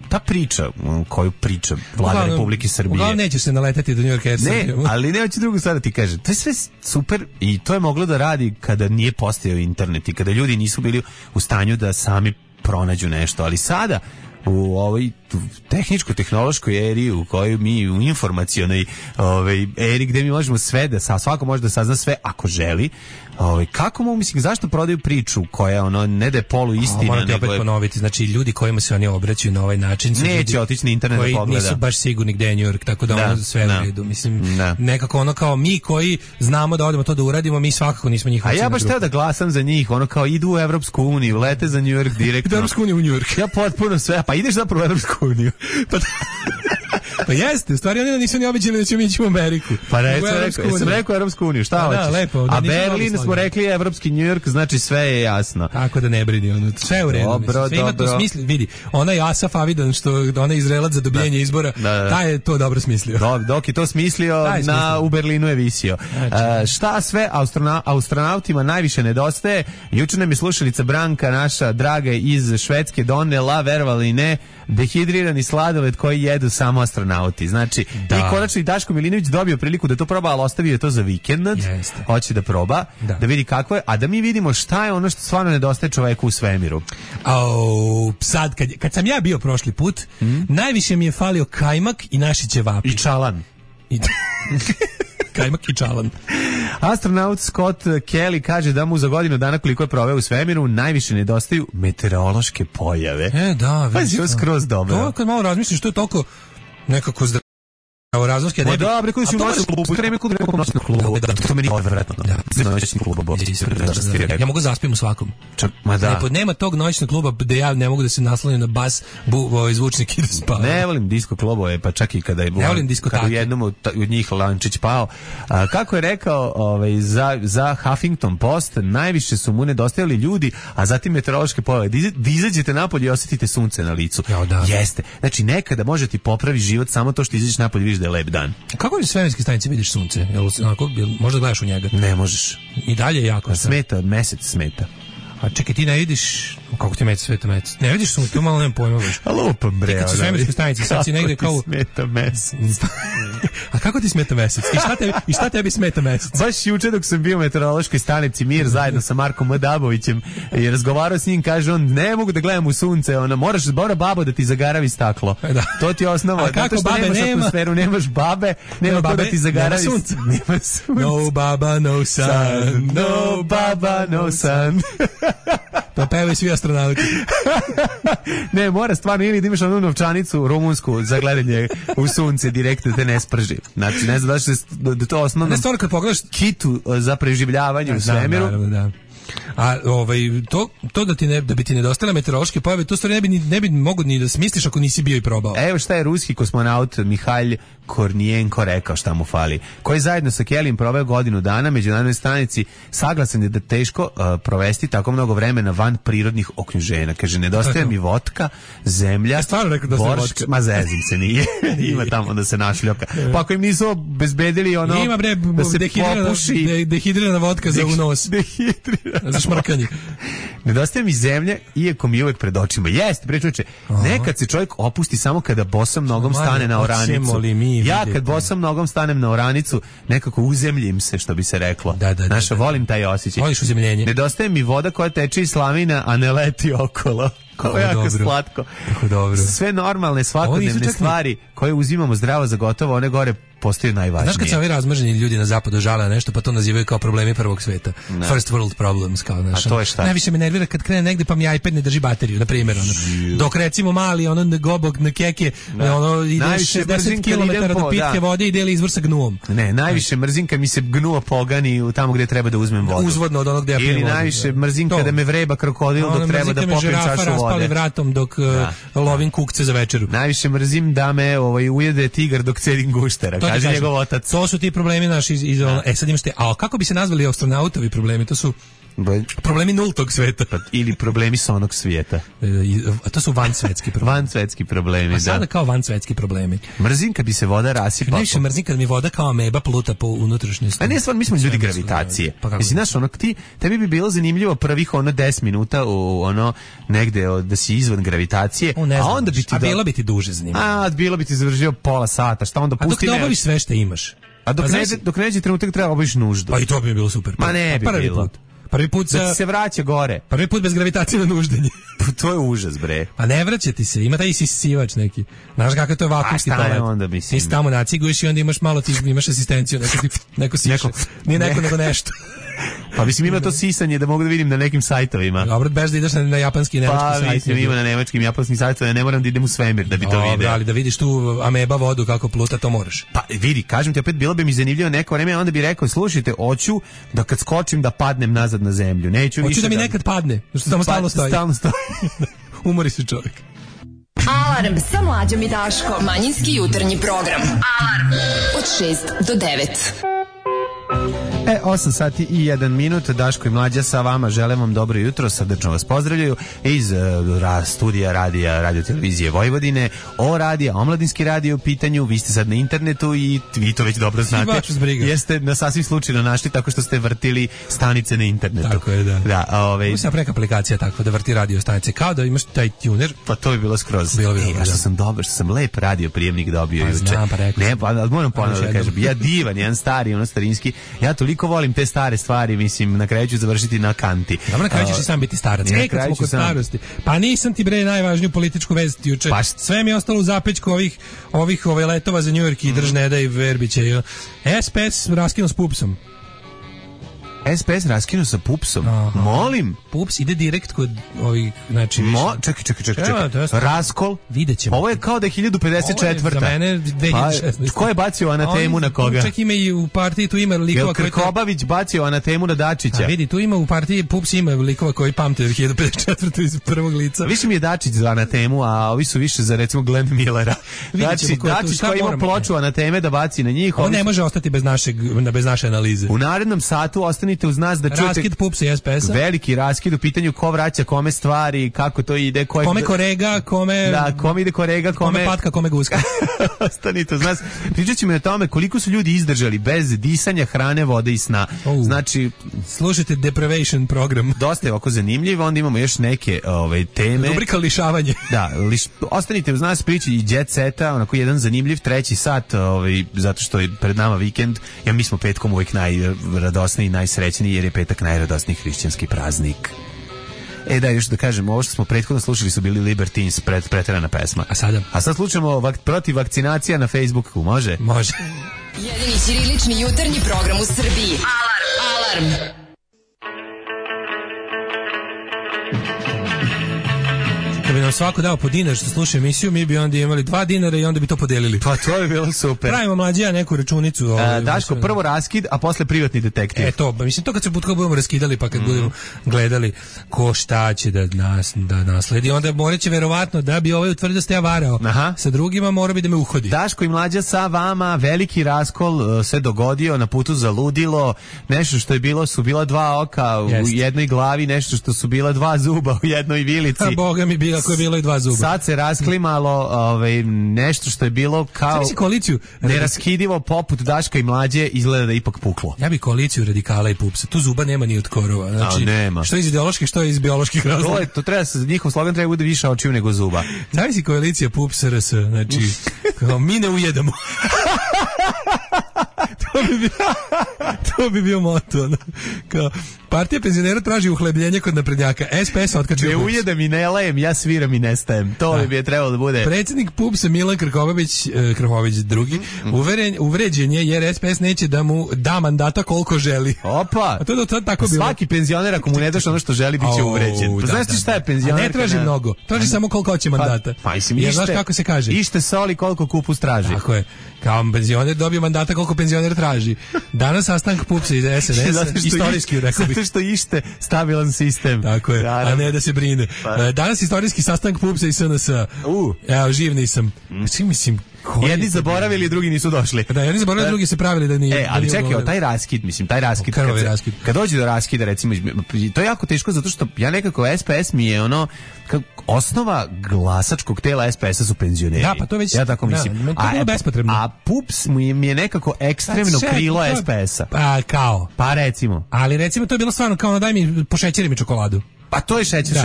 S5: ta priča koju priča Vlada Republike Srbije.
S6: Uglavnom neće se naletati do New York Air.
S5: Ne, ali neće drugo sada ti kažem. To je sve super i to je moglo da radi kada nije postojao internet i kada ljudi nisu bili u stanju da sami pronađu nešto. Ali sada u ovoj tehničko-tehnološkoj eri u kojoj mi u informacionoj eri gdje mi možemo sve da svako može da sazna sve ako želi. Kako mogu, mislim, zašto prodaju priču koja ono ne da je polu istina,
S6: moram ti opet ponoviti, znači ljudi kojima se oni obraćaju na ovaj način su
S5: neće otići na internet da pogleda,
S6: koji nisu baš sigurni gde je New York, tako da ono sve u redu, mislim, nekako ono kao mi koji znamo da odemo to da uradimo, mi svakako nismo njihovi.
S5: A ja baš teo da glasam za njih, ono kao idu u Evropsku uniju, lete za New York direktno.
S6: Evropsku uniju u New York.
S5: Ja potpuno sve, pa ideš zapravo u Evropsku uniju.
S6: Pa jeste, u stvari oni nisu ni običali da ćemo ići u Ameriku.
S5: Pa sam rekao Evropsku uniju, šta hoćeš?
S6: Lepo,
S5: a Berlin smo rekli evropski New York, znači sve je jasno.
S6: Tako da ne brini, ono, sve u redu.
S5: Dobro,
S6: sve ima to smisli, vidi, onaj Asaf Avidan, onaj Izraelac za dobijanje izbora, taj je to dobro smislio.
S5: Dok je to smislio, u Berlinu je visio. Šta sve astronautima najviše nedostaje? Juče nam je slušalica Branka, naša draga iz Švedske, donela, verovali ne, dehidrirani sladoled koji jedu samo astronauti. Znači, i konačno i Daško Milinović dobio priliku da to proba, ali ostavio je to za vikend. Hoće da proba, da vidi kako je, a da mi vidimo šta je ono što stvarno nedostaje čoveku u svemiru.
S6: Sad, kad sam ja bio prošli put, najviše mi je falio kajmak i naši ćevapi.
S5: I čalan.
S6: Kajmak i čalan.
S5: Astronaut Scott Kelly kaže da mu za godinu dana koliko je proveo u svemiru najviše nedostaju meteorološke pojave.
S6: Da,
S5: vidiš. Pa je skroz dobro.
S6: To kad malo razmisliš, to je toliko nekako razumski,
S5: ne bi. Da, preko si u noćnom klubu, kreme kod nekog noćnog klubu. To meni je odvratno.
S6: Ja mogu zaspim u svakom. Nema tog noćnog kluba gde ja ne mogu da se naslonim na bas zvučnik i da spavam.
S5: Ne volim disko klubove, pa čak i kada je u jednom od njih lančić pao. Kako je rekao za Huffington Post, najviše su mu nedostajali ljudi, a zatim meteorološke pojave. Da izađete napolje i osjetite sunce na licu. Jeste. Znači, nekada može ti popravi život samo to što izađeš napolje i vidiš da je lep dan.
S6: Kako je svemirske stanice vidiš sunce? Možda gledaš u njega?
S5: Ne možeš.
S6: I dalje je jako.
S5: Smeta, mesec smeta.
S6: A čekaj, ti ne vidiš kako ti mesec sveta mesec? Ne vidiš sunce, to malo nemam pojma.
S5: A lupam bre.
S6: Kad su svemirske stanice, sad si negde kao...
S5: smeta mesec?
S6: A kako ti smeta mesec? I šta tebi smeta mesec?
S5: Baš juče dok sam bio u meteorološkoj stanici Mir zajedno sa Markom Madabovićem i razgovarao s njim, kaže on, ne mogu da gledam u sunce, moraš zbora babo da ti zagaravi staklo. To ti je osnova.
S6: A kako babe nema?
S5: Atmosferu, nemaš babe, nema ko da ti zagaravi.
S6: Nema sunce. No baba, no sun.
S5: No baba, no sun.
S6: To pevaju svi astronauti.
S5: Ne, mora stvarno ili da imaš onu novčanicu rumunsku za gledanje u sunce direktno da te ne sprži. Znači, ne znam da to osnovno...
S6: Ne, stvarno kad pogledaš
S5: kitu za preživljavanje u svemiru.
S6: Da. A to da bi ti nedostale meteorološke pojave, to stvari ne bi mogo ni da smisliš ako nisi bio i probao.
S5: Evo šta je ruski kosmonaut Mihail Kornijenko rekao šta mu fali, koji zajedno sa Kellyjem proveo godinu dana međunarodnoj stanici, saglasan je da teško provesti tako mnogo vremena van prirodnih okruženja. Kaže, nedostaje mi votka, zemlja, boršk, ma zezim se nije. Ima tamo da se našljoka. Pa ako im nisu obezbedili
S6: ima bre,
S5: da se popuši.
S6: Dehidrirana vodka za unos.
S5: Dehidrirana.
S6: šmrkanje.
S5: Nedostaje mi zemlja, iako mi uvek pred očima. Jeste, prečuče, nekad se čovjek opusti samo kada bosom nogom stane na oranicu. Ja kad bosom nogom stanem na oranicu, nekako uzemljim se, što bi se reklo. Naša, volim taj osjećaj.
S6: Voliš uzemljenje.
S5: Nedostaje mi voda koja teče iz slavina, a ne leti okolo. Kako je jako slatko.
S6: Dobro.
S5: Sve normalne svakodnevne stvari koje uzimamo zdravo za gotovo, one gore postaju najvažnije.
S6: Znaš kad se ovi razmrženi ljudi na zapadu žale na nešto, pa to nazivaju kao problemi prvog sveta.
S5: Ne.
S6: First world problems, kao naša.
S5: A to je šta?
S6: Najviše me nervira kad krene negde pa mi iPad ne drži bateriju, na primjer. Dok recimo mali, gobog na keke, ide 60 km do pitke vode i deli izvor sa gnuom.
S5: Ne, najviše mrzim kad mi se gnuo pogani tamo gdje treba da uzmem vodu.
S6: Uzvodno od onog gdje ja pijem vodu.
S5: Ili najviše mrzim kada me vreba krokodil dok treba da popijem čašu vode.
S6: Raspali vratom dok lovim kukce za večeru.
S5: Najviše mrzim da me ujede tigar dok cedim guštera, kaže njegov otac.
S6: To su ti problemi naši sad imaš te, a kako bi se nazvali astronautovi problemi? To su problemi nultog sveta.
S5: Ili problemi sa onog svijeta.
S6: A to su vansvetski problemi.
S5: Vansvetski problemi,
S6: da. Sada kao vansvetski problemi.
S5: Mrzim kad bi se voda rasipala.
S6: Najviše mrzim kad mi voda kao ameba pluta po unutrašnjosti.
S5: A ne, stvarno, mi smo ljudi gravitacije. Mislim, znaš, tebi bi bilo zanimljivo prvih 10 minuta negde da si izvan gravitacije, a onda bi ti...
S6: A bilo bi ti duže zanimljivo.
S5: A bilo bi ti završio pola sata, šta onda pusti...
S6: A dok ne obaviš sve što imaš.
S5: A dok neđe trenutak treba obaviš nuždu.
S6: Pa i to bi bilo super.
S5: Ma ne bi bilo.
S6: Prvi put
S5: da se vraća gore.
S6: Prvi put bez gravitacije na nuždenje.
S5: To je užas, bre.
S6: Pa ne vraća ti se, ima taj isisivač neki. Znaš kakav to je vakuumski toalet.
S5: Onda mislim.
S6: Ti tamo naciguješ i onda imaš malo, ti imaš asistenciju, neko siše. Nije neko nego nešto.
S5: Pa mislim ima to sisanje da mogu da vidim na nekim sajtovima.
S6: Dobro, bez da ideš na japanski i nemački sajt.
S5: Pa mislim ima na nemačkim i japanskim sajtovima, ne moram da idem u svemir da bi to vidio.
S6: Ali da vidiš tu ameba vodu kako pluta, to moraš.
S5: Pa vidi, kažem ti opet, bilo bi mi zanimljivo neko vreme, onda bi rekao, slušajte, hoću da kad skočim da padnem nazad na zemlju.
S6: Hoću da mi nekad padne, što tamo stalno stoji. Umori se čovjek.
S4: Alarm sa Mlađom i Daškom. Manjinski jutarnji program. Alarm od 6 do 9.
S5: 8 sati i 1 minut, Daško i Mlađa sa vama, želim vam dobro jutro, srdečno vas pozdravljaju iz studija radio televizije Vojvodine, omladinski radio u pitanju, vi ste sad na internetu i vi to već dobro znate, jeste na sasvim slučajno našli tako što ste vrtili stanice na internetu.
S6: Tako je, da.
S5: Mislim
S6: preka aplikacija tako da vrti radio stanice, kao da imaš taj tuner.
S5: Pa to bi bilo skroz. Što sam dobar, što sam lep radio prijemnik dobio juče.
S6: Znam, pa rekao.
S5: Ne, pa moram ponovno da kažem, ja divan, jedan stari, starinski, ja toliko volim te stare stvari, mislim, na kraju ću završiti na kanti.
S6: Dobro, na kraju ćeš i sam biti starac. Kad smo kod starosti. Pa nisam ti bre najvažniju političku vest juče. Sve mi je ostalo u zapećku ovih letova za New York i Držneda i Verbića. SPS raskinuo s Pupsom.
S5: SPS raskinuo sa Pupsom. Molim.
S6: Pups ide direkt kod ovih, znači više.
S5: Čekaj. Raskol.
S6: Videćemo.
S5: Ovo je kao da je 1054.
S6: Za mene 2016.
S5: Ko je bacio anatemu na koga?
S6: Čak ima i u partiji, tu ima likova koji...
S5: Krkobabić bacio anatemu na Dačića.
S6: A vidi, tu ima u partiji, Pups ima likova koji pamte 1054. iz prvog lica.
S5: Više mi je Dačić za anatemu, a ovi su više za recimo Glenn Millera. Dačić koji ima ploču anateme da baci na njih.
S6: On ne može ostati bez naše analize.
S5: U narednom satu ostanite uz nas da čujete
S6: raskid Pupsa i SPS-a.
S5: Veliki raskid u pitanju ko vraća kome stvari, kako to ide,
S6: kome korega, kome
S5: ide korega,
S6: kome patka, kome guska.
S5: Ostanite uz nas. Pričat ćemo o tome koliko su ljudi izdržali bez disanja, hrane, vode i sna. Znači,
S6: slušajte Deprivation program.
S5: Dosta je ovako zanimljivo, onda imamo još neke teme.
S6: Rubrika lišavanje.
S5: Da, ostanite uz nas, priči i Jet Seta, onako jedan zanimljiv treći sat, zato što je pred nama vikend. Ja mi smo petkom uvijek najradosniji i najsrećniji jer je petak najradosniji hrišćanski praznik. Da, još da kažem, ovo što smo prethodno slušali su bili Libertines, preterana pesma. A sad slušamo protiv vakcinacija na Facebooku, može?
S6: Može.
S4: Jedini ćirilični jutarnji program u Srbiji. Alarm!
S6: Kad bi nam svako dao po dinar što sluša emisiju, mi bi onda imali 2 dinara i onda bi to podelili.
S5: Pa to je bilo super.
S6: Pravimo Mlađija neku računicu.
S5: Daško, prvo raskid, a posle privatni detektiv.
S6: Mislim, to kad se budemo raskidali, pa kad budemo gledali ko šta će da nasledi, onda morat će verovatno da bi utvrdio da ste ja varao. Sa drugima mora bi da me uhodi.
S5: Daško i Mlađa sa vama, veliki raskol se dogodio na putu za ludilo, nešto što je bilo, su bila 2 oka u jednoj glavi, nešto što su bila 2 zuba u jednoj vilici.
S6: A Boga mi bila tako je bilo i 2 zuba.
S5: Sad se rasklimalo nešto što je bilo kao
S6: koaliciju
S5: neraskidivo poput Daška i Mlađe, izgleda da je ipak puklo.
S6: Ja bi koaliciju radikala i pupsa. Tu zuba nema ni od korova. Znači,
S5: nema.
S6: Što iz ideoloških, što iz bioloških razloga.
S5: To treba, njihov slogan treba bude više očiju nego zuba.
S6: Zavisi koalicija PUPS RS, znači kao, mi ne ujedamo. To bi bio moto. Kao, partija penzionera traži uhlebljenje kod naprednjaka. SPS otkačio
S5: ne
S6: PUPS.
S5: ujedam i ne lajem, ja sviram i nestajem. To bi je trebalo da bude.
S6: Predsjednik PUPS-a Milan Krkobabić drugi, uvređen je jer SPS neće da mu da mandata koliko želi.
S5: Opa!
S6: A to je tako bilo.
S5: Svaki penzioner ako mu ne daš ono što želi, bit će uvređen. Pa znaš ti šta je penzioner?
S6: A ne traži mnogo. Traži samo koliko hoće mandata.
S5: Pa
S6: jer znaš kako se kaže?
S5: Ište soli koliko kupus traži.
S6: Tako je. Kao penzioner dobije mandata koliko penzioner traži. Danas sastanak PUPS-a iz SNS-a, istorijski rekao bih.
S5: Zato što ište stabilan sistem.
S6: Tako je, a ne da se brine. Danas istorijski sastanak PUPS-a i SNS-a. Evo, živ nisam. Mislim,
S5: jedni zaboravili, drugi nisu došli.
S6: Da, jedni zaboravili, drugi se pravili da nije.
S5: Ali čekaj, taj raskid, kad dođe do raskida, recimo, to je jako teško zato što ja nekako SPS mi je osnova glasačkog tela SPS-a su penzioneri.
S6: Da, pa to već,
S5: ja tako mislim.
S6: To je bilo bespotrebno.
S5: A PUPS mi je nekako ekstremno krilo SPS-a.
S6: Kao.
S5: Pa recimo.
S6: Ali recimo to je bilo stvarno kao daj mi pošećeri mi čokoladu.
S5: Pa to je šećer,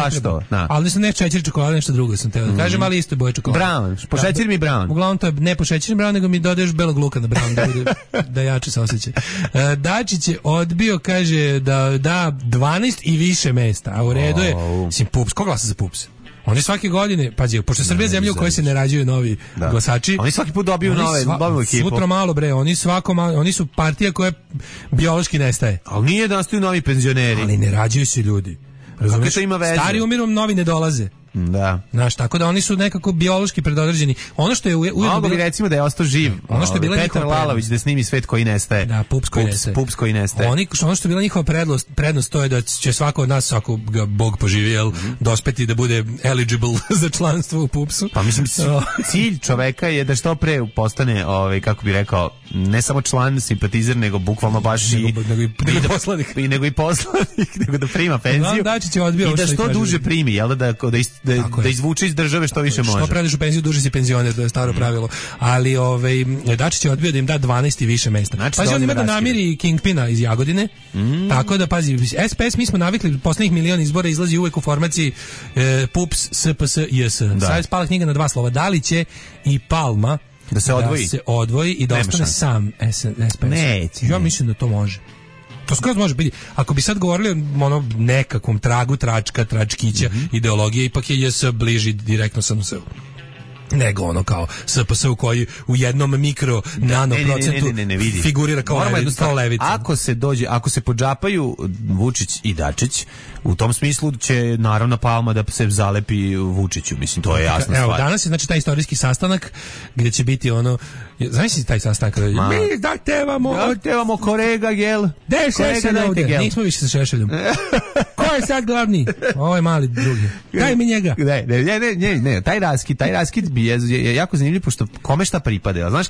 S5: pa što?
S6: Ali su ne šećer čokolada, nešto drugo sam teo da kažem, ali isto je boje čokolada.
S5: Brown, pošećer mi brown.
S6: Uglavnom to je ne pošećer brown, nego mi dodaješ belog luka na brown, da jače se osjeća. Dačić je odbio, kaže da da 12 i više mesta, a u redu je, mislim, PUPS, ko glasa za PUPS? Oni svake godine, pazi, pošto Srbija je zemlja u kojoj se ne rađuju novi glasači.
S5: Oni svaki put dobiju novu ekipu.
S6: Sutra malo bre, oni su partija koja biološki nestaje.
S5: Ali nije da nastaju novi penzioneri.
S6: Ali ne rađuju se ljudi. Razumiješ?
S5: To ima veze.
S6: Stari umiru, novi ne dolaze.
S5: Da.
S6: Znaš, tako da oni su nekako biološki predodređeni. Ono što je
S5: mogu bi recimo da je ostao živ.
S6: Ono što je bila
S5: Petar Lalović da snimi Svet koji nestaje.
S6: Da, PUPS koji nestaje. Ono što je bila njihova prednost to je da će svako od nas, ako ga Bog poživi, dospeti da bude eligible za članstvo u PUPS-u.
S5: Pa mislim, cilj čoveka je da što pre postane, kako bi rekao, ne samo član, simpatizer, nego bukvalno baš
S6: poslanik.
S5: Nego i poslanik, nego da prima penziju.
S6: I
S5: da što duže primi, jel da izvuče iz države što više može.
S6: Što prediš u penziju, duže si penzioner, to je staro pravilo. Ali Dačić je odbio da im da 12 i više mesta.
S5: Znači,
S6: pazi, on ima da namiri Kingpina iz Jagodine, tako da, pazi, SPS mi smo navikli, poslednjih milion izbora izlazi uvek u formaciji PUPS, SPS, JS. Sad je spala knjiga na 2 slova. Da li će i Palma
S5: da se
S6: odvoji i da ostane sam SPS?
S5: Neće.
S6: Ja mislim da to može. To skroz može biti. Ako bi sad govorili o nekakvom tragu tračkića ideologije, ipak je JS bliži direktno SNS-u nego kao SPS u koji u jednom mikro nano procentu figurira kao levica.
S5: Ako se podžapaju Vučić i Dačić, u tom smislu će naravno Palma da se zalepi Vučiću, mislim, to je jasna stvar.
S6: Evo, danas je znači taj istorijski sastanak gdje će biti znaš taj sastanak? Mi
S5: zahtevamo korega, jel?
S6: Gde je Šešelj ovdje? Nismo više sa Šešeljom. Ko je sad glavni? Ovo je mali drugi. Daj mi njega.
S5: Ne, taj raskid bi je jako zanimljiv, pošto kome šta pripada. Znaš,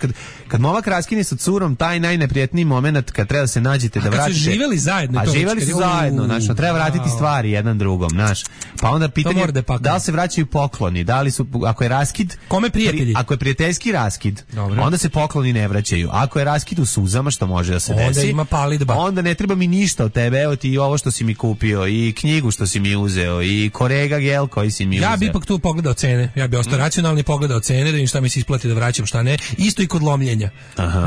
S5: kad momak raskine sa curom, taj najneprijetniji moment kad treba da se nađete da vratite.
S6: A kad su živeli zajedno.
S5: A živeli su zajedno, znaš, treba vratiti stvari jedan drugom, znaš. Pa onda pitanje, da li se vraćaju pokloni, da li su, ako je raskid...
S6: Kome prijatelji?
S5: Ako je prijateljski raskid, onda se pokloni ne vraćaju. Ako je raskid u suzama, što može da se desi,
S6: onda ima pali dba.
S5: Onda ne treba mi ništa od tebe, evo ti i ovo što si mi kupio, i knjigu što si mi uzeo, i korega gel koji si mi uzeo.
S6: Ja bi ipak tu pogledao cene, ja bi ostao racionalni, pogledao cene, da im šta mi se isplati da vraćam, šta ne. Isto i kod lomljenja.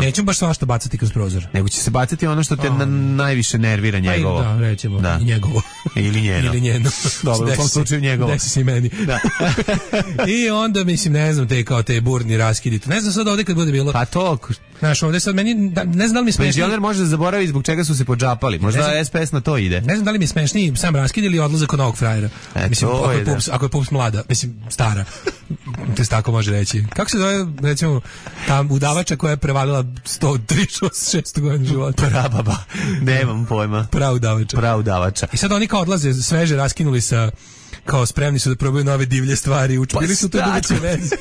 S6: Nećemo baš svašta bacati kroz prozor.
S5: Nego će se bacati ono što te najviše nervira njegovo.
S6: Da, recimo, i njegovo.
S5: Ili njeno.
S6: Ili njeno.
S5: Dobro, u tom slučaju njegovo.
S6: Desi se i meni. Da. I onda, mislim, ne znam, te burni raskidi. Ne znam sad ovdje kad bude bilo.
S5: Pa to...
S6: Znaš, ovdje sad meni, ne znam da li mi smešni...
S5: Penzioner može da zaboravi zbog čega su se podžapali. Možda SPS na to ide.
S6: Ne znam da li mi smešni sam raskid ili odlazak kod novog frajera. Mislim, ako je PUPS mlada, mislim, stara. To se tako može reći. Kako se zove, recimo, ta udavača koja je prevalila 136 godina života?
S5: Prababa. Nemam pojma. Praudavača.
S6: I sad oni kao odlaze, sveže raskinuli sa... kao spremni su da probaju nove divlje stvari, učinili su to dubiće veze.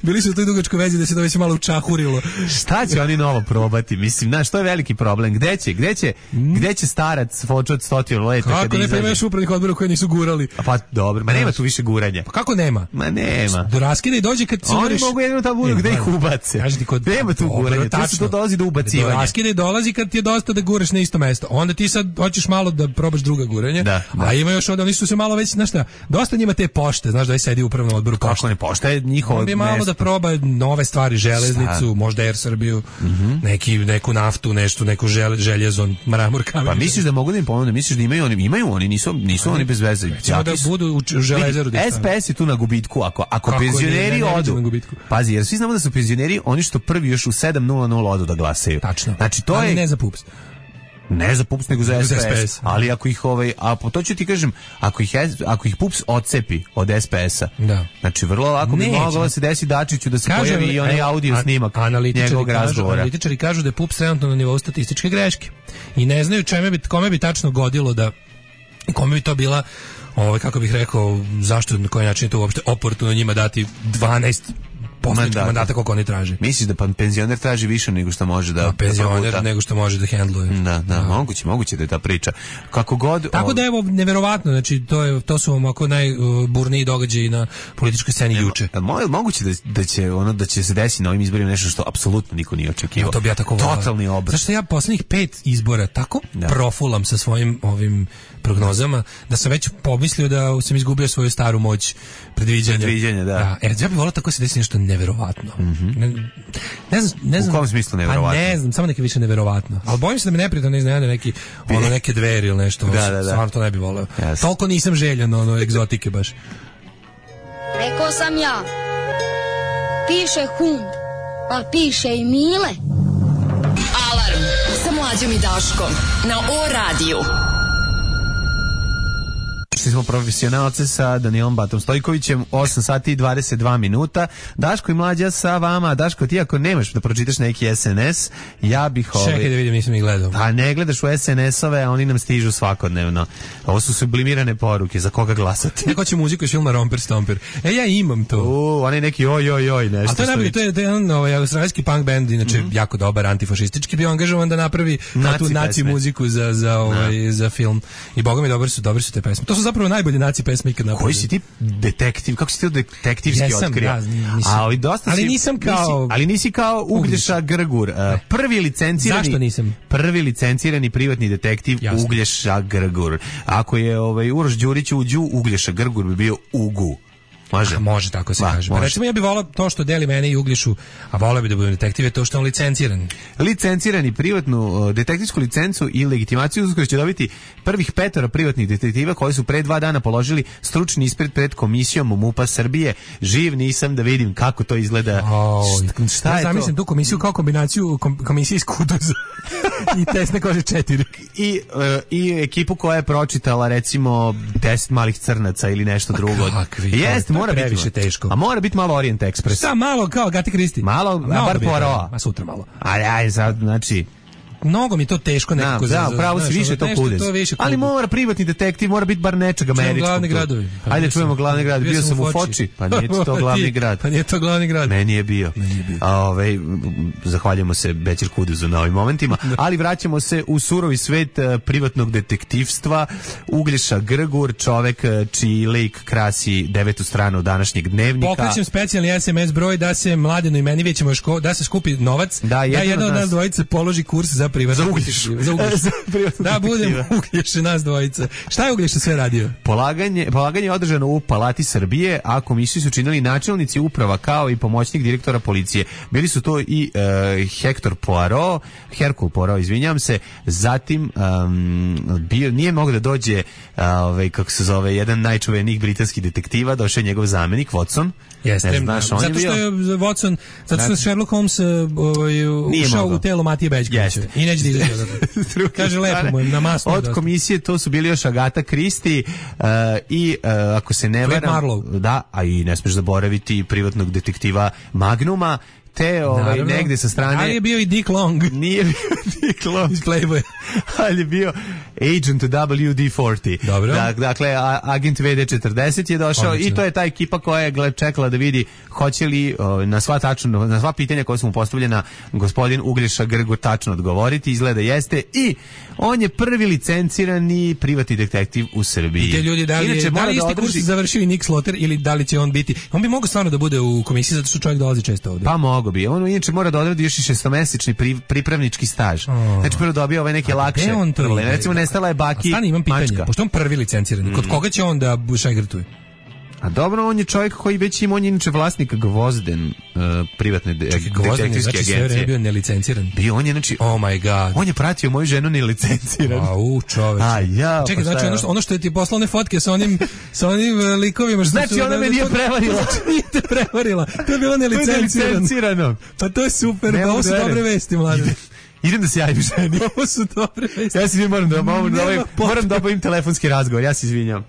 S6: Bili su u toj dugačkoj vezi da se to već malo učahurilo.
S5: Šta će oni novo probati? Mislim, znaš, to je veliki problem. Gde će starac fočo od 100 leta
S6: kako
S5: kad
S6: ne,
S5: izađe?
S6: pa imaš upravnih odbora koji nisu gurali.
S5: Pa dobro, ma nema tu više guranja.
S6: Pa kako nema?
S5: Ma nema.
S6: Do raskida i dođe kad se
S5: Oni
S6: uveriš.
S5: mogu jedino tamo gde ih ubace. Nema tu guranja, tu se to dolazi do ubacivanja.
S6: Do raskida i dolazi kad ti je dosta da guraš na isto mesto. Onda ti sad hoćeš malo da probaš druga guranja.
S5: Da.
S6: A ima još oni su se malo već, znaš šta, dosta njima te pošte, znaš da je sedi u upravnom odboru pošte.
S5: Kako ne, pošta je njihovo
S6: On bi malo
S5: mesto.
S6: da proba nove stvari, železnicu, možda Air Srbiju, neku naftu, nešto, neku željezo, mramor, kamen.
S5: Pa misliš da mogu da im pomogne? Misliš da imaju oni, nisu oni bez veze.
S6: Ćemo da budu u železaru.
S5: SPS je tu na gubitku, ako penzioneri odu. Pazi, jer svi znamo da su penzioneri oni što prvi još u 7:00 odu da glasaju.
S6: Tačno.
S5: Znači to
S6: ali
S5: je
S6: ne za PUPS.
S5: Ne za PUPS nego za SPS.
S6: SPS.
S5: Ali ako ih to ću ti kažem, ako ih PUPS odcepi od SPS-a.
S6: Da.
S5: Znači vrlo lako bi moglo se desiti Dačiću da se pojavi i onaj audio snimak njegovog razgovora.
S6: Analitičari kažu da je PUPS trenutno na nivou statističke greške. I ne znaju kome bi tačno godilo da kome bi to bila kako bih rekao, zašto, na koji način je to uopšte oportuno njima dati 12 poslaničkih mandata koliko oni traže.
S5: Misliš da penzioner traži više nego što može da
S6: penzioner nego što može da hendluje.
S5: Da, moguće da je ta priča. Kako god.
S6: Tako da evo neverovatno, znači to su ovako najburniji događaji na političkoj sceni juče.
S5: Moguće da će se desiti na ovim izborima nešto što apsolutno niko nije očekivao.
S6: To bi ja tako volao.
S5: Totalni obrat.
S6: Zašto ja poslednjih 5 izbora tako profulam sa svojim ovim prognozama da sam već pomislio da sam izgubio svoju staru moć predviđanja.
S5: Da.
S6: Ja bih volao tako se desi nešto neverovatno. Ne znam.
S5: U kom smislu neverovatno?
S6: Pa ne znam, samo neke više neverovatno. Ali bojim se da me neprijatno ne iznenade neke dveri ili nešto.
S5: Da.
S6: Stvarno to ne bih voleo. Toliko nisam željan egzotike baš.
S9: Rekao sam ja. Piše hund, pa piše i Mile.
S4: Alarm sa Mlađom i Daškom na O-radiju.
S5: Šli smo profesionalce sa Danielom Batom Stojkovićem, 8 sati i 22 minuta. Daško i Mlađa sa vama. Daško, ti ako nemaš da pročitaš neki SNS, ja bih...
S6: Čekaj da vidim, nisam ih gledao.
S5: A ne gledaš u SNS-ove, a oni nam stižu svakodnevno. Ovo su sublimirane poruke, za koga glasati.
S6: Neko će muziku iz filma Romper Stomper. Ja imam to.
S5: Onaj neki oj, nešto.
S6: A to je najbolje, to je jedan australijski punk band, inače jako dobar, antifašistički, bio angažovan da napravi tu naci muziku za film. I boga mi dobri su te pesme. To su zapravo najbolje naci pesme ikad napravili.
S5: Koji si ti detektiv? Kako si ti detektivski otkrio?
S6: Ali nisam kao...
S5: Ali nisi kao Uglješa Grgur. Prvi licencirani privatni detektiv Uglješa Grgur. Ako je Uroš Đurić uđu, Uglješa Grgur bi bio Ugu.
S6: Može tako se kaže. Recimo ja bih volao to što deli mene i Uglješu, a volao bi da budem detektiv, je to što je on licenciran.
S5: Licencirani privatnu detektivsku licencu i legitimaciju uskoro će dobiti prvih 5 privatnih detektiva koji su pre 2 dana položili stručni ispit pred komisijom MUP-a Srbije. Živ nisam da vidim kako to izgleda. Šta je to?
S6: Zamislim tu komisiju kao kombinaciju komisije iz Kuduza i Tesne kože 4.
S5: I ekipu koja je pročitala recimo 10 malih crnaca ili nešto drugo. Jeste, mora biti
S6: previše teško.
S5: A mora biti malo Orient Express.
S6: Šta malo kao Agatha Christie?
S5: Malo, bar Poirot.
S6: Ma sutra malo.
S5: Aj, sad, znači...
S6: Mnogo mi to teško nekako.
S5: Da, pravo si više to kudez. Ali mora privatni detektiv, mora biti bar nečeg američkog.
S6: Glavni gradovi.
S5: Ajde čujemo glavni grad. Bio sam u Foči, pa nije to glavni grad.
S6: Pa nije to glavni grad.
S5: Meni je bio. Zahvaljujemo se Bećir Kudezu na ovim momentima, ali vraćamo se u surovi svet privatnog detektivstva. Uglješa Grgur, čovek čiji lik krasi 9. stranu današnjeg dnevnika.
S6: Pokrećem specijalni SMS broj da se Mladenu i meni ćemo da se skupi novac, da jedna od nas dvojice položi kurs za
S5: Uglješu.
S6: Da budemo Uglješe nas dvojica. Šta je Uglješa sve radio?
S5: Polaganje je održano u Palati Srbije, a komisiju su činili načelnici uprava kao i pomoćnik direktora policije. Bili su to i Hercule Poirot, izvinjam se, zatim nije mogao da dođe kako se zove, jedan najčuvenijih britanskih detektiva, došao je njegov zamenik Watson.
S6: Jeste, zato što je Watson, zato što je Sherlock Holmes ušao u telo Matije Bećkovića i neće da izađe. Kaže lepo mu na masno.
S5: Od komisije to su bili još Agatha Christie i ako se ne varam, da, a i ne smiješ zaboraviti privatnog detektiva Magnuma, te negde sa strane.
S6: Ali je bio i Dick Long.
S5: Nije bio Dick Long.
S6: Iz Playboy.
S5: Ali je bio Agent WD-40.
S6: Dobro.
S5: Dakle, agent VD-40 je došao.
S6: Odlično.
S5: I to je ta ekipa koja je čekala da vidi hoće li na sva pitanja koja su mu postavljena gospodin Uglješa Grgur tačno odgovoriti. Izgleda jeste. I on je prvi licencirani privatni detektiv u Srbiji.
S6: I te ljudi da li isti kurs završio i Nick Sloter ili da li će on biti? On bi mogao stvarno da bude u komisiji zato što čovjek dolazi često ovde.
S5: Pa mogo bi. On inače mora da odradi još i 6-mesečni pripravnički staž. Znači prvo dobio ove neke lakše probleme. Recimo nestala je baki
S6: Stani, imam pitanje.
S5: mačka.
S6: Pošto on prvi licenciran, kod koga će on da šajgrtuje?
S5: A dobro, on je čovjek koji već ima, on je inače vlasnik Gvozden privatne detektivske
S6: znači,
S5: agencije.
S6: sve vreme bio nelicenciran.
S5: Bio, on je, znači,
S6: oh my god.
S5: On je pratio moju ženu nelicenciran.
S6: Čoveče. Čekaj,
S5: pa
S6: znači ono što je ti poslao one fotke sa onim likovima.
S5: Znači, ona me nije prevarila.
S6: Nije te prevarila. To je bilo nelicencirano. Pa to je super, pa ovo su dobre vesti, mlade.
S5: Idem da se javim ženi.
S6: Ovo su dobre vesti.
S5: Ja se izvinjam, moram da obavim telefonski razgovor, ja se izvinjam.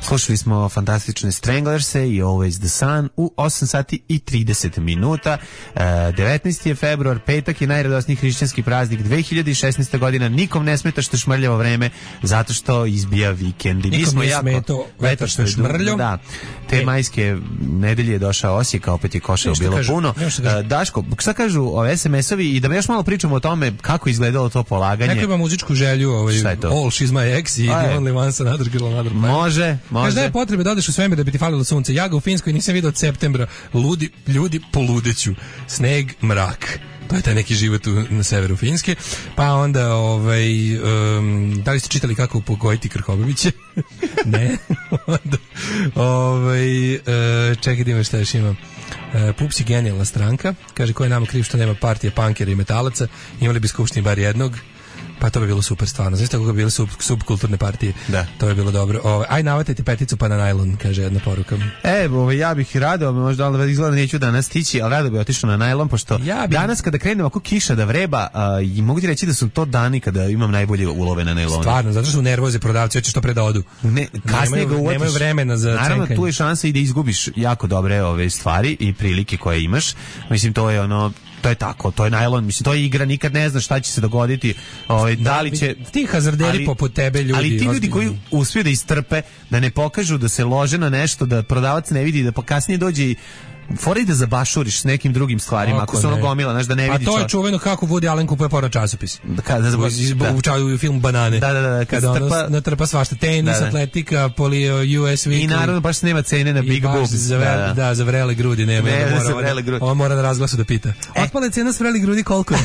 S5: Slušali smo fantastične Stranglerse i Always the Sun u 8 sati i 30 minuta. 19. je februar, petak je najradosniji hrišćanski praznik 2016. godina. Nikom ne smeta što je šmrljavo vreme zato što izbija vikend.
S6: Nikom ne smeto vetar što je šmrljo.
S5: Da, te majske nedelje je došao Osijek, opet je košao bilo puno. Daško, šta kažu SMS-ovi i da još malo pričamo o tome kako izgledalo to polaganje.
S6: Neko ima muzičku želju, All She's My Ex i The Only One's Another Girl, Another Man.
S5: Može.
S6: Kaže da je potrebe da odeš u svemir da bi ti falilo sunce. Ja ga u Finskoj nisam vidio od septembra. Ljudi poludeću. Sneg, mrak. To je taj neki život na severu Finske. Pa onda, da li ste čitali kako upokojiti Krhoboviće? Ne. Čekaj da ima šta još imam. Pups je genijalna stranka. Kaže, ko je nama kriv što nema partije pankera i metalaca? Imali bi skupštini bar jednog. Pa to bi bilo super stvarno. Znaš tako bi bile subkulturne partije? Da. To bi bilo dobro. Aj navatajte peticu pa na najlon, kaže jedna poruka.
S5: Ja bih rado, možda ali izgleda neću danas stići, ali rado bih otišao na najlon, pošto danas kada krenem ako kiša da vreba, i mogu ti reći da su to dani kada imam najbolje ulove na najlonu.
S6: Stvarno, zato što su nervoze prodavci, hoće što pre da odu.
S5: Kasnije ga uvatiš.
S6: Nemaju vremena za cenkanje.
S5: Naravno, tu je šansa i da izgubiš jako dobre ove stvari i prilike koje imaš. Mislim, to je to je tako, to je najlon, mislim, to je igra, nikad ne znaš šta će se dogoditi, da li će...
S6: Ti hazarderi poput tebe ljudi...
S5: Ali ti ljudi koji uspiju da istrpe, da ne pokažu, da se lože na nešto, da prodavac ne vidi, da kasnije dođe i fora i da zabašuriš s nekim drugim stvarima, ako se ono gomila, znaš, da ne vidi.
S6: A to je čuveno kako Woody Allen kupuje porno časopis. U film Banane.
S5: Da.
S6: Kada ono natrpa svašta, tenis, atletika, polio, US Weekly.
S5: I naravno baš nema cene na Big Boobs.
S6: Da, za vrele grudi nema. On mora na razglasu da pita. Otpala cena s vreli grudi koliko je?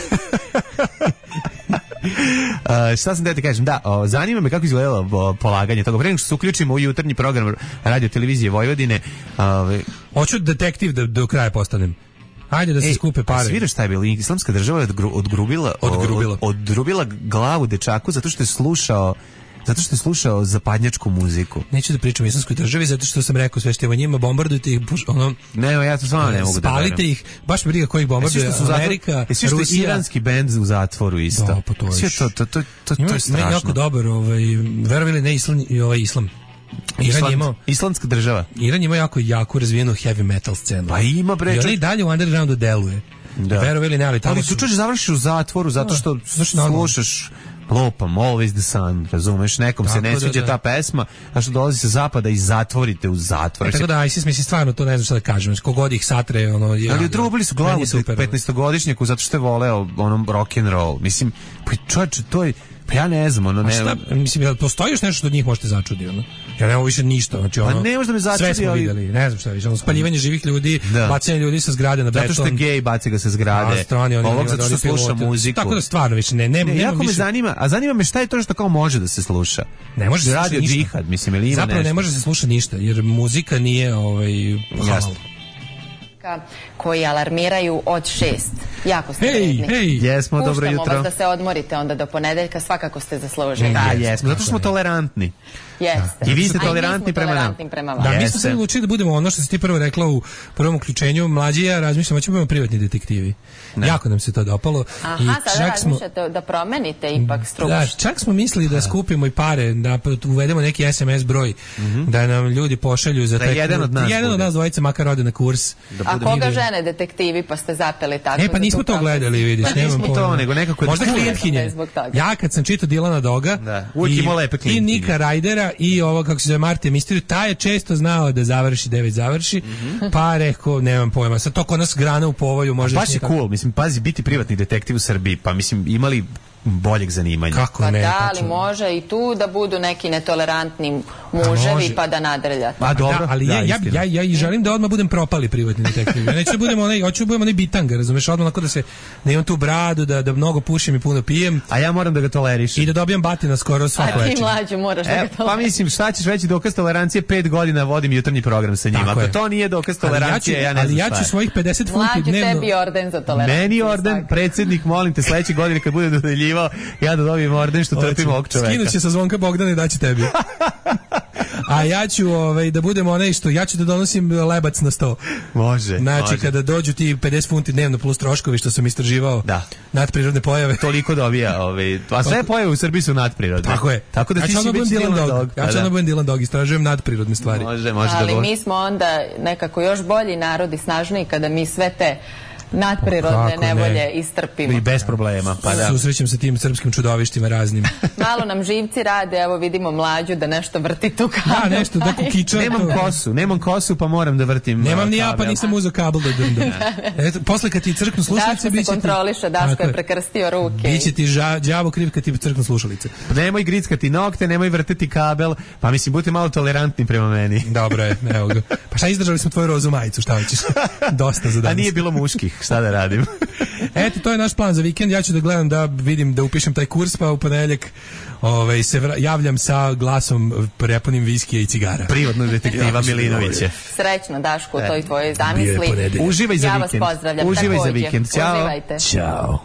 S5: Šta sam da ti kažem? Da, zanima me kako izgledalo polaganje toga. Pre nego što se uključimo u jutarnji program Radio Televizije Vojvodine.
S6: Hoću detektiv da do kraja postanem. Ajde da se skupe pare.
S5: Sviraš šta je bilo? Islamska država je odgrubila glavu dečaku zato što je slušao zapadnjačku muziku.
S6: Neću da pričam o islamskoj državi zato što sam rekao sve što je o njima, bombardujte ih,
S5: ja to stvarno ne mogu da verujem.
S6: Spalite ih, baš me briga ko ih bombarduje, Amerika,
S5: Rusija. Svi što je iranski bend u zatvoru isto.
S6: Da, pa to je
S5: strašno.
S6: Meni jako dobar, verovali ne islam.
S5: Islamska država.
S6: Iran ima jako razvijenu heavy metal scenu.
S5: Pa ima bre.
S6: I ona i dalje u undergroundu deluje. Verovali ne, ali tamo
S5: ali tu završiš u zatvoru zato što slušaš lopam, Always the Sun, razumeš, nekom se ne sviđa ta pesma, a što dolazi sa zapada i zatvorite u zatvor.
S6: Tako da, ISIS, mislim, stvarno, to ne znam šta da kažem, kogod ih satre,
S5: ali odrubili su glavu 15-godišnjaku zato što je voleo rock'n'roll, mislim, pa čovječe, to je, pa ja ne znam,
S6: mislim, postoji još nešto što od njih možete začudi, Ja nemamo više ništa, znači
S5: ne možda me začudi,
S6: sve smo videli, ne znam šta više, spaljivanje živih ljudi, bacanje ljudi sa zgrade na beton.
S5: Zato što je gej, baci ga sa zgrade. Ovog zato što sluša muziku.
S6: Tako da stvarno više ne
S5: jako me zanima me šta je to što kao može da se sluša.
S6: Ne može se
S5: radio džihad, mislim, ili ima
S6: zapravo
S5: nešto.
S6: Ne može se sluša ništa, jer muzika nije halal.
S8: Koji alarmiraju od 6. Jako ste vredni.
S5: Jesmo, dobro
S8: Puštamo
S5: jutro.
S8: vas da se odmorite onda do ponedeljka, svakako ste zaslužili.
S5: Da, jesmo, zato što smo tolerantni.
S8: Jeste.
S5: I vi ste
S8: A i mi
S5: tolerantni
S8: smo
S5: prema nam.
S8: tolerantni prema vama.
S6: Da, mi smo se odlučili da budemo ono što si ti prvo rekla u prvom uključenju. Mlađi i ja razmišljamo, ćemo budemo privatni detektivi. Jako nam se to dopalo.
S8: Aha, sada razmišljate da promenite ipak struku.
S6: Da, čak smo mislili da skupimo i pare, da uvedemo neki SMS broj, da nam ljudi pošalju za taj
S5: jedan od nas
S6: dvojica makar ode na kurs.
S8: A koga žene detektivi pa ste zapeli tako?
S6: Pa nismo to gledali, vidiš.
S5: Pa nismo to, nego nekako...
S6: Možda klijentkinje. Ja kad sam čitao Dilana Doga i Nika Rajdera i ovo kako se zove Martija Misteriju, taj je često znao da završi, 9 završi, pa rekao, nemam pojma, sad to kod nas grana u povolju može...
S5: Baš je cool, mislim, pazi, biti privatni detektiv u Srbiji, pa mislim, imali boljeg zanimanja.
S6: Kako
S8: pa
S6: ne?
S8: Da, ali može i tu da budu neki netolerantni muževi pa da nadrljate.
S5: Pa dobro,
S6: da, ali ja i želim da odmah budem propali privatni detektiv. Ja neću da budem hoću da budem onaj bitanga, razumeš, odmah onako da imam tu bradu, da mnogo pušim i puno pijem.
S5: A ja moram da ga tolerišem.
S6: I da dobijam batina skoro svako večer.
S8: A ti mlađu moraš da ga tolerišem.
S5: Pa mislim, šta ćeš veći dokaz tolerancije, 5 godina vodim jutarnji program sa njima. Ako to nije dokaz tolerancije, ja ne znam šta je.
S6: Ali ja ću svojih 50 funti dnevno...
S8: Mlađu, tebi orden za toleranciju.
S5: Meni orden, predsjednik, molim te, sledeće godine kad bude dodeljivao, ja da dobijem orden što trpim ovog čoveka.
S6: Skinut će sa Zvonka Bogdana i daći tebi. A ja ću da budem onaj što ja ću da donosim lebac na sto.
S5: Može.
S6: Znači kada dođu ti 50 funti dnevno plus troškovi što sam istraživao. Nadprirodne pojave.
S5: Toliko dobija, a sve pojave u Srbiji su nadprirodne.
S6: Tako je.
S5: Tako da ti si već Dylan Dog.
S6: Ja ću budem Dylan Dog, istražujem nadprirodne stvari.
S5: Može
S8: ali mi smo onda nekako još bolji narod i snažniji kada mi sve te nadprirodne nevolje istrpimo.
S5: I bez problema, pa da.
S6: Susrećem sa tim srpskim čudovištima raznim.
S8: Malo nam živci rade, evo vidimo Mlađu da nešto vrti tu kabel.
S6: Da, nešto, da kukiča.
S5: Nemam kosu, pa moram da vrtim.
S6: Nemam ni ja, pa nisam uzeo kabel da drndam. Posle kad ti crknu slušalice,
S8: Daško se kontroliše, Daško je prekrstio ruke.
S6: Biće ti đavo kriv kad ti crknu slušalice.
S5: Nemoj grickati nokte, nemoj vrteti kabel, pa mislim, budite malo tolerantni prema meni.
S6: Dobro je, evo ga. Pa šta, izdržali smo tvoju rozu majicu, šta hoćeš? Dosta za danas.
S5: A nije bilo muških. Šta da radim?
S6: Eto, to je naš plan za vikend. Ja ću da gledam da vidim da upišem taj kurs, pa u ponedeljak se javljam sa glasom prepunim viskija i cigara.
S5: Privatnog detektiva Milinovića.
S8: Srećno, Daško, u toj tvojoj zamisli.
S5: Uživaj za vikend.
S8: Ja vas pozdravljam.
S5: Uživaj za vikend. Ćao.
S8: Uživajte.
S6: Ćao.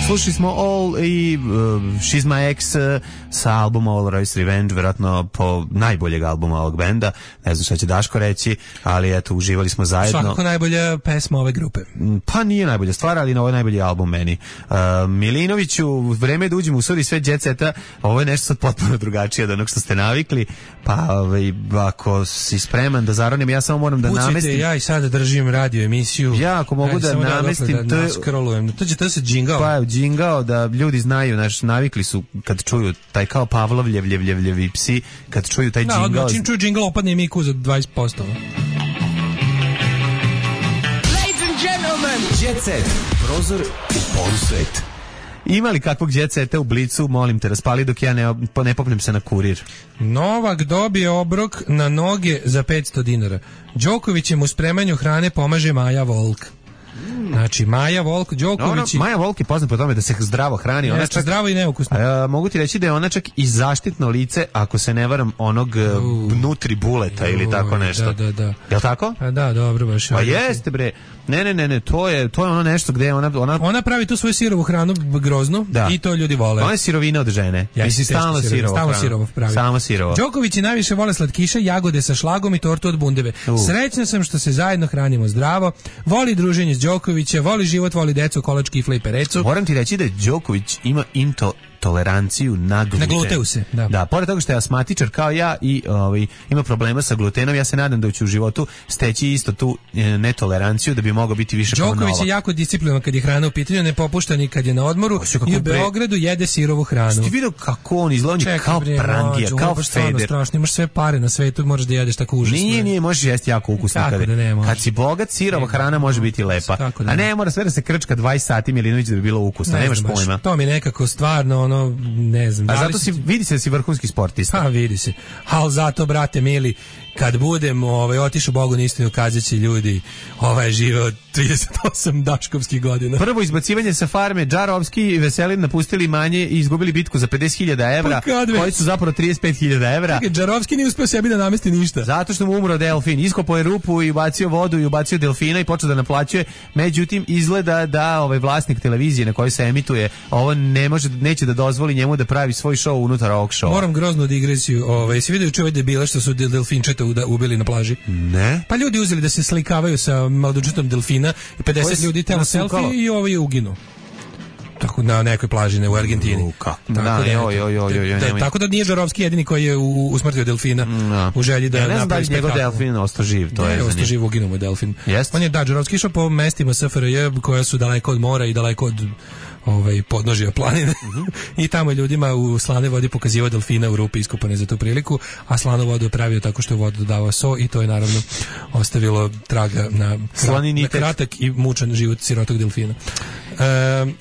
S5: Slušali smo All i She's My Ex sa albuma All Royce Revenge, vjerojatno po najboljeg albuma ovog benda. Ne znam šta će Daško reći, ali eto, uživali smo zajedno.
S6: Svakako najbolja pesma ove grupe.
S5: Pa nije najbolja stvar, ali ovo je najbolji album meni. Milinoviću, vreme je da uđemo u sudi sve jet seta, ovo je nešto sad potpuno drugačije od onog što ste navikli, pa ako si spreman da zaronim, ja samo moram da namestim.
S6: Ja i sada držim radio emisiju.
S5: Ja ako mogu da namestim,
S6: da naskrolujem. To se džingao.
S5: Pa džingao da ljudi znaju, navikli su kad čuju taj kao Pavlovljevi psi, kad čuju taj džingao.
S6: Da, čim čuju džingao opadne im IQ za 20%.
S7: Ladies and gentlemen, Jet Set, prozor u polusvet.
S5: Ima li kakvog jet seta u Blicu, molim te, raspali dok ja ne popnem se na kurir.
S6: Novak dobije obrok na noge za 500 dinara. Đokovićem u spremanju hrane pomaže Maja Volk. Znači, Maja Volk, Đoković...
S5: Maja Volk je poznat po tome da se zdravo hrani. Ona čak,
S6: zdravo i neukusno.
S5: Mogu ti reći da je ona čak i zaštitno lice, ako se ne varam, onog Nutri Buleta ili tako nešto.
S6: Da.
S5: Jel' tako?
S6: Da, dobro, baš.
S5: Pa jeste, bre. Ne, to je ono nešto gde ona
S6: pravi tu svoju sirovu hranu groznu i to ljudi vole.
S5: Ona je sirovina od žene. Misli stalno sirovo pravi. Samo sirovo.
S6: Đokovići najviše vole slatkiše, jagode sa šlagom i tortu od bundeve. Srećna sam što se zajedno hranimo zdravo. Voli druženje s Đokovića, voli život, voli decu, kolač, kifle i perecu.
S5: Moram ti reći da Đoković ima toleranciju na gluten.
S6: Na gluteuse, da.
S5: Da, pored toga što je astmatičar kao ja i ima problema sa glutenom, ja se nadam da će u životu steći isto tu netoleranciju da bi mogao biti više kao Novak.
S6: Đoković je jako disciplinovan kad je hrana u pitanju, ne popušta ni kad je na odmoru i u Beogradu jede sirovu hranu.
S5: Ti vidio kako on izgleda, kao prangija, kao Feder.
S6: Strašno, imaš sve pare na svetu, možeš da jedeš tako užasno.
S5: Nije, možeš jesti jako ukusno. Kad si bogat, sirova hrana može biti lepa. A ne mora sve da se krčka 20 sati Milinović da bi bilo ukusno, nemaš pojma.
S6: To mi nekako stvarno ono, ne znam.
S5: A zato vidi se da si vrhunski sportista.
S6: Pa vidi se. Ali zato, brate mili, kad budem otišao Bogu na istinu, kazaće ljudi, je živeo 38 daškovskih godina.
S5: Prvo izbacivanje sa farme, Džarovski i Veselin napustili manje i izgubili bitku za 50.000 evra, koji su zapravo 35.000 evra.
S6: Čekaj, Džarovski nije uspeo sebi da namesti ništa.
S5: Zato što mu umro delfin. Iskopao je rupu i ubacio vodu i ubacio delfina i počeo da naplaćuje. Međutim, izgleda da vlasnik televizije na kojoj se emituje ovo neće da dozvoli njemu da pravi svoj show unutar ovog showa.
S6: Moram groznu digresiju. Si vidio juče debile što su delfinčeta ubili na plaži?
S5: Ne.
S6: Pa ljudi uzeli da se slikavaju sa mladočetom delfina i 50 ljudi telo selfie i ovo je uginu. Tako na nekoj plaži u Argentini. Tako da nije Žarovski jedini koji je usmrtio delfina u želji da napravi spektakl.
S5: Ne znam da li njegov delfin ostao živ, to je zanimljivo.
S6: Ostao živ, uginuo mu delfin. On je Žarovski išao po mestima SFRJ koja su daleko od mora i daleko od podnožja planine i tamo je ljudima u slanoj vodi pokazivao delfina u rupi iskopane za tu priliku, a slanu vodu pravio tako što je vodu dodavao so i to je naravno ostavilo traga na kratak i mučan život sirotog delfina.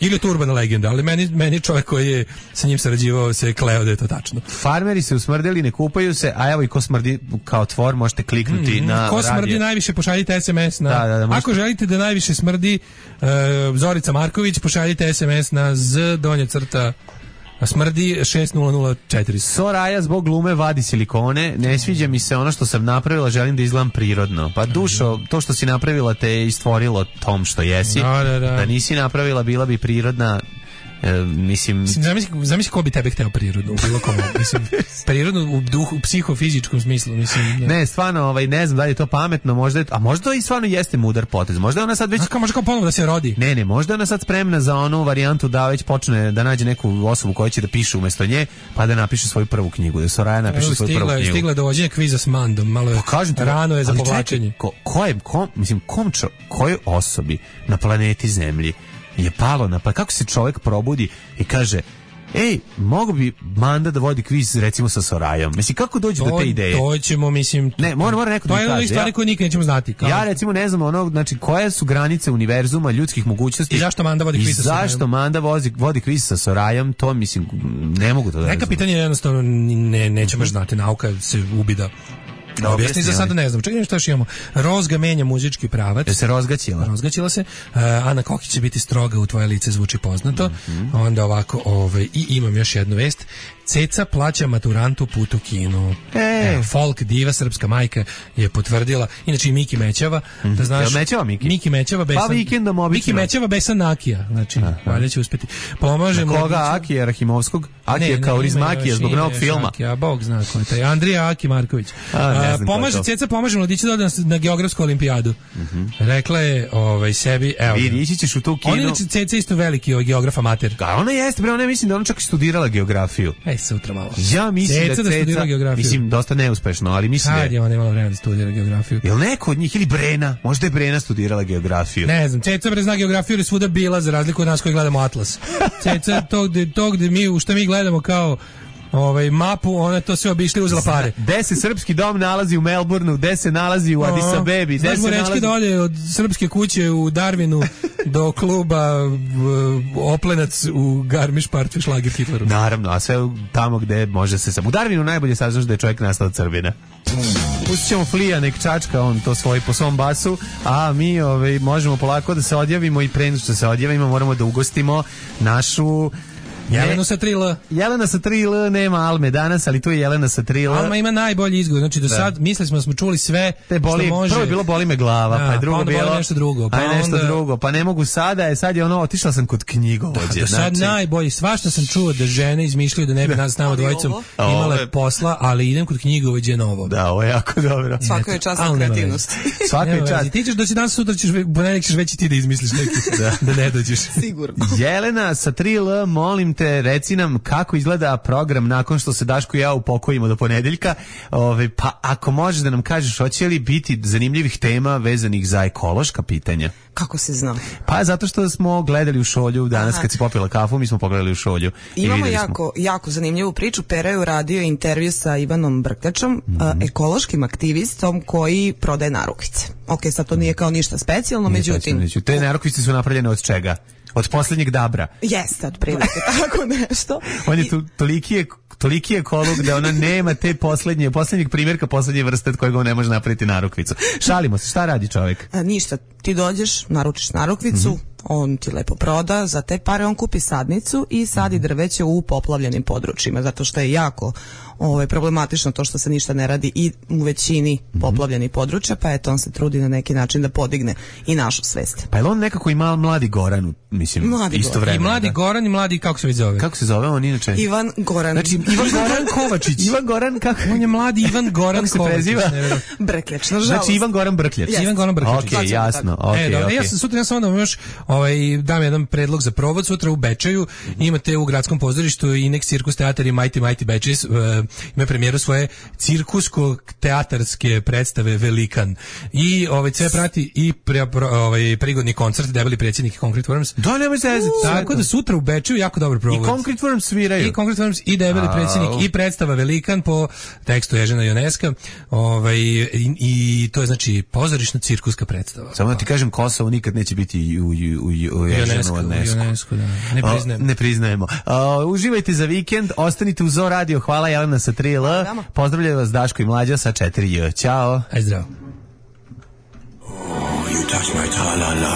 S6: Ili je to urbana legenda, ali meni čovjek koji je sa njim sarađivao se kleo da je to tačno.
S5: Farmeri se usmrdili, ne kupaju se, a evo i ko smrdi kao tvor, možete kliknuti na radio.
S6: Ko smrdi najviše, pošaljite SMS na... Ako želite da najviše smrdi Zorica Marković, pošaljite SMS na z_, smrdi 6004.
S5: Soraja zbog glume vadi silikone, ne sviđa mi se ono što sam napravila, želim da izgledam prirodno. Pa dušo, to što si napravila te je istvorilo tom što jesi. Da nisi napravila, bila bi prirodna. Mislim,
S6: zamisli ko bi tebe hteo prirodno u bilo kom, mislim, prirodno u duhu, u psihofizičkom smislu, mislim.
S5: Ne, stvarno, ne znam da li je to pametno, možda i stvarno jeste mudar potez. Možda je ona sad već
S6: možda kao ponovo da se rodi.
S5: Ne, možda je ona sad spremna za onu varijantu da već počne da nađe neku osobu koja će da piše umesto nje, pa da napiše svoju prvu knjigu, da Soraja napiše svoju prvu knjigu.
S6: Stigla dovođenje kviza s Mandom, malo je rano je za povlačenje.
S5: Kojoj osobi na planeti Zemlji je palo pa kako se čovjek probudi i kaže mogu bi Manda da vodi kviz recimo sa Sorajom. Mislim, kako dođe do te ideje?
S6: To ćemo, mislim...
S5: Ne, mora neko da mi kaže.
S6: To je jedna stvari koju nikad nećemo znati.
S5: Ja recimo ne znam znači koje su granice univerzuma, ljudskih mogućnosti.
S6: I zašto Manda vodi kviz sa Sorajom?
S5: Zašto Manda vodi kviz sa Sorajom, to mislim, ne mogu to da
S6: neka pitanja jednostavno nećemo znati, nauka se ubida. Objasni za sada ne znam. Čekaj što još imamo. Rozga menja muzički pravac.
S5: Se rozgaćila.
S6: Rozgaćila se. Ana Kokić će biti stroga, u tvoje lice zvuči poznato. Onda ovako, i imam još jednu vest. Ceca plaća maturantu put u kinu. Folk diva, srpska majka je potvrdila. Inače i Miki Mećava. Da znaš,
S5: Mećava Miki?
S6: Miki Mećava besan.
S5: Pa vikendom obično.
S6: Miki Mećava besan Akija. Znači, valjda će uspeti. Pomaže
S5: mu. Koga? Akija Rahimovskog? Akija Kaurizmakija zbog novog filma.
S6: Akija, Bog zna ko je taj. Andrija Aki Marković. Ceca pomaže mladiću da ode na geografsku olimpijadu. Rekla je sebi, evo.
S5: Vidi, ići ćeš u tu kinu.
S6: On je Ceca isto veliki geograf amater.
S5: Ona jeste, ona mislim da ona čak i studirala geografiju.
S6: Sutra malo.
S5: Ja mislim da Ceca, mislim, dosta neuspešno, ali mislim
S6: da je ona imala vremena da studira geografiju.
S5: Jel neko od njih, ili Brena, možda je Brena studirala geografiju.
S6: Ne znam, Ceca zna geografiju ili svuda bila, za razliku od nas koji gledamo Atlas. Ceca, to gde mi, što mi gledamo kao mapu, ona to sve obišli, uzela pare.
S5: Gde se srpski dom nalazi u Melbourneu, gde se nalazi u Addis Abebi,
S6: gde se nalazi... da ode od srpske kuće u Darwinu do kluba Oplenac u Garmisch-Park šlager Hitleru.
S5: Naravno, a sve tamo gde može se sam. U Darwinu najbolje saznaš da je čovjek nastao od Srbina. Pustit ćemo Flija, nek čačka on to svoj po svom basu, a mi možemo polako da se odjavimo i pre nego što se odjavimo moramo da ugostimo našu
S6: Jelena sa 3L.
S5: Jelena sa 3L, nema Alme danas, ali tu je Jelena sa 3L.
S6: Alma ima najbolji izgovor, znači do sad mislili smo čuli sve što može.
S5: Prvo je bilo boli me glava, pa je drugo
S6: pa
S5: bilo
S6: nešto drugo,
S5: pa ne mogu sada, sad je otišla sam kod knjigovođe.
S6: Do sad najbolji, svašta sam čuo da žene izmišljaju da ne bi nas s nama dvojicom imale posla, ali idem kod knjigovođe novo.
S5: Da, ovo je jako dobro.
S10: Svaka je čast na kreativnost.
S5: Svaka je čast.
S6: Ti ćeš danas sutra ponedjeljak ćeš već i ti da izmisliš neki, da ne dođeš.
S10: Sigurno.
S5: Jelena sa 3L, molim te, reci nam kako izgleda program nakon što se Daško i ja upokojimo do ponedeljka. Pa ako možeš da nam kažeš, hoće li biti zanimljivih tema vezanih za ekološka pitanja?
S10: Kako se zna?
S5: Pa zato što smo gledali u Šolju danas kad si popila kafu, mi smo pogledali u Šolju.
S10: Imamo jako zanimljivu priču. Pera je uradio intervju sa Ivanom Brktačom, ekološkim aktivistom koji prodaje narukvice. Ok, sad to nije kao ništa specijalno, međutim...
S5: Te narukvice su napravljene od čega? od poslednjeg dabra.
S10: Jeste, otprilike, tako nešto.
S5: On je toliki ekolog da ona nema te poslednjeg primjerka, poslednje vrste od kojeg on ne može napraviti narukvicu. Šalimo se, šta radi čovjek?
S10: Ništa, ti dođeš, naručiš narukvicu, on ti lepo proda, za te pare on kupi sadnicu i sadi drveće u poplavljenim područjima, zato što je jako problematično to što se ništa ne radi i u većini poplavljenih područja, pa eto on se trudi na neki način da podigne i našu svest.
S5: Pa je on nekako i Mladi Goran, mislim, istovremeno.
S6: I Mladi Goran i Mladi, kako se već zove?
S5: Kako se zove on inače?
S10: Ivan Goran.
S5: Znači, Ivan Goran Kovačić. Ivan Goran, kako?
S6: On je Mladi Ivan Goran
S5: Kovačić. Preziva?
S10: Brkljač, nažalost.
S5: Znači, Ivan Goran Brkljač.
S10: Yes.
S6: Ivan Goran Brkljač.
S5: Ok, jasno. Okay.
S6: Ja sam sutra, ja sam onda još dam jedan predlog za provod sutra u Bečeju. Imate u gradskom pozorištu Inex Cirkus Teatar i Mighty Betches. Ima premijeru svoje cirkusko-teatarske predstave Velikan. I sve prati i prigodni koncert Debeli predsjednik i Concrete Worms.
S5: Da, nemoj se jeziti.
S6: Tako da sutra u Bečeju jako dobar provod.
S5: I Concrete Worms sviraju.
S6: I Concrete Worms i Debeli predsjednik i predstava Velikan po tekstu Ežena Joneska. I to je znači pozorišno-cirkuska predstava.
S5: Samo da ti kažem, Kosovo nikad neće biti u UNESCO.
S6: Da.
S5: Ne priznajemo. Uživajte za vikend, ostanite u Zoo Radio. Hvala Jelena sa 3L. Pozdravljaju vas Daško i Mlađa sa 4J. Ćao.
S6: Aj zdravo.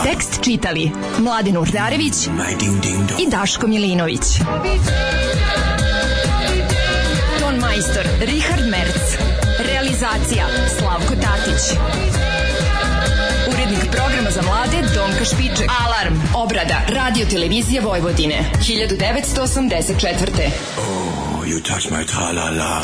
S4: Tekst čitali Mladin Urdarević i Daško Milinović. Ton majstor Richard Merc. Realizacija Slavko Tatić. Urednik programa za mlade Donka Špiček. Alarm, obrada, radio televizija Vojvodine, 1984.
S11: Oh, you touch my tra-la-la.